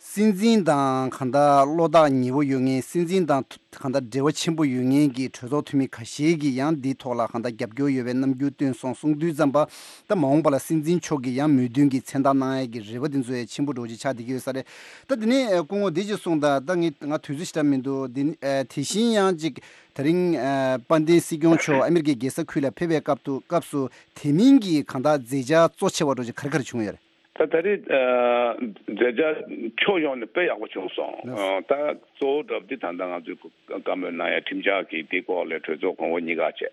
སྲིད་འཛིན་དང་གང་ལྟར་བློ་ཐག་ཉེ་བོ་ཡོད་མཁན། སྲིད་འཛིན་དང་གང་ལྟར་འབྲེལ་བ་ཆེན་པོ་ཡོད་མཁན་གྱི་གྲོས་ཚོགས་འཐུས་མི་ཁ་ཤས་ཀྱིས་ཡང་འདིའི་ཐོག་ལ་གང་ལྟར་རྒྱབ་སྐྱོར་ཡོད་པའི་རྣམ་འགྱུར་སྟོན་སོང་གསུངས་དུས་ཙམ་པ། ད་མ་འོངས་པ་ལ་སྲིད་འཛིན་མཆོག་གིས་ཡང་མོས་མཐུན་གྱི་མཚན་རྟགས་གནང་ཡས་ཀྱི་རེ་བ་དེ་ཚོ་ཡང་ཆེན་པོ་འདྲ་པོ་ཅིག་ཆགས་བསྡད་ཀྱི་ཡོད་ས་རེད། ད་དེ་ནས་ཨ་སྐུ་ངོ་འདི་ཅིག་གསུངས་དང་། ད་ངས་ང་དུས་ཚོད་ཞེ་དྲག་མི་འདུག་འདི་ནི་ཨ་དེ་བཞིན་ཡང་ཅིག་དེ་རིང་ཨ་དཔལ་ལྡན་སྲིད་སྐྱོང་མཆོག་ཨ་མི་རི་ཀའི་རྒྱལ་ས་ཁུལ་ལ་ཕེབས་པའི་སྐབས་དུ་སྐབས་སུ་དེ་མིན་གྱི་གང་ལྟར་མཛད་འཆར་གཙོ་ཆེ་བ་འདྲ་པོ་ཅིག་ག་རེ་ག་རེ་བྱུང་ཡོད་རེད། ད་ད་རེས་ཨ་མཛད་འཆར་ཕྱོགས་ཡོངས་ནས་དཔེ་ཡག་པོ་བྱུང་སོང་། ལགས། ཨ་ད་གཙོ་བོ་འདྲ་པོ་འདི་ད་ལྟ་ང་ཚོས་བཀའ་མོལ་གནང་ཡ་ཁྲིམས་འཆར་གྱི་དེ་སྐོར་ལ་གྲོས་ཚོགས་གོང་འོག་གཉིས་ཀ་བྱས།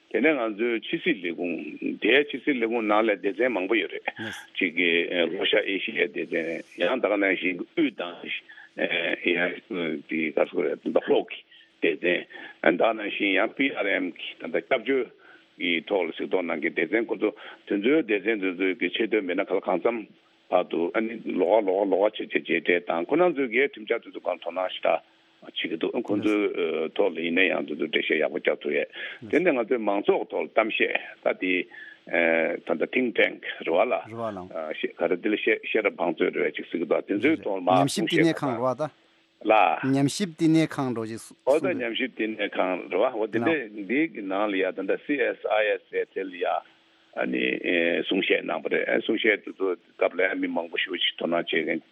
དེ་ནས་ང་ཚོའི་ཕྱི་སྲིད་ལས་ཁུངས་དེ། ཕྱི་སྲིད་ལས་ཁུངས་ནང་ལ་སྡེ་ཚན་མང་པོ་ཡོད་རེད། ལགས། གཅིག་གི་ལྷོ་ཤར་ཨེ་ཤི་ཡའི་སྡེ་ཚན། ཡང་ད་ག་ནང་བཞིན་དབུས་དང་ཡང་དེ་ག་ཚོད་རེད། ད་ལྷོ་གི་སྡེ་ཚན། ད་ག་ནང་བཞིན་ཡང་པི་ཨར་ཨེམ་གྱི་ད་ལྟ་སྐྱབས་བཅོལ་གྱི་ཐོག་ལ་གཟིགས་རྟོག་གནང་མཁན་སྡེ་ཚན། ཁོ་ཚོ་དེ་ཚོའི་སྡེ་ཚན་དེ་ཚོའི་གི་ཆེད་དོན་མི་སྣ་ག་ལ་གང་འཚམ་བར་དུ་ཨ་ནི་ལོགས་ཀ་ལོགས་ཀ་ལོགས་ཀ་བྱས་བྱས་མཇལ་འཕྲད་དང་། ཁོ་རང་ཚོའི་གི་ཁྲིམས་འཆར་དེ་ཚོ་སྒང་དོ་སྣང་ཞེ་དྲག་བྱེད་ཀྱི་འདུག་ཁོ་ཚོའི་ཨ་ཐོག་ལ་ཡིན་ན་ཡང་དེ་ཚོ་འགྲེལ་བཤད་ཡག་པོ་རྒྱག་ཐུབ་ཡས། དེ་ནས་ང་ཚོའི་མང་ཚོགས་ཐོག་ལ་གཏམ་བཤད། ད་དེ་ཨ་ད་ལྟ་ཐིང་ཊེང་ཀི་རེད་བ་ལ། རེད་བ་ལགས། ཨ་ཤེས་ག་རེ་དེ་ལ་ཤེས་ཤེས་རབ་བང་མཛོད་རེད་བ་ཅིག་ཟེར་གྱི་འདུག་དེ་ཚོའི་རེད། ཐོག་ལ་མར་ཉམས་ཞིབ་གསུང་བཤད་བསྟི་གནས་ཁང་རེད་བ་ད། ལ། ཉམས་ཞིབ་བསྟི་གནས་ཁང་འདྲ་པོ་ཅིག་གསུང་། ཨོ་ད་ཉམས་ཞིབ་བསྟི་གནས་ཁང་རེད་བ། འོ་དེ་ལ། འདྲས་འདི་གི་ནང་ལ་ཡ་ད་ལྟ་སི་ཨེས་ཨའི་ཨེས་ཟེར་དེ་ལ་ཡ་ཨ་ནི་ཨེ་གསུང་བཤད་གནང་བ་རེད། ཨེ་གསུང་བཤད་དེ་ཚོ་སྐབས་ལ་ཡ་མི་མང་པོ་ཞེ་པོ་ཅིག་དོ་སྣང་བྱེད་མཁན་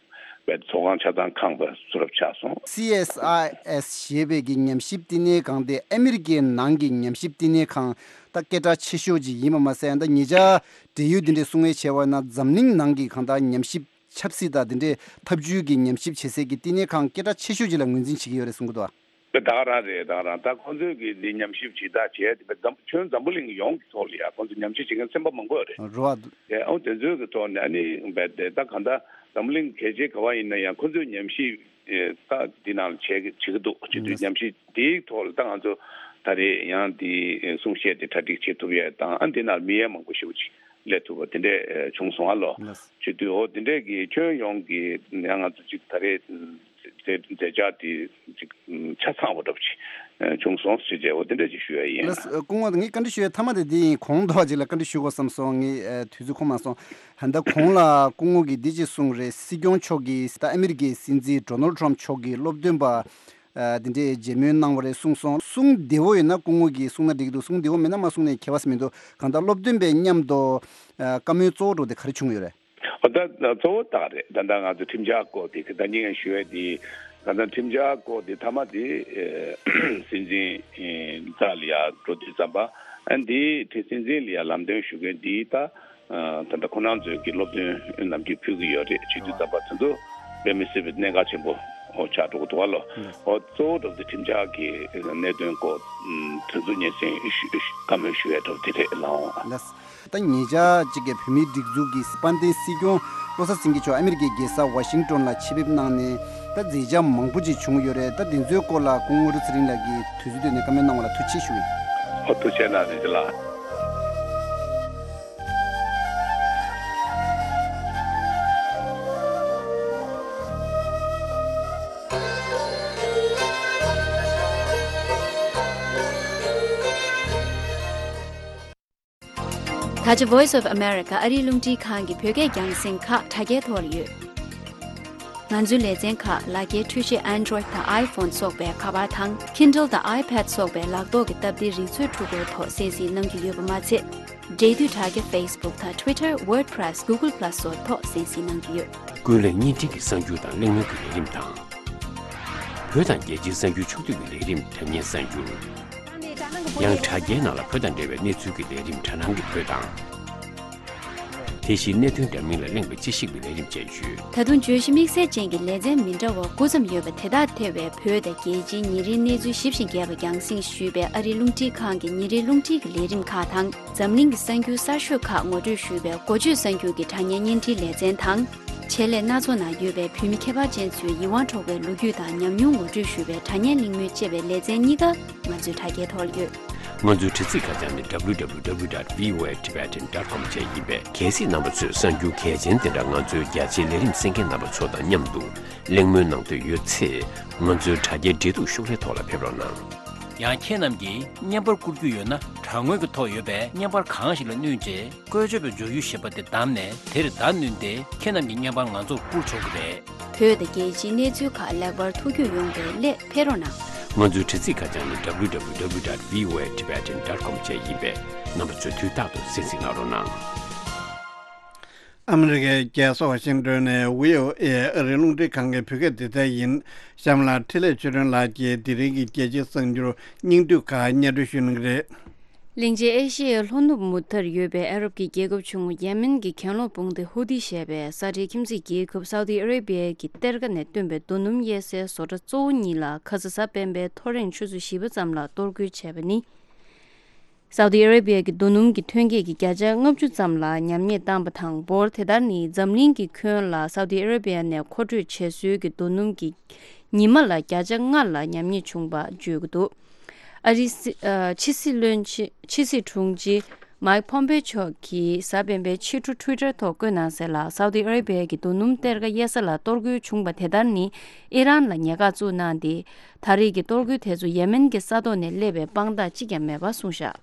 བའི་ཚོགས་ཁང་ཆ་ཚང་ཁང་པ་ཚུར་རབ་ཆགས་སོང་། སི་ཨེས་ཨའི་ཨེས་ཞེས་པའི་གི་ཉམས་ཞིབ་བསྟི་གནས་ཁང་དེ་ཨ་མི་རི་ཀའི་ནང་གི་ཉམས་ཞིབ་བསྟི་གནས་ཁང་ད་སྐད་གྲགས་ཆེ་ཤོས་ཅིག་ཡིན་པ་མ་ཟད། ད་ཉེ་ཆར་འབྲེལ་ཡོད་འདི་འདྲའི་གསུང་བཤད་བྱས་པ་ན་འཛམ་གླིང་ནང་གི་གང་ལྟར་ཉམས་ཞིབ་ཆབ་སྲིད་དང་དེ་འདྲའི་ཐབས་ཇུས་ཀྱི་ཉམས་ཞིབ་བྱེད་སའི་གི་བསྟི་གནས་ཁང་སྐད་གྲགས་ཆེ་ཤོས་ཅིག་ལ་ངོས་འཛིན་བྱེད་ཀྱི་ཡོད་རེད་གསུང་གི་འདུག་བ། དེ་ད་ག་རང་རེད། ད་ག་རང་ད་ཁོང་ཚོས་ཀྱི་འདི་ཉམས་ཞིབ་ཇི་ལྟར་བྱས་དེ་འཛམ་ཁྱོན་འཛམ་བུ་གླིང་ཡོངས་ཀྱི་ཐོག་ལ་ཡ་ཁོང་ཚོས་ཉམས་ཞིབ་བྱེད་མཁན་ཚན་པ་མང་པོ་ཡོད་རེད། རེད་བ། དེ་ཨོ་དེ་ཚོའི་གི་ཐོག་ནས་ཨ་ནི་བས་དེ་ད་གང་ལྟར་འཛམ་བུ་གླིང་གལ་ཆེ་ག་བ་ཡིན་ན་ཡང་ཁོང་ཚོས་ཉམས་ཞིབ་ཨེ་ད་འདི་ནང་ལ་བྱེད་ཀྱི་བྱེད་ཀྱི་འདུག་བྱེད་དུས་ཉམས་ཞིབ་དེའི་ཐོག་ལ་ད་ང་ཚོ་ད་རེས་ཡང་འདི་གསུང་བཤད་དེ་གྲ་སྒྲིག་བྱེད་ཐུབ་ཡས་དང་། ཨ་འདི་ནང་མི་ཡས་མང་པོ་ཞེ་པོ་ཅིག་སླེབས་ཐུབ་པ་དེ་འདྲས་བྱུང་སོང་ཨ་ལོ། ལགས། བྱེད་དུས་འོ་དེ་འདྲས་ཀྱི་ཁྱོན་ཡོངས་ཀྱི་ཡང་ང་ཚོ་ཅིག་ད་རེས་མཛད་མཛད་འཆར་དེ་ཅིག་ཆ་ཚང་བ་འདྲ་པོ་ཅིག་བྱུང་སོང་ཟེར་བྱས་འོ་དེ་འདྲས་ཅིག་ཞུ་ཡ་ཡིན། ལགས། སྐུ་ངོ་ངས་བཀའ་འདྲི་ཞུ་ཡ་མཐའ་མ་དེ་འདི་ཡིན། གོང་དུ་བ་ཅིག་ལ་བཀའ་འདྲི་ཞུ་དགོས་བསམ་སོང་། ངས་དུས་ཚོད་ཁོམ་མ་སོང་། ད་གོང་ལ་སྐུ་ངོ་གིས་འདི་ཅིག་གསུངས་རེད། སྲིད་སྐྱོང་མཆོག་གིས་ད་ཨ་མི་རི་ཀའི་སྲིད་འཛིན་ཌོ་ནལ་ཊམ་མཆོག་གི་སློབ་སྟོན་པ་ཨ་དེ་འདྲའི་མཇལ་མོལ་གནང་བ་རེད་གསུངས་སོང་། གསུང་བདེ་བོ་ཡོད་ན་སྐུ་ངོ་གིས་གསུང་ན་འགྲིག་གི་འདུག་གསུང་བདེ་བོ་མེད་ན་མ་གསུང་ནའི་ཁྱད་པར་མི་འདུག་གང་ལྟར་སློབ་སྟོན་པའི་མཉམ་དུ་ཨ་བཀའ་མོལ་གཙོ་བོ་འདྲ་པོ་དེ་ག་རེ་བྱུང་ཡོད་རེད། ཨོ་ད་གཙོ་བོ་ད་རེད། ད་ལྟ་ང་ཚོ་ཁྲིམས་འཆར་སྐོར་དེ་གི་ད་ཉིན་ཞུ་བའི་དེ་གང་ལྟར་ཁྲིམས་འཆར་སྐོར་དེ་མཐའ་མ་དེ་ཨེ་སྲིད་འཛིན་ཨེ་རྩ་ལ་ཡ་འགྲོ་དུས་ཙམ་པ་ཨ་འདི་དེ་སྲིད་འཛིན་ལ་ཡ་ལམ་སྟོན་ཞུ་མཁན་འདི་ད་ཨ་ད་ལྟ་ཁོ་རང་ཚོའི་གི་སློབ་སྟོན་ནམ་རྒྱུན་ཕུལ་གི་ཡོད་རེད། བྱེད་དུས་ཙམ་པ་དེ་ཚོ་དཔེ་མི་སྲིད་པའི་གནད་འགག་ཆེན་པོ་ཨོ་ཆགས་འགྲོ་གི་འདུག་བ་ལོ། ཨོ་གཙོ་བོ་འགྲོ་དེ་ཁྲིམས་འཆར་གྱི་གནད་དོན་སྐོར་དེ་ཚོ་སྙན་སེང་བཀའ་མོལ་ཞུ་ཡ་འགྲོ་དེ་རེད་ལགས། ད་ཉེ་ཆར་གཅིག་གི་བོད་མིའི་སྒྲིག་འཛུགས་ཀྱི་དཔལ་ལྡན་སྲིད་སྐྱོང་བློ་བཟང་སེང་གེ་མཆོག་ཨ་མི་རི་ཀའི་རྒྱལ་ས་ཝ་ཤིང་ཏོན་ལ་ཆེད་ཕེབས་གནང་ནས་ད་མཛད་འཆར་མང་པོ་ཅིག་བྱུང་ཡོད་རེད། ད་དེ་ཚོའི་སྐོར་ལ་སྐུ་ངོ་བཀྲ་ཤིས་ཚེ་རིང་ལགས་ཀྱིས་དུས་ཚོད་བཏོན་ནས་བཀའ་མོལ་གནང་བ་ལ་ཐུགས་རྗེ་ཆེ་ཞུ་ཡིན། ཨོ་ཐུགས་རྗེ་གནང་རིན་ཆེན་ལགས། ད་ཆ་Voice of America ཨ་རིའི་རླུང་འཕྲིན་ཁང་གི་བོད་སྐད་རྒྱང་སྲིང་ཁག་དྲ་རྒྱའི་ཐོག་ལ་ཡོད། ང་ཚོའི་ལེ་ཚན་ཁག་ལག་འཁྱེར་འཕྲུལ་ཆས་Android དང་iPhone སོགས་པའི་ཁ་པར་དང་Kindle དང་iPad སོགས་པའི་ལག་ཐོག་གི་སྟབས་བདེའི་རིག་མཛོད་འཕྲུལ་འཁོར་ཐོག་གསན་གཟིགས་གནང་རྒྱུ་ཡོད་པ་མ་ཚད། འབྲེལ་མཐུད་དྲ་རྒྱ་Facebook དང་Twitter, WordPress, Google Plus སོགས་ཐོག་གསན་གཟིགས་གནང་རྒྱུ་ཡོད། ཀུན་གླེང་བརྙན་འཕྲིན་གྱི་གསར་འགྱུར་དང་གླེང་མོལ་གྱི་ལས་རིམ་དང་། བོད་དང་རྒྱལ་སྤྱིའི་གསར་འགྱུར་ཕྱོགས་བསྡུས་ཀྱི་ལས་རིམ་དྲ་བརྙན་གསར་འགྱུར། ཡང་དྲ་རྒྱའི་ནང་ལ་བོད་དང་འབྲེལ་བའི་གནས་ཚུལ་གྱི་ལས་རིམ་དྲ་སྣང་གི་བོད་དང་། དེ་བཞིན་གནད་དོན་འདྲ་མིན་ལ་གླེང་བའི་དཔྱད་ཞིབ་ཀྱི་ལས་རིམ་བཅས་ཡོད། ད་དུང་བརྗོད་གཞི་དམིགས་བསལ་ཅན་གྱི་ལེ་ཚན་མི་འདྲ་བ་དགུ་ཙམ་ཡོད་པ་དེ་དག་ཐེ་བའི་བོད་དང་རྒྱལ་སྤྱིའི་ཉིན་རེའི་གནས་ཚུལ་ཞིབ་ཅིང་རྒྱས་པ་རྒྱང་སྲིང་ཞུས་པའི་ཨ་རིའི་རླུང་འཕྲིན་ཁང་གི་ཉིན་རེའི་རླུང་འཕྲིན་གྱི་ལས་རིམ་ཁག་དང་། འཛམ་གླིང་གི་གསར་འགྱུར་གསར་ཤོས་ཁག་ངོ་སྤྲོད་ཞུས་པའི་འགོ་བརྗོད་གསར་འགྱུར་གྱི་དྲ་བརྙན་བརྙན་འཕྲིན་ལེ་ཚན་དང་། ཆེད་ལས་སྣ་ཚོགས་ནང་ཡོད་པའི་བོད་མི་ཁྱད་པར་ཅན་ཚོའི་ཡིད་དབང་འཕྲོག་པའི་ལོ་རྒྱུས་དང་ཉམས་མྱོང་ངོ་སྤྲོད་ཞུས་པའི་དྲ་བརྙན་གླེང་མོལ་ཅེས་པའི་ལེ་ཚན་གཉིས་ཀ་ང་ཚོའི་དྲ་རྒྱའི་ཐོག་ལ་ཡོད། ང་ཚོའི་དྲ་ཚིགས་ཁ་བྱང་ནི་www.voatibetan.com བཅས་ཡིན་པས། གལ་སྲིད་རྣམ་པ་ཚོས་གསར་འགྱུར་གལ་ཆེན་དེ་འདྲ་ང་ཚོའི་རྒྱ་ཆེའི་ལས་རིམ་གསན་མཁན་རྣམ་པ་ཚོ་དང་མཉམ་དུ་གླེང་མོལ་གནང་འདོད་ཡོད་ཚེ། ང་ཚོའི་དྲ་རྒྱའི་འབྲེལ་གཏུག་ཤོག་ལྷེ་ཐོག་ལ་ཕེབས་རོགས་གནང་། ཡང་ཁྱེད་རྣམས་ཀྱིས་བརྙན་པར་བསྐུར་རྒྱུ་ཡོད་ན། དྲ་ངོས་ཀྱི་ཐོག་ཡོད་པའི་བརྙན་པར་གང་ཞིག་ལ་བསྣུན་རྗེས། བཀོལ་སྤྱོད་པའི་འཇོག་ཡུལ་ཞེས་པ་དེ་བདམས་ནས། དེར་བརྡ་བསྣུན་ཏེ་ཁྱེད་རྣམས་ཀྱི་བརྙན་པར་ང་ཚོར་བསྐུར་ཆོག་གི་རེད། བོད་དང་རྒྱལ་སྤྱིའི་གནས་ཚུལ་ཁག་ལེགས་པར་ཐུགས་ཁུར་ཡོང་བའི་སླད་ཕེབས་རོགས་གནང་། ང་ཚོའི་དྲ་ཚིགས་ཁ་བྱང་ནི་www.voatibetan.com བཅས་ཡིན་པས། རྣམ་པ་ཚོས་དུས་རྟག་ཏུ་གསན་གཟིགས་གནང་རོགས་གནང་། ཨ་མི་རི་ཀའི་རྒྱལ་ས་ཝ་ཤིང་ཏོན་ནས་བྷི་ཨོ་ཨེ་ཨ་རིའི་རླུང་འཕྲིན་ཁང་གི་བོད་སྐད་སྡེ་ཚན་ཡིན། གཤམ་ལ་འཕྲིན་ལས་ཆོས་སྒྲོན་ལགས་ཀྱིས་དེ་རིང་གི་རྒྱལ་སྤྱིའི་གསར་འགྱུར་སྙིང་བསྡུས་ཁག་སྙན་སྒྲོན་ཞུ་གནང་གི་རེད། གླིང་ཆེན་ཨེ་ཤི་ཡའི་ལྷོ་ནུབ་མུ་མཐའར་ཡོད་པའི་ཨ་རབ་ཀྱི་རྒྱལ་ཁབ་ཆུང་ངུ་ཡེ་མེན་གྱི་གྱེན་ལོག་དཔུང་སྡེ་ཧུ་ཐི་ཞེས་པས་ས་ཁྲའི་ཁྱིམ་མཚེས་རྒྱལ་ཁབ་སའུ་ཏི་ཨ་རེ་བྷི་ཡ་གི་གཏེར་ཁ་ནས་བཏོན་པའི་རྡོ་སྣུམ་གཡར་སའི་བཟོ་གྲྭ་གཙོ་བོ་གཉིས་ལ་ཁ་ས་གཟའ་སྤེན་པའི་ཐོ་རེངས་ཆུ་ཚོད་བཞི་པ་ཙམ་ལ་གཏོར་རྒོལ་བྱས་པ་ནི། སའུ་ཏི་ཨ་རེ་བྷི་ཡ་གི་རྡོ་སྣུམ་གྱི་ཐོན་སྐྱེད་ཀྱི་བརྒྱ་ཆ་ལྔ་བཅུ་ཙམ་ལ་ཉམས་ཉེས་བཏང་པ་དང་། འབོར་དེ་ལྟར་ནི་འཛམ་གླིང་གི་ཁྱོན་ལ་སའུ་ཏི་ཨ་རེ་བྷི་ཡ་ནས་མཁོ་སྤྲོད་བྱེད་སྲོལ་གྱི་རྡོ་སྣུམ་གྱི་ཉི་མ་ལ་བརྒྱ་ཆ་ལྔ་ལ་ཉམས་ཉེས་བྱུང་བ་བརྗོད་ཀྱི་འདུག་ཨ་རིའི་སྲི་ཨ་ཕྱི་སྲིད་བློན་ཆེན། ཕྱི་སྲིད་དྲུང་ཆེ་མཱིག་ཕོམ་པེ་མཆོག་གིས་གཟའ་སྤེན་པའི་ཕྱི་དྲོ་ཊུའི་ཊར་ཐོག་བཀོད་གནང་གསལ་ལ། སའུ་ཏི་ཨ་རེ་བྷི་ཡ་གི་རྡོ་སྣུམ་གཏེར་ཁ་གཡར་ས་ལ་གཏོར་རྒོལ་བྱུང་བ་དེ་ལྟར་ནི། ཨི་རན་ལ་ཉེས་འགག་བཙུགས་གནང་སྟེ། ད་རེས་ཀྱི་གཏོར་རྒོལ་དེ་ཚོ་ཡེ་མེན་གྱི་ས་ཐོག་ནས་སླེབས་པའི་དཔང་རྟགས་གཅིག་ཀྱང་མེད་པ་གསུངས་བཞག་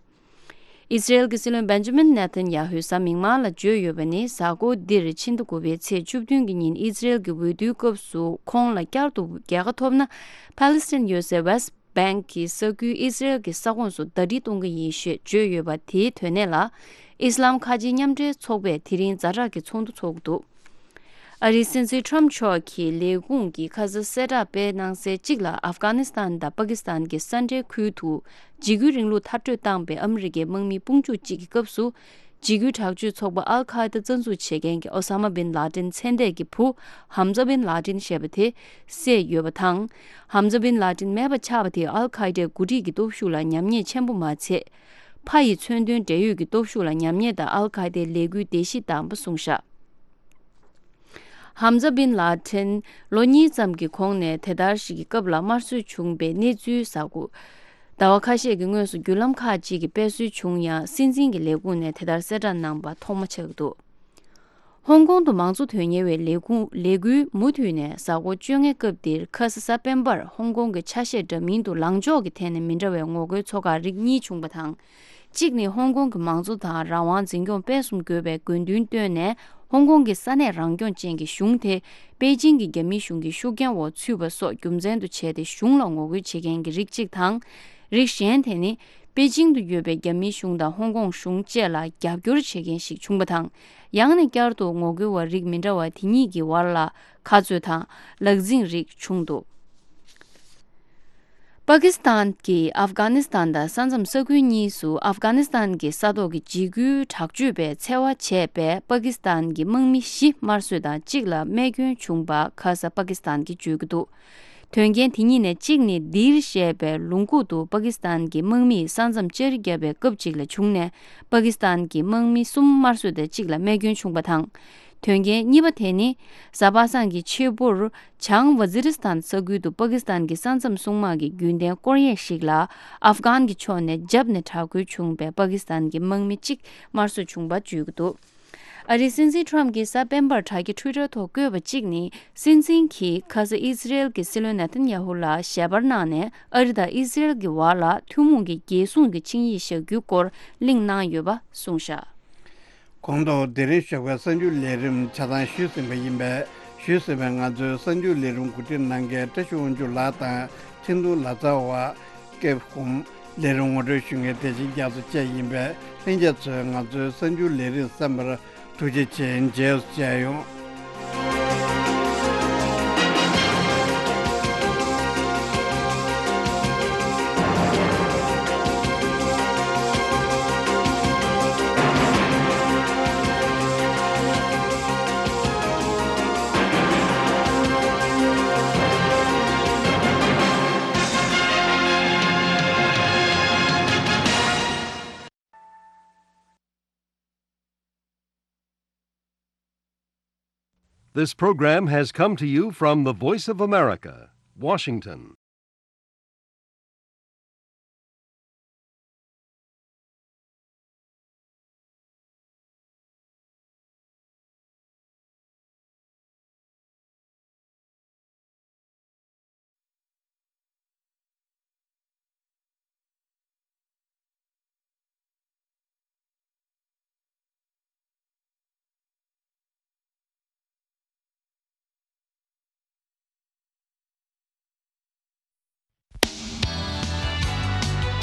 ཨི་སི་རེལ་གྱི་སྲིད་བློན་བེན་ཇ་མིན་ནེ་ཐན་ཡ་ཧུས་གཟའ་མིག་དམར་ལ་བརྗོད་ཡོད་པ་ནི། གཟའ་འཁོར་འདིར་ཕྱི་ཟླ་དགུ་པའི་ཚེས་བཅུ་བདུན་གྱི་ཉིན་ཨི་སི་རེལ་གྱི་འོས་བསྡུའི་སྐབས་སུ་ཁོང་ལ་བསྐྱར་དུ་རྒྱལ་ཁ་ཐོབ་ན། ཕཱ་ལི་སི་ཐན་ཡོད་སའི་ཝེ་སི་བྷེང་གི་ས་ཁུལ་ཨི་སི་རེལ་གྱི་ས་ཁོངས་སུ་ཟླ་སྒྲིལ་གཏོང་གི་ཡིན་ཞེས་བརྗོད་ཡོད་པ་དེའི་དོན་གནད་ལ། ཨི་སི་ལམ་ཁ་ཆེའི་མཉམ་འབྲེལ་ཚོགས་པས་དེ་རིང་ཛ་དྲག་གི་ཚོགས་འདུ་འཚོགས་ཀྱི་འདུག་ཨ་རིའི་སྲིད་འཛིན་ཁྲོམ་མཆོག་གི་ལས་ཁུངས་ཀྱིས་ཁ་སང་གསལ་བསྒྲགས་སྤེལ་གནང་གསལ་གཅིག་ལ། ཨབ་གྷ་ནི་སི་ཐན་དང་པ་ཀི་སི་ཐན་གྱི་ས་འབྲེལ་ཁུལ་དུ་འཇིགས་སྐུལ་རིང་ལུགས་མཐར་སྐྲོད་བཏང་པའི་ཨ་མི་རི་ཀའི་དམག་མི་དཔུང་འཇུག་ཅིག་གི་སྐབས་སུ། འཇིགས་སྐུལ་དྲག་སྤྱོད་ཚོགས་པ་ཨལ་ཁ་ཡེ་ད་རྩ་འཛུགས་བྱེད་མཁན་གྱི་ཨོ་ས་མ་བིན་ལ་ཏིན་མཚན་གཏད་ཀྱི་བུ་ཧམ་ཛ་བིན་ལ་ཏིན་ཞེས་པ་དེ་བསད་ཡོད་པ་དང་། ཧམ་ཛ་བིན་ལ་ཏིན་མེད་པ་ཆགས་པ་དེས་ཨལ་ཁ་ཡེ་ད་འགོ་ཁྲིད་ཀྱི་སྟོབས་ཤུགས་ལ་ཉམས་ཉེས་ཆེན་པོ་མ་ཚད། ཕ་ཡི་མཚོན་དོན་འབྲེལ་ཡོད་ཀྱི་སྟོབས་ཤུགས་ལ་ཉམས་ཉེས་དང་ཨལ་ཁ་ཡེ་ད་ལས་འགུལ་བརྡལ་བཤིག་བཏང་པ་གསུངས་བཞག་ཧམ་ཛ་བིན་ལ་ཏིན་ལོ་གཉིས་ཙམ་གྱི་གོང་ནས་དེ་ལྟར་ཞིག་གི་སྐབས་ལ་དམར་གསོད་བྱུང་པའི་གནས་ཚུལ་གསར་འགོད། ཟླ་བ་ཁ་ཤས་ཀྱི་སྔོན་སུ་བརྒྱུད་ལམ་ཁག་ཅིག་གིས་སྤེལ་སྲོལ་བྱུང་ཡང་། སྲིད་འཛིན་གྱི་ལས་ཁུངས་ནས་དེ་ལྟར་གསལ་བསྒྲགས་གནང་པ་ཐོག་མ་ཆགས་ཀྱི་འདུག་ཧོང་ཀོང་དུ་མང་གཙོ་དོན་གཉེར་བའི་ལས་ཁུངས་ལས་འགུལ་མུ་མཐུད་ནས་གཟའ་འཁོར་བཅོ་ལྔའི་སྐབས་འདིར་ཁ་ས་གཟའ་སྤེན་པར་ཧོང་ཀོང་གི་ཆ་ཤས་འདྲ་མིན་དུ་ལངས་ཕྱོགས་ཀྱི་ཐད་ནས་མི་འདྲ་བའི་ངོ་རྒོལ་ཚོགས་ཁག་རིགས་གཉིས་བྱུང་པ་དང་། གཅིག་ནི་ཧོང་ཀོང་གི་མང་གཙོ་དང་རང་དབང་འཛིན་སྐྱོང་སྤེལ་གསུམ་དགོས་པའི་དགོས་འདུན་བཏོན་ནས། ཧོང་ཀོང་གི་ས་གནས་རང་སྐྱོང་ཅན་གྱི་གཞུང་དེ་པེ་ཅིང་གི་རྒྱ་མིའི་གཞུང་གི་ཤུགས་རྐྱེན་འོག་ཚུད་པ་སོགས་རྒྱུ་མཚན་དུ་བྱས་ཏེ་གཞུང་ལ་ངོ་རྒོལ་བྱེད་མཁན་གྱི་རིགས་གཅིག་དང་། རིགས་གཞན་དེ་ནི་པེ་ཅིང་དུ་ཡོད་པའི་རྒྱ་མིའི་གཞུང་དང་ཧོང་ཀོང་གཞུང་བཅས་ལ་རྒྱབ་སྐྱོར་བྱེད་མཁན་ཞིག་བྱུང་པ་དང་། ཡང་ན་བསྐྱར་དུ་ངོ་རྒོལ་བ་རིགས་མི་འདྲ་བ་དེ་གཉིས་ཀྱི་བར་ལ་ཁ་རྩོད་དང་ལག་འཛིང་རིགས་བྱུང་འདུག་པ་ཀི་སི་ཐན་གྱིས་ཨབ་གྷ་ནི་སི་ཐན་དང་ས་མཚམས་ས་ཁུལ་གཉིས་སུ་ཨབ་གྷ་ནི་སི་ཐན་གྱི་ས་ཐོག་གི་འཇིགས་སྐུལ་དྲག་སྤྱོད་པས་འཚེ་བ་བྱས་པའི་པ་ཀི་སི་ཐན་གྱི་དམག་མི་བཞི་དམར་གསོད་དང་གཅིག་ལ་རྨས་སྐྱོན་བྱུང་པ་ཁ་ས་པ་ཀི་སི་ཐན་གྱིས་བརྗོད་ཀྱི་འདུག་དོན་རྐྱེན་དེ་གཉིས་ནས་གཅིག་ནི་དིར་ཞེས་པའི་ལུང་ཁུག་ཏུ་པ་ཀི་སི་ཐན་གྱི་དམག་མིས་ས་མཚམས་བཅར་བརྒྱབ་པའི་སྐབས་གཅིག་ལ་བྱུང་ནས། པ་ཀི་སི་ཐན་གྱི་དམག་མི་གསུམ་དམར་གསོད་དང་གཅིག་ལ་རྨས་སྐྱོན་བྱུང་བ་དང་། དོན་རྐྱེན་གཉིས་པ་དེ་ནི། གཟའ་པ་སངས་ཀྱི་ཕྱི་པོར། བྱང་ཝ་ཛི་རི་སི་ཐན་ས་ཁུལ་དུ་པ་ཀི་སི་ཐན་གྱི་ས་མཚམས་སྲུང་དམག་གི་རྒྱུན་ལྡན་སྐོར་གཡས་ཤིག་ལ། ཨབ་གྷན་གྱི་ཕྱོགས་ནས་བརྒྱབ་ནས་དྲག་རྒོལ་བྱུང་བའི་པ་ཀི་སི་ཐན་གྱི་དམག་མི་གཅིག་དམར་གསོད་བྱུང་བ་བརྗོད་ཀྱི་འདུག་ཨ་རིའི་སྲིད་འཛིན་ཁྲོམ་གྱིས་གཟའ་སྤེན་པར་དྲ་རྒྱའི་ཊུའི་ཊར་ཐོག་བཀོད་པ་གཅིག་ནི། སྲིད་འཛིན་གྱིས་ཁ་ས་ཨི་ཟི་རེལ་གྱི་སྲིད་བློན་ནེ་ཐན་ཡ་ཧུ་ལ་ཞལ་པར་གནང་ནས། ཨ་རི་དང་ཨི་ཟི་རེལ་གྱི་བར་ལ་ཐུན་མོང་གི་རྒྱལ་སྲུང་གི་ཆིངས་ཡིག་བཞག་རྒྱུའི་སྐོར་གླེང་གནང་ཡོད་པ་གསུངས་བཞག་གོང་དུ་དེ་རིང་ཞོགས་པའི་གསར་འགྱུར་ལས་རིམ་ཆ་ཚང་ཞུས་ཟིན་པ་ཡིན་པས། ཞུས་ཟིན་པའི་ང་ཚོའི་གསར་འགྱུར་ལས་རིམ་གོ་སྒྲིག་གནང་མཁན་བཀྲ་ཤིས་དབང་ཕྱུག་ལགས་དང་ཁྲིན་ཏུ་ལ་ཙཱ་བ། ཀེབ་ཧུམ། ལས་རིམ་ངོ་སྤྲོད་ཞུ་མཁན་བདེ་ཆེན་རྒྱ་མཚོ་བཅས་ཡིན་པས། ལྷན་རྒྱས་ཚོས་ང་ཚོའི་གསར་འགྱུར་ལས་རིམ་གསན་པར་ཐུགས་རྗེ་ཆེ། མཇལ་ཡོང་། This program has come to you from the Voice of America, Washington.